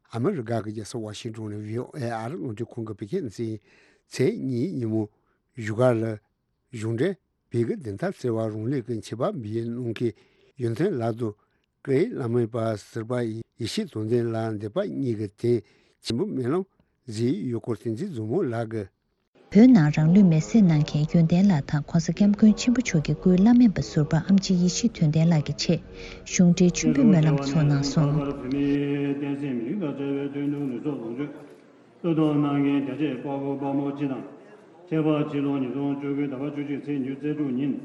ཨ་མི་རི་ཀ་གི་རྒྱལ་ས་ཝ་ཤིང་ཏོན་ནས་བྷི་ཨོ་ཨེ་ཨ་རི་རླུང་འཕྲིན་ཁང་གི་བོད་སྐད་སྡེ་ཚན། ཚེས་གཉིས་ཉིན་མོ་བཞུགས་སྒར་ལ་གཞུང་འབྲེལ་བོད་ཀྱི་བདེན་མཐའ་གསལ་བ་རང་ལུགས་ཀྱི་ཆོས་པ་འབུལ་གནང་མཁན་ཡོན་ཏན་ལགས་དང་། སྐུའི་བླ་མེད་པ་ཟུར་པ་ཡེ་ཤེས་དོན་ལྡན་ལགས་འདས་པ་གཉིས་ཀྱི་དོན་ཆེན་པོ་སྨོན་ལམ་མཛད་ཡོད་སྐོར་བསྟན་འཛིན་མཛོ་མོ་ལགས་ཀྱིས། བོད་ནང་རང་ལུས་མེར་སྲེག་གནང་མཁན་ཡོན་ཏན་ལགས་དང་༸གོང་ས་༸སྐྱབས་མགོན་ཆེན་པོ་མཆོག་གི་སྐུའི་བླ་མེད་པ་ཟུར་པ་ཨེམ་ཆི་ཡེ་ཤེས་དོན་ལྡན་ལགས་ཀྱི་ཆེད་གཞུང་འབྲེལ་མཆོད་འབུལ་སྨོན་ལམ་ཚོགས་གནང་སོང་། བློས་གཏོང་གནང་མཁན་རྒྱ་ཆེའི་དཔའ་བོ་དཔའ་མོ་སྤྱི་དང་། ཆེད་ཕར་ཕྱི་ལོ་ཉིས་སྟོང་བཅུ་དགུ་ཟླ་བ་བཅུ་གཅིག་ཚེས་ཉེར་དྲུག་ཉིན།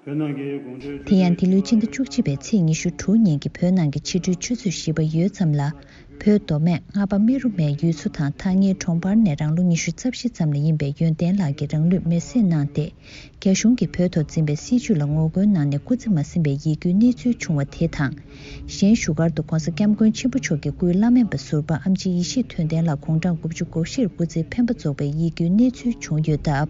བོད་ནང་གི་གུང་ཁྲན་ཆུ་དེ་ཡང་འདི་ལོའི་སྤྱི་ཟླ་བཅུ་གཅིག་པའི་ཚེས་ཉི་ཤུ་དྲུག་ཉིན་གྱི་བོད་ནང་གི་ཕྱི་དྲོའི་ཆུ་ཚོད་བཞི་པ་ཡོལ་ཙམ་ལ། བོད་མདོ་སྨད་རྔ་པ་རྨེ་རུ་མའི་ཡུལ་ཚོ་དང་ཐག་ཉེའི་གྲོང་པར་ནས་རང་ལོ་ཉི་ཤུ་རྩ་བཞི་ཙམ་ལ་ཡིན་པའི་ཡོན་ཏན་ལགས་ཀྱིས་རང་ལུས་མེར་སྲེག་གནང་སྟེ། རྒྱ་གཞུང་གིས་བོད་ཐོག་འཛིན་པའི་སྲིད་བྱུས་ལ་ངོ་རྒོལ་གནང་ནས་སྐུ་ཚེ་མ་ཟིན་པའི་ཡིད་སྐྱོའི་གནས་ཚུལ་བྱུང་བ་དེ་དང་། གཞན་བཞུགས་སྒར་དུ་༧གོང་ས་༧སྐྱབས་མགོན་ཆེན་པོ་མཆོག་གི་སྐུའི་བླ་སྨན་པ་ཟུར་པ་ཨེམ་ཆི་ཡེ་ཤེས་དོན་ལྡན་ལགས་དགུང་གྲངས་དགུ་བཅུ་གོ་བཞིར་སྐུ་ཚེའི་འཕེན་པ་རྫོགས་པའི་ཡིད་སྐྱོའི་གནས་ཚུལ་བྱུང་ཡོད་སྟབས།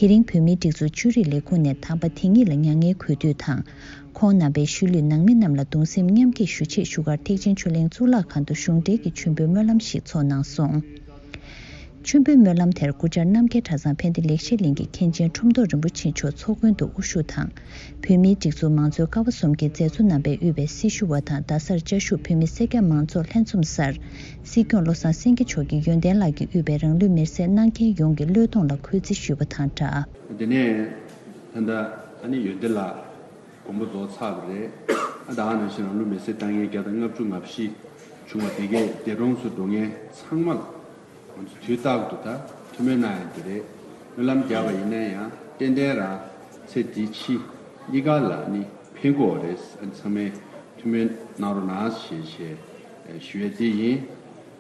དེ་རིང་བོད་མིའི་སྒྲིག་འཛུགས་ཆོས་རིག་ལས་ཁུངས་ནས་དམ་པ་དེ་ཉིད་ལ་མྱ་ངན་གུས་འདུད་དང་། ཁོང་རྣམ་པའི་ཤུལ་ལུས་ནང་མི་རྣམས་ལ་གདུང་སེམས་མཉམ་སྐྱེད་ཞུ་ཆེད་བཞུགས་སྒར་ཐེག་ཆེན་ཆོས་གླིང་གཙུག་ལག་ཁང་དུ་གཞུང་འབྲེལ་གྱི་མཆོད་འབུལ་སྨོན་ལམ་ཞིག་ཚོགས་གནང་སོང་། མཆོད་འབུལ་སྨོན་ལམ་དེར་སྐུ་བཅར་རྣམ་རྒྱལ་གྲྭ་ཚང་ཕན་བདེ་ལེགས་བཤད་གླིང་གི་མཁན་ཆེན་ཁྲོམ་ཐོག་རིན་པོ་ཆེ་མཆོག་ཚོགས་མགོན་དུ་དབུ་བཞུགས་དང་། བོད་མིའི་སྒྲིག་འཛུགས་མང་གཙོའི་ཀ་བ་གསུམ་གྱི་མཛད་གཙོ་རྣམ་པས་དབུས་པའི་སྲི་ཞུ་བ་དང་རྡ་སར་བཅའ་བཞུགས་བོད་མི་སེར་སྐྱ་མང་ཚོགས་ལྷན་འཛོམས་སར། སྲིད་སྐྱོང་བློ་བཟང་སེང་གེ་མཆོག་གིས་ཡོན་ཏན་ལགས་ཀྱིས་དབུས་པའི་རང་ལུས་མེར་སྲེག་གནང་མཁན་ཡོངས་ཀྱི་བློས་གཏོང་ལ་གུས་བརྩི་ཞུས་པ་དང་སྦྲགས། དེ་ནས་ད་ལྟ་ཨ་ནི་ཡོན་ཏན་ལགས་དགོངས་པ་རྫོགས་ཚར་བ་རེད། ཨ་ད་ག་ནང་བཞིན་རང་ལུས་མེར་སྲེག་བཏང་མཁན་བརྒྱ་དང་ལྔ་བཅུ་ང་བཞི་བྱུང་བ་དེ་གས་འདས་གྲོངས་སུ་འགྲོ་མཁན་ཚང་མ་ལ། ང་ཚོ་དུས་རྟག་ཏུ་ད་ཐུགས་སྨོན་གནང་ཡ་དེ་རེད། སྨོན་ལམ་རྒྱག་པ་ཡིན་ན་ཡང་ཏན་ཏན་རང་ཚེ་འདི་ཕྱི་གཉིས་ཀ་ལ་ནི་ཕན་གྱི་ཡོད་རེད། ཨ་ཚང་མས་ཐུགས་སྨོན་གནང་རོགས་གནང་ཞེས་ཞེས་ཞུ་ཡ་དེ་ཡིན།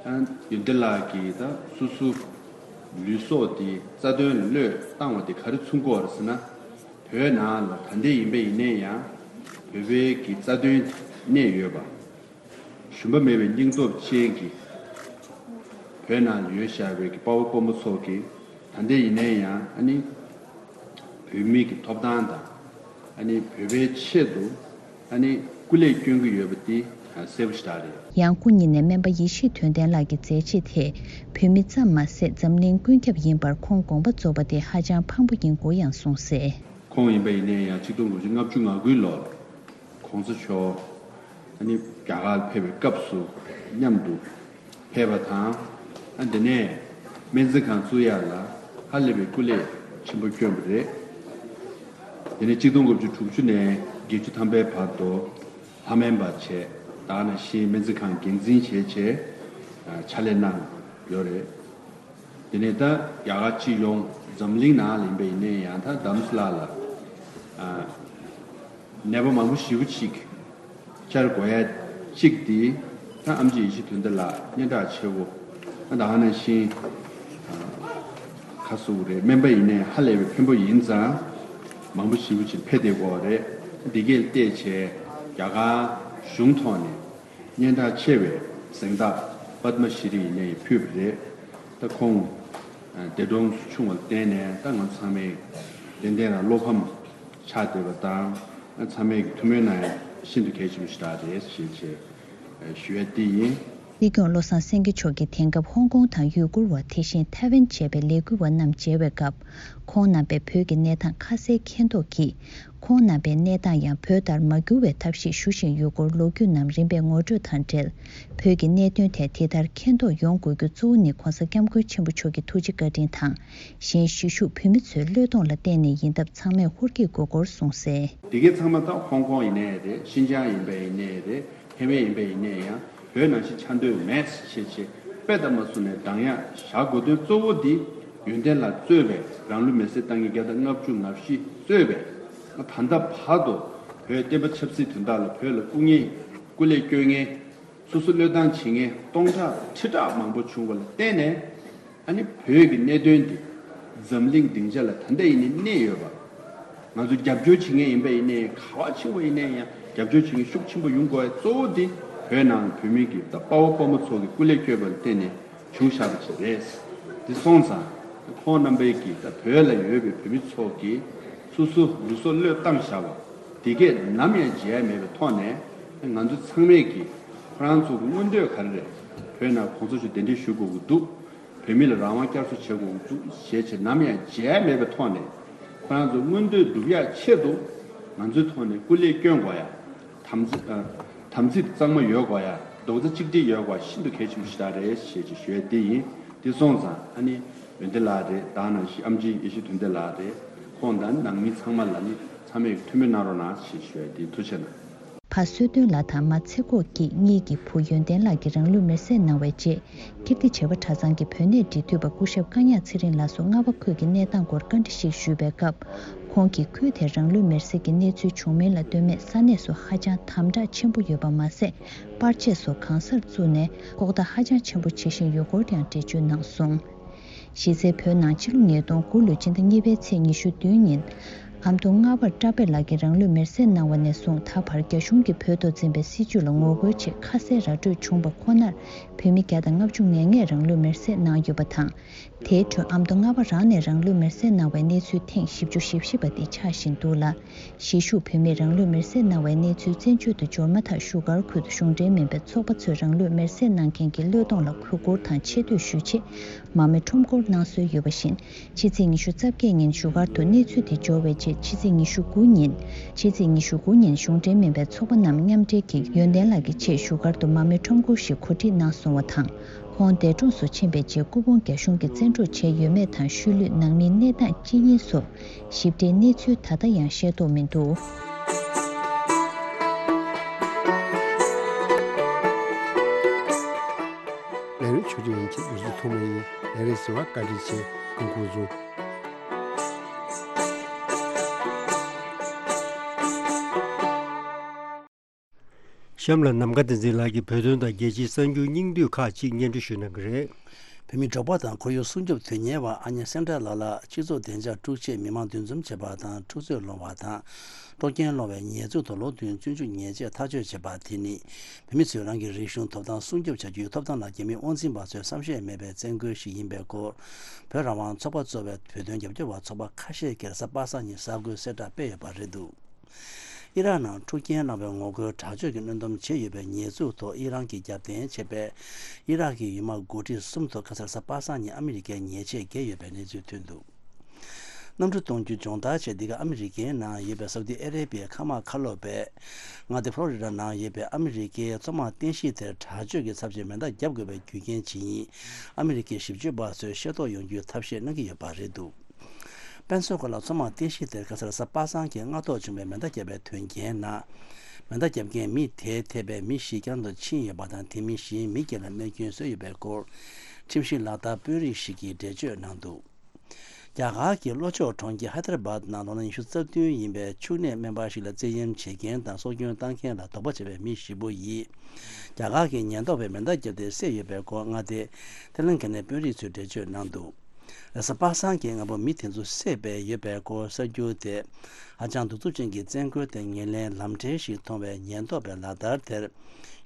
ཨ་ཡོན་ཏན་ལགས་ཀྱིས་ད་སོ་སོ་ལུས་སྲོག་དེ་རྩ་དོན་ལ་བློས་བཏང་བ་དེ་ག་རེ་མཚོན་གྱི་ཡོད་རེད་ཟེར་ན། བོད་ནང་ལ་ད་ལྟ་ཡིན་པ་ཡིན་ན་ཡང་བོད་པའི་གི་རྩ་དོན་གནས་ཡོད་པ། ཞུམ་པ་མེད་པའི་སྙིང་སྟོབས་ཅན་གྱི་བོད་ནང་ལ་ཡོད་བཞག་པའི་གི་དཔའ་བོ་དཔའ་མོ་ཚོ་གིས་ད་ལྟ་ཡིན་ནའི་ཡང་ཨ་ནི་བོད་མི་གི་ཐོབ་ཐང་དང་ཨ་ནི་བོད་པའི་ཆེད་དུ་ཨ་ནི་སྐུ་ལས་སྐྱོན་གྱི་ཡོད་པ་འདི་གསལ་པོ་ཞེ་དྲག་རེད། ཡང་སྐུ་ཉིད་ནས་སྨན་པ་ཡེ་ཤེས་དོན་ལྡན་ལགས་ཀྱི་མཛད་རྗེས་དེས་བོད་མི་ཙམ་མ་ཟད་འཛམ་གླིང་ཀུན་ཁྱབ་ཡིན་པར་ཁོང་དགོངས་པ་རྫོགས་པ་དེ་ཧ་ཅང་ཕངས་པོ་ཡིན་སྐོར་ཡང་གསུངས་གསལ། ཁོང་ཡིན་པ་ཡིན་ནའི་ཡང་གཅིག་སྟོང་དགུ་བརྒྱ་ལྔ་བཅུ་ང་དགུའི་ལོར་༧གོང་ས་མཆོག་ཨ་ནི་རྒྱ་གར་ཕེབས་པའི་སྐབས་སུ་མཉམ་དུ་ཕེབས་པ་དང་། ཨ་འདི་ནས་སྨན་རྩིས་ཁང་བཙུགས་ཡག་ལ་ཧ་ལས་པའི་སྐུ་ལས་ཆེན་པོ་བསྐྱོན་པ་རེད། དེ་ནས་གཅིག་སྟོང་དགུ་བརྒྱ་དྲུག་ཅུ་ནས་བརྒྱད་ཅུ་ཐམ་པའི་བར་དུ་ལྷ་སྨན་པ་བྱས། ད་ག་ནང་བཞིན་སྨན་རྩིས་ཁང་འགན་འཛིན་བྱས་བྱས་ཕྱག་ལས་གནང་ཡོད་རེད། དེ་ནས་ད་རྒྱ་གར་སྤྱི་ཡོངས་འཛམ་གླིང་ནང་ལ་ཡིན་པ་ཡིན་ནའི་ཡང་ད་དྷ་རམ་ས་ལ་ལ་ཨ་ནད་པ་མང་པོ་ཞེ་པོ་ཅིག་བཅར་དགོས་ཡ་གཅིག་དེ་ད་ཨེམ་ཆི་ཡེ་ཤེས་དོན་ལྡན་ལགས་སྙན་གྲགས་ཆེ་བོ། ད་ག་ནང་བཞིན་ཨ་ཁ་གསོ་བ་རེད། སྨན་པ་ཡིན་ནའི་ཧ་ལས་པའི་ཕན་པོ་ཡིན་ཙང་མང་པོ་ཞེ་པོ་ཅིག་ཕེབས་བསྡད་ཀྱི་ཡོད་རེད། འདི་གས་བལྟས་བྱས་རྒྱ་གར་གཞུང་ཐོག་ནས། སྙན་གྲགས་ཆེ་བའི་གཟེངས་རྟགས་པདྨ་ཤྲི་ཡིན་ནའི་ཕུལ་བ་རེད། ད་ཁོང་འདས་གྲོངས་སུ་ཆུང་བ་ལ་བརྟེན་ནས་ད་ང་ཚང་མས་ཏན་ཏན་རང་བློ་ཕམ་ཆགས་བསྡད་པ་དང་། ཚང་མས་ཀྱི་ཐུགས་སྨོན་གནང་ཡ་ཤིན་ཏུ་གལ་ཆེན་པོ་ཞིག་རེད་ཞེས་བྱས་ཞུ་ཡ་དེ་ཡིན། སྲིད་སྐྱོང་བློ་བཟང་སེང་གེ་མཆོག་གིས་དེང་སྐབས་ཧོང་ཀོང་དང་ཡུ་གུར་བ། དེ་བཞིན་ཐའེ་ཝན་བཅས་པའི་ལས་འགུལ་བ་རྣམས་མཇལ་བའི་སྐབས། ཁོང་རྣམ་པས་བོད་ཀྱི་གནས་སྟངས་ཁ་གསལ་མཁྱེན་རྟོགས་ཀྱིས། ཁོང་རྣམ་པའི་གནས་སྟངས་ཡང་བོད་ལྟར་མ་འགྱུར་བའི་ཐབས་ཤེས་ཞུ་བཞིན་ཡོད་སྐོར་ལོ་རྒྱུས་རྣམས་རིམ་པས་ངོ་སྤྲོད་དང་འབྲེལ། བོད་ཀྱི་གནད་དོན་ཐད་དེ་ལྟར་མཁྱེན་རྟོགས་ཡོང་དགོས་རྒྱུ་གཙོ་བོ་ནི་༧གོང་ས་༧སྐྱབས་མགོན་ཆེན་པོ་མཆོག་གི་ཐུགས་རྗེ་བཀའ་དྲིན་དང་། གཞན་གཞིས་བཞུགས་བོད་མི་ཚོའི་བློས་གཏོང་ལ་བརྟེན་ནས་ཡིན་སྟབས་ཚང་མས་ཧུར་བསྐྱེད་དགོས་སྐོར་གསུངས་གསལ། འདི་གའི་ཚང་མ་ད་ཧོང་ཀོང་ཡིན་ནའི་རེད། ཤིན་ཅང་ཡིན་པ་ཡིན་ནའི་རེད། ཧེ་མེད་ཡིན་པ་ཡིན་ནའི་ཡང་བོད་ནང་བཞིན་ཆགས་འདོད་མེད་ཞེས་བྱས་དཔེ་ལྟ་མ་བཟུང་ནས་འདང་ཡག་བཞག་དགོས་དོན་གཙོ་བོ་འདི་ཡོན་ཏན་ལགས་གཙོས་པའི་རང་ལུས་མེར་སྲེག་བཏང་མཁན་བརྒྱ་དང་ལྔ་བཅུ་ང་བཞི་གཙོས་པའི་ད་ལྟ་བར་དུ་བོད་བསྟན་པ་ཆབ་སྲིད་དོན་དག་ལ་བོད་ལ་སྐུ་ངལ་སྐུ་ལས་སྐྱོན་མཁན། སོ་སོ་བློས་བཏང་བྱེད་མཁན་སྟོང་ཕྲག་ཁྲི་ཕྲག་མང་པོ་བྱུང་བ་ལ་བརྟེན་ནས། ཨ་ནི་བོད་ཀྱི་གནད་དོན་འདི་འཛམ་གླིང་སྡིངས་ཆ་ལ་ད་ལྟ་ཡིན་ནའི་གནས་ཡོད་པ། ང་ཚོ་རྒྱབ་སྐྱོར་བྱེད་མཁན་ཡིན་པ་ཡིན་ནའི་ག་བ་ཕྱིན་པ་ཡིན་ནའི་ཡང་རྒྱབ་སྐྱོར་བྱེད་མཁན་ཤུགས་ཆེན་པོ་ཡོང་དགོས་པའི་གཙོ་བོ་འདི་བོད་ནང་བོད་མི་གི་ད་དཔའ་བོ་དཔའ་མོ་ཚོ་གི་སྐུ་ལས་བསྐྱོན་པ་ལ་བརྟེན་ནས་བྱུང་བཞག་པ་ཅིག་རེད། འདི་སོང་ཙང་ཁོང་རྣམ་པའི་གི་ད་བོད་ལ་ཡོད་པའི་བོད་མི་ཚོ་གིས་སོ་སོ་ལུས་སྲོག་བློས་བཏང་བཞག་པ་འདི་གས་ནམ་ཡང་བརྗེད་ཡ་མེད་པའི་ཐོག་ནས་ང་ཚོ་ཚང་མས་གི་ཁོ་རང་ཚོ་གི་མངོན་འདོད་ག་རེ་རེད། བོད་ནང་གོང་ས་མཆོག་གདན་འདྲེན་ཞུ་དགོས་ཀྱི་འདུག་བོད་མི་ལ་རང་དབང་བསྐྱར་གསོ་བྱེད་དགོས་ཀྱི་འདུག་ཞེས་བྱས་ནམ་ཡང་བརྗེད་ཡ་མེད་པའི་ཐོག་ནས་ཁོ་རང་ཚོ་མངོན་འདོད་སྒྲུབ་ཡ་ཆེད་དུ་ང་ཚོའི་ཐོག་ནས་སྐུ་ལས་བསྐྱོན་དགོས་ཡ། དམ་ཚིག་ཨ། དམ་ཚིག་གཙང་མ་ཡོད་དགོས་ཡ། རྡོག་རྩ་གཅིག་སྒྲིལ་ཡོད་དགོས་ཤིན་ཏུ་གལ་ཆེན་པོ་ཞིག་རེད་ཞེས་ཅིག་ཞུ་ཡ་དེ་ཡིན། དེ་སོང་ཙང་ཨ་ནི་ཡོན་ཏན་ལགས་རེད། ད་ནང་བཞིན་ཨེམ་ཆི་ཡེ་ཤེས་དོན་ལྡན་ལགས་རེད། ཁོང་དང་ནང་མི་ཚང་མ་ལ་ནི་ཚང་མས་ཐུགས་སྨོན་གནང་རོགས་གནང་ཞེས་ཞུ་ཡ་དེ་ཡིན། ཐུགས་རྗེ་གནང་། ཕ་བསོད་སྟོན་ལགས་དང་མ་ཚེ་ཁོག་སྐྱིད་གཉིས་ཀྱི་བུ་ཡོན་ཏན་ལགས་ཀྱིས་རང་ལུས་མེར་སྲེག་གནང་བའི་རྗེས། ཀིརྟི་བྱེས་པ་གྲྭ་ཚང་གི་བོད་གནས་འབྲེལ་མཐུད་པ་སྐུ་ཞབས་ཀ་ཉག་ཚེ་རིང་ལགས་སུ་རྔ་བ་ཁུལ་གྱི་གནས་སྟངས་སྐོར་བཀའ་འདྲི་ཞིག་ཞུས་པའི་སྐབས། ཁོང་གིས་ཁུལ་དེར་རང་ལུས་མེར་སྲེག་གི་གནས་ཚུལ་བྱུང་མིན་ལ་ལྟོས་མེད་ས་གནས་སུ་ཧ་ཅང་དམ་དྲག་ཆེན་པོ་ཡོད་པ་མ་ཟད། པར་ཆས་སོགས་གང་སར་བཙུགས་ནས་ལྐོག་བརྡ་ཧ་ཅང་ཆེན་པོ་བྱེད་བཞིན་ཡོད་སྐོར་ཡང་འགྲེལ་བརྗོད་གནང་སོང་། གཞི་རྩའི་བོད་ནང་ཕྱི་ལོ་ཉིས་སྟོང་དགུ་ལོའི་ཕྱི་ཟླ་གཉིས་པའི་ཚེས་ཉི་ཤུ་བདུན་ཉིན། ཨ་མདོ་རྔ་བར་བཀྲ་བྷེ་ལགས་ཀྱིས་རང་ལུས་མེར་སྲེག་གནང་བ་ནས་བཟུང་ད་བར་རྒྱ་གཞུང་གིས་བོད་ཐོག་འཛིན་པའི་སྲིད་བྱུས་ལ་ངོ་རྒོལ་ཆེད་ཁ་གསལ་ར་སྤྲོད་བྱུང་བ་ཁོ་ནར། བོད་མི་བརྒྱ་དང་ལྔ་བཅུ་ང་ལྔས་རང་ལུས་མེར་སྲེག་གནང་ཡོད་པ་དང་། དེའི་ཁྲོད་ཨ་མདོ་རྔ་བ་རང་ནས་རང་ལུས་མེར་སྲེག་གནང་བའི་གནས་ཚུལ་ཐེངས་བཞི་བཅུ་ཞེ་བཞི་པ་དེ་ཆགས་བཞིན་འདུག་ལ། གཞིས་བཞུགས་བོད་མིས་རང་ལུས་མེར་སྲེག་གནང་བའི་གནས་ཚུལ་བཙན་བྱོལ་དུ་འབྱོར་མ་ཐག་བཞུགས་སྒར་ཁུལ་དུ་གཞུང་འབྲེལ་མིན་པའི་ཚོགས་པ་ཚོས་རང་ལུས་མེར་སྲེག་གནང་མཁན་གྱི་བློས་གཏོང་ལ་གུས་བཀུར་དང་ཆེ་བསྟོད་ཞུ་ཆེད་མར་མེ་ཁྲོམ་སྐོར་གནང་སྲོལ་ཡོད་པ་བཞིན། ཕྱི་ཚེས་ཉི་ཤུ་རྩ་བརྒྱད་ཉིན་བཞུགས་སྒར་དུ་གནས་ཚུལ་དེ་འབྱོར་བའི་རྗེས་ཕྱི་ཚེས་ཉི་ཤུ་དགུ་ཉིན། ཕྱི་ཚེས་ཉི་ཤུ་དགུ་ཉིན་གཞུང་འབྲེལ་མིན་པའི་ཚོགས་པ་རྣམས་མཉམ་འབྲེལ་གྱིས་ཡོན་ཏན་ལགས་ཀྱི་ཆེད་བཞུགས་སྒར་དུ་མར་མེ་ཁྲོམ་སྐོར་ཞིག་གོ་སྒྲིག་གནང་སོང་བ་དང་། ཁོང་འདས་གྲོངས་སུ་ཕྱིན་པའི་རྗེས་སྐུ་ཕུང་རྒྱ་གཞུང་གིས་བཙན་འཕྲོག་བྱས་ཡོད་མེད་དང་ཤུལ་ལུས་ནང་མིའི་གནས་སྟངས་ཅི་ཡིན་སོགས་ཞིབ་ཕྲའི་གནས་ཚུལ་ད་ལྟ་ཡང་ཤེས་རྟོགས་མི་འདུག། ལས་རིམ་ཆུ་ཚོད་ཡན་ཆད་འདུག་སེ་ཐོག་མ་ཡིན། ལས་རིམ་གསན་པར་བཀའ་དྲིན་ཆེ། སྐུ་ཁམས་བཟང་། གཤམ་ལ་ནམ་མཁའ་བསྟན་འཛིན་ལགས་ཀྱིས་བོད་དོན་དང་རྒྱལ་སྤྱིའི་གསར་འགྱུར་སྙིང་བསྡུས་ཁག་ཅིག་སྙན་སྒྲོན་ཞུ་གནང་གི་རེད། བོད་མིའི་འབྲོག་པ་དང་ཁོར་ཡུག་སྲུང་སྐྱོབ་དོན་གཉེར་བ་ཨ་ཉེ་སེང་བྲག་ལགས་ལ་སྤྱི་ཚོགས་བདེ་འཇགས་དཀྲུག་ཆེད་མི་མང་འདུ་འཛོམས་བྱེད་པ་དང་འཁྲུག་རྩོད་སློང་བ་དང་། དཀྲོག་རྐྱེན་སློང་བའི་ཉེས་འཛུགས་དང་ལོ་བདུན་བཙོན་འཇུག་ཉེས་ཆད་ཐག་གཅོད་བྱས་པ་དེ་ནི། བོད་མི་ཚོས་རང་གི་རིག་གཞུང་ཐོབ་ཐང་སྲུང་སྐྱོབ་བྱ་རྒྱུའི་ཐོབ་ཐང་ལ་རྒྱ་མིའི་དབང་འཛིན་པ་ཚོས་བསམ་ཤེས་མེད་པའི་བཙན་རྒོལ་ཞིག་ཡིན་པའི་སྐོར། བོད་རང་དབང་ཚོགས་པ་གཙོས་པའི་བོད་དོན་རྒྱབ་སྐྱོར་བ་ཚོགས་པ་ཁ་ཤས་ཀྱིས་གཟའ་པ་སངས་ཉིན་གསར་འགོད་གསལ་བསྒྲགས་སྤེལ་ཡོད་པ་རེད་འདུག། ཨི་རག་ནང་འཁྲུག་རྐྱེན་བསླངས་པའི་ངོ་རྒོལ་དྲག་སྤྱོད་ཀྱི་གནོན་སྡོམ་བྱས་ཡོད་པའི་ཉེས་འཛུགས་ཐོག་ཨི་རན་གྱིས་རྒྱབ་རྟེན་བྱས་པའི་ཨི་རག་གི་ཡུལ་དམག་འགོ་ཁྲིད་གསུམ་ཐོག་ཁ་སང་གཟའ་པ་སངས་ཉིན་ཨ་མི་རི་ཀས་ཉེས་ཆད་བཀལ་ཡོད་པའི་གནས་ཚུལ་ཐོན་འདུག། གནམ་གྲུ་གཏོང་རྒྱུ་སྦྱོང་བརྡར་ཆེད་འདི་ག་ཨ་མི་རི་ཀའི་ནང་ཡོད་པའི་སའུ་ཏི་ཨ་རེ་བྷི་ཡའི་མཁའ་དམག་ཁ་ལོ་པས། མངའ་སྡེ་ཕོ་ལོ་རི་ཌ་ནང་ཡོད་པའི་ཨ་མི་རི་ཀའི་མཚོ་དམག་རྟེན་གཞི་དེར་དྲག་སྤྱོད་ཀྱི་ཚབས་ཆེའི་མེ་མདའ་བརྒྱབ་དགོས་པའི་རྒྱུ་རྐྱེན་ཇི་ཡིན། ཨ་མི་རི་ཀའི་ཞིབ་དཔྱོད་པ་ཚོས་ཤེས་རྟོགས་ཡོང་རྒྱུའི་ཐབས་ཤེས་གནང་གི་ཡོད་པ་རེད་འདུག། པེན་སོ་ཀོ་ལ་མཚོ་དམག་རྟེན་གཞི་དེར་ཁ་སང་གཟའ་པ་སངས་ཀྱི་སྔ་ཐོག་བྱུང་བའི་མེ་མདའ་བརྒྱབ་པའི་དོན་རྐྱེན་ནང་། མེ་མདའ་བརྒྱབ་མཁན་མི་དེའི་ཐད་པའི་མི་བཞི་བསྐྱར་དུ་ཕྱིན་ཡོད་པ་དང་། དེ་མིན་གཞན་མི་བརྒྱད་ལ་རྨས་སྐྱོན་བཟོས་ཡོད་པའི་སྐོར། ཁྲིམས་ཞིབ་ལག་བསྟར་དཔོན་རིགས་ཤིག་གིས་འགྲེལ་བརྗོད་གནང་འདུག། རྒྱ་གར་གྱི་ལྷོ་ཕྱོགས་གྲོང་ཁྱེར་ཧའི་ཏར་བྷད་ནང་ལོ་ན་ཉི་ཤུ་རྩ་བདུན་ཡིན་པའི་ཕྱུགས་ནད་སྨན་པ་ཞིག་ལ་བཙན་གཡེམ་བྱེད་མཁན་དང་སྲོག་སྐྱོན་བཏང་མཁན་ལ་དོགས་པ་བྱས་པའི་མི་བཞི་པོ་ཡིས། རྒྱ་གར་གྱི་ཉེན་རྟོག་པས་མེ་མདའ་བརྒྱབ་སྟེ་བསད་ཡོད་པའི་སྐོར། མངའ་སྡེ་ཐེ་ལན་གྷི་ནའི་དཔོན་རིགས་ཚོས་འགྲེལ་བརྗོད་གནང་འདུག། རེས་གཟའ་པ་སངས་ཀྱི་སྔ་པོ་མི་དེ་ཚོ་བསད་པའི་ཡོད་པའི་སྐོར་གསར་འགྱུར་དེ། ཧ་ཅང་གདུག་རྩུབ་ཅན་གྱི་བཙན་རྒོལ་དེ་ངོས་ལེན་ལམ་འབྲས་ཤིག་མཐོང་བའི་ཉེན་རྟོག་པའི་ལག་བསྟར་དེར།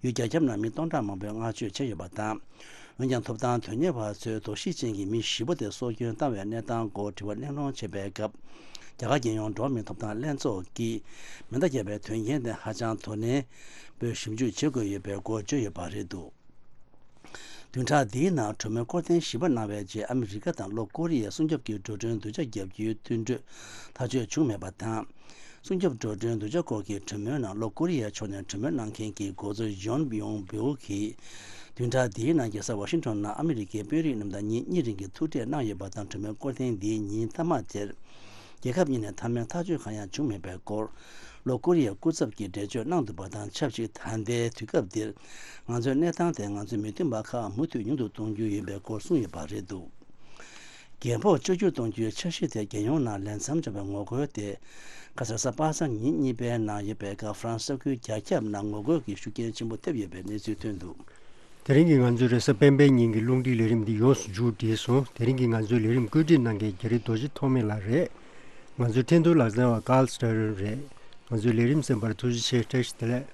ཡུལ་རྒྱ་ཁྱབ་ནང་མི་སྟོང་ཕྲག་མང་པོས་བསྔགས་བརྗོད་བྱས་ཡོད་པ་དང་། འོན་ཀྱང་ཐོབ་ཐང་དོན་གཉེར་བ་ཚོས་དོགས་གཞི་ཅན་གྱི་མི་བཞི་པོ་དེ་སྲོག་སྐྱོན་བཏང་བའི་གནས་སྟངས་སྐོར་དྲི་བ་གླེང་སློང་བྱེད་པའི་སྐབས། རྒྱ་གར་རྒྱལ་ཡོངས་འགྲོ་བ་མིའི་ཐོབ་ཐང་ལྷན་ཚོགས་ཀྱིས་མེ་མདའ་བརྒྱབ་པའི་དོན་རྐྱེན་དེ་ཧ་ཅང་དོ་ནན་པོས་ཞིབ་འཇུག་བྱེད་དགོས་ཡོད་པའི་སྐོར་བརྗོད་ཡོད་པ་རེད་འདུག། བདུན་ཕྲག་འདིའི་ནང་གྲོས་མོལ་སྐོར་ཐེངས་བཞི་པ་གནང་བའི་རྗེས་ཨ་མི་རི་ཀ་དང་ལྷོ་ཀོ་རི་ཡས་སྲུང་སྐྱོབ་ཀྱི་འགྲོ་གྲོན་བསྡུ་ཆ་བརྒྱབ་རྒྱུའི་མཐུན་གྲོས་ཐག་གཅོད་བྱུང་མེད་པ་དང་། སྲུང་སྐྱོབ་འགྲོ་གྲོན་བསྡུ་ཆ་སྐོར་གྱི་གྲོས་མོལ་ནང་ལྷོ་ཀོ་རི་ཡའི་ཕྱོགས་ནས་གྲོས་མོལ་གནང་མཁན་གྱི་འགོ་གཙོ་ཡོན་ཡོང་བིའུ་གིས། བདུན་ཕྲག་འདིའི་ནང་རྒྱལ་ས་ཝ་ཤིང་ཊོན་ནང་ཨ་མི་རི་ཀའི་དཔོན་རིགས་རྣམས་དང་ཉིན་གཉིས་རིང་གི་ཐུག་འཕྲད་གནང་ཡོད་པ་དང་། གྲོས་མོལ་སྐོར་ཐེངས་འདིའི་ཉིན་མཐའ་མ་དེར། རྒྱལ་ཁབ་གཉིས་ནས་མཐའ་མའི་ཐག་གཅོད་གང་ཡང་བྱུང་མེད་པའི་སྐོར། ལྷོ་ཀོ་རི་ཡའི་སྐུ་ཚབ་ཀྱིས་འགྲེལ་བརྗོད་གནང་འདུག་པ་དང་ཆབས་ཅིག་ད་ལྟའི་དུས་སྐབས་འདིར། ང་ཚོའི་གནས་སྟངས་དེ་ང་ཚོའི་མི་མཐུན་པ་ཁག་མུ་མཐུད་ཉུང་དུ་གཏོང་རྒྱུ་ཡིན་པའི་སྐོར་གསུངས་ཡོད་པ་རེད་འདུག། རྒྱལ་འབོད་བཅོས་བསྒྱུར་གཏོང་རྒྱུའི་འཆར་གཞི་དེ་རྒྱལ་ཡོངས་ནང་ལས་མཚམས་འཇོག་པའི་ངོ་རྒོལ་དེ། ཁ་སང་གཟའ་པ་སངས་ཉིན་གཉིས་པའི་ནང་ཡོད་པའི་སྐབས་ཧྥ་རན་སི་ས་ཁུལ་རྒྱ་ཁྱབ་ནང་ངོ་རྒོལ་གྱི་ཤུགས་རྐྱེན་ཆེན་པོ་ཐེབས་ཡོད་པའི་གནས་ཚུལ་ཐོན་འདུག། དེ་རིང་གི་ང་ཚོའི་རེས་གཟའ་སྤེན་པའི་ཉིན་གྱི་རླུང་འཕྲིན་ལས་རིམ་འདི་ཡོངས་སུ་མཇུག་བསྒྲིལ་སོང་། དེ་རིང་གི་ང་ཚོའི་ལས་རིམ་བཀོད་སྒྲིག་གནང་མཁན་རྒྱ་རི་རྡོ་རྗེ་ཐོགས་མེད་ལགས་རེད། ང་ཚོའི་འཕྲིན་གཏོང་ལག་རྩལ་བ་ཀཱལ་སི་ཏྲ་རོན་རེད། ང་ཚོའི་ལས་རིམ་གསན་པར་ཐུགས་རྗེ་ཆེ། བཀྲ་ཤིས་བདེ་ལེགས།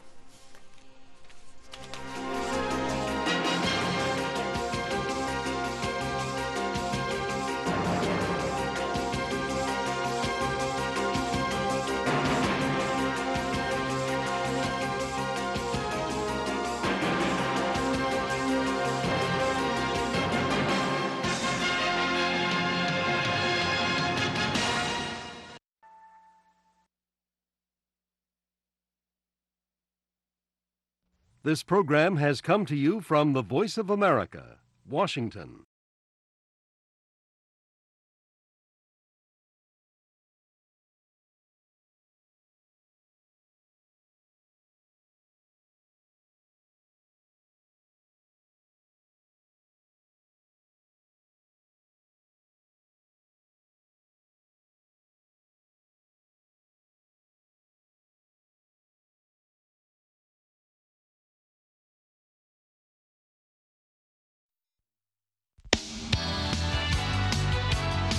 This program has come to you from the Voice of America, Washington.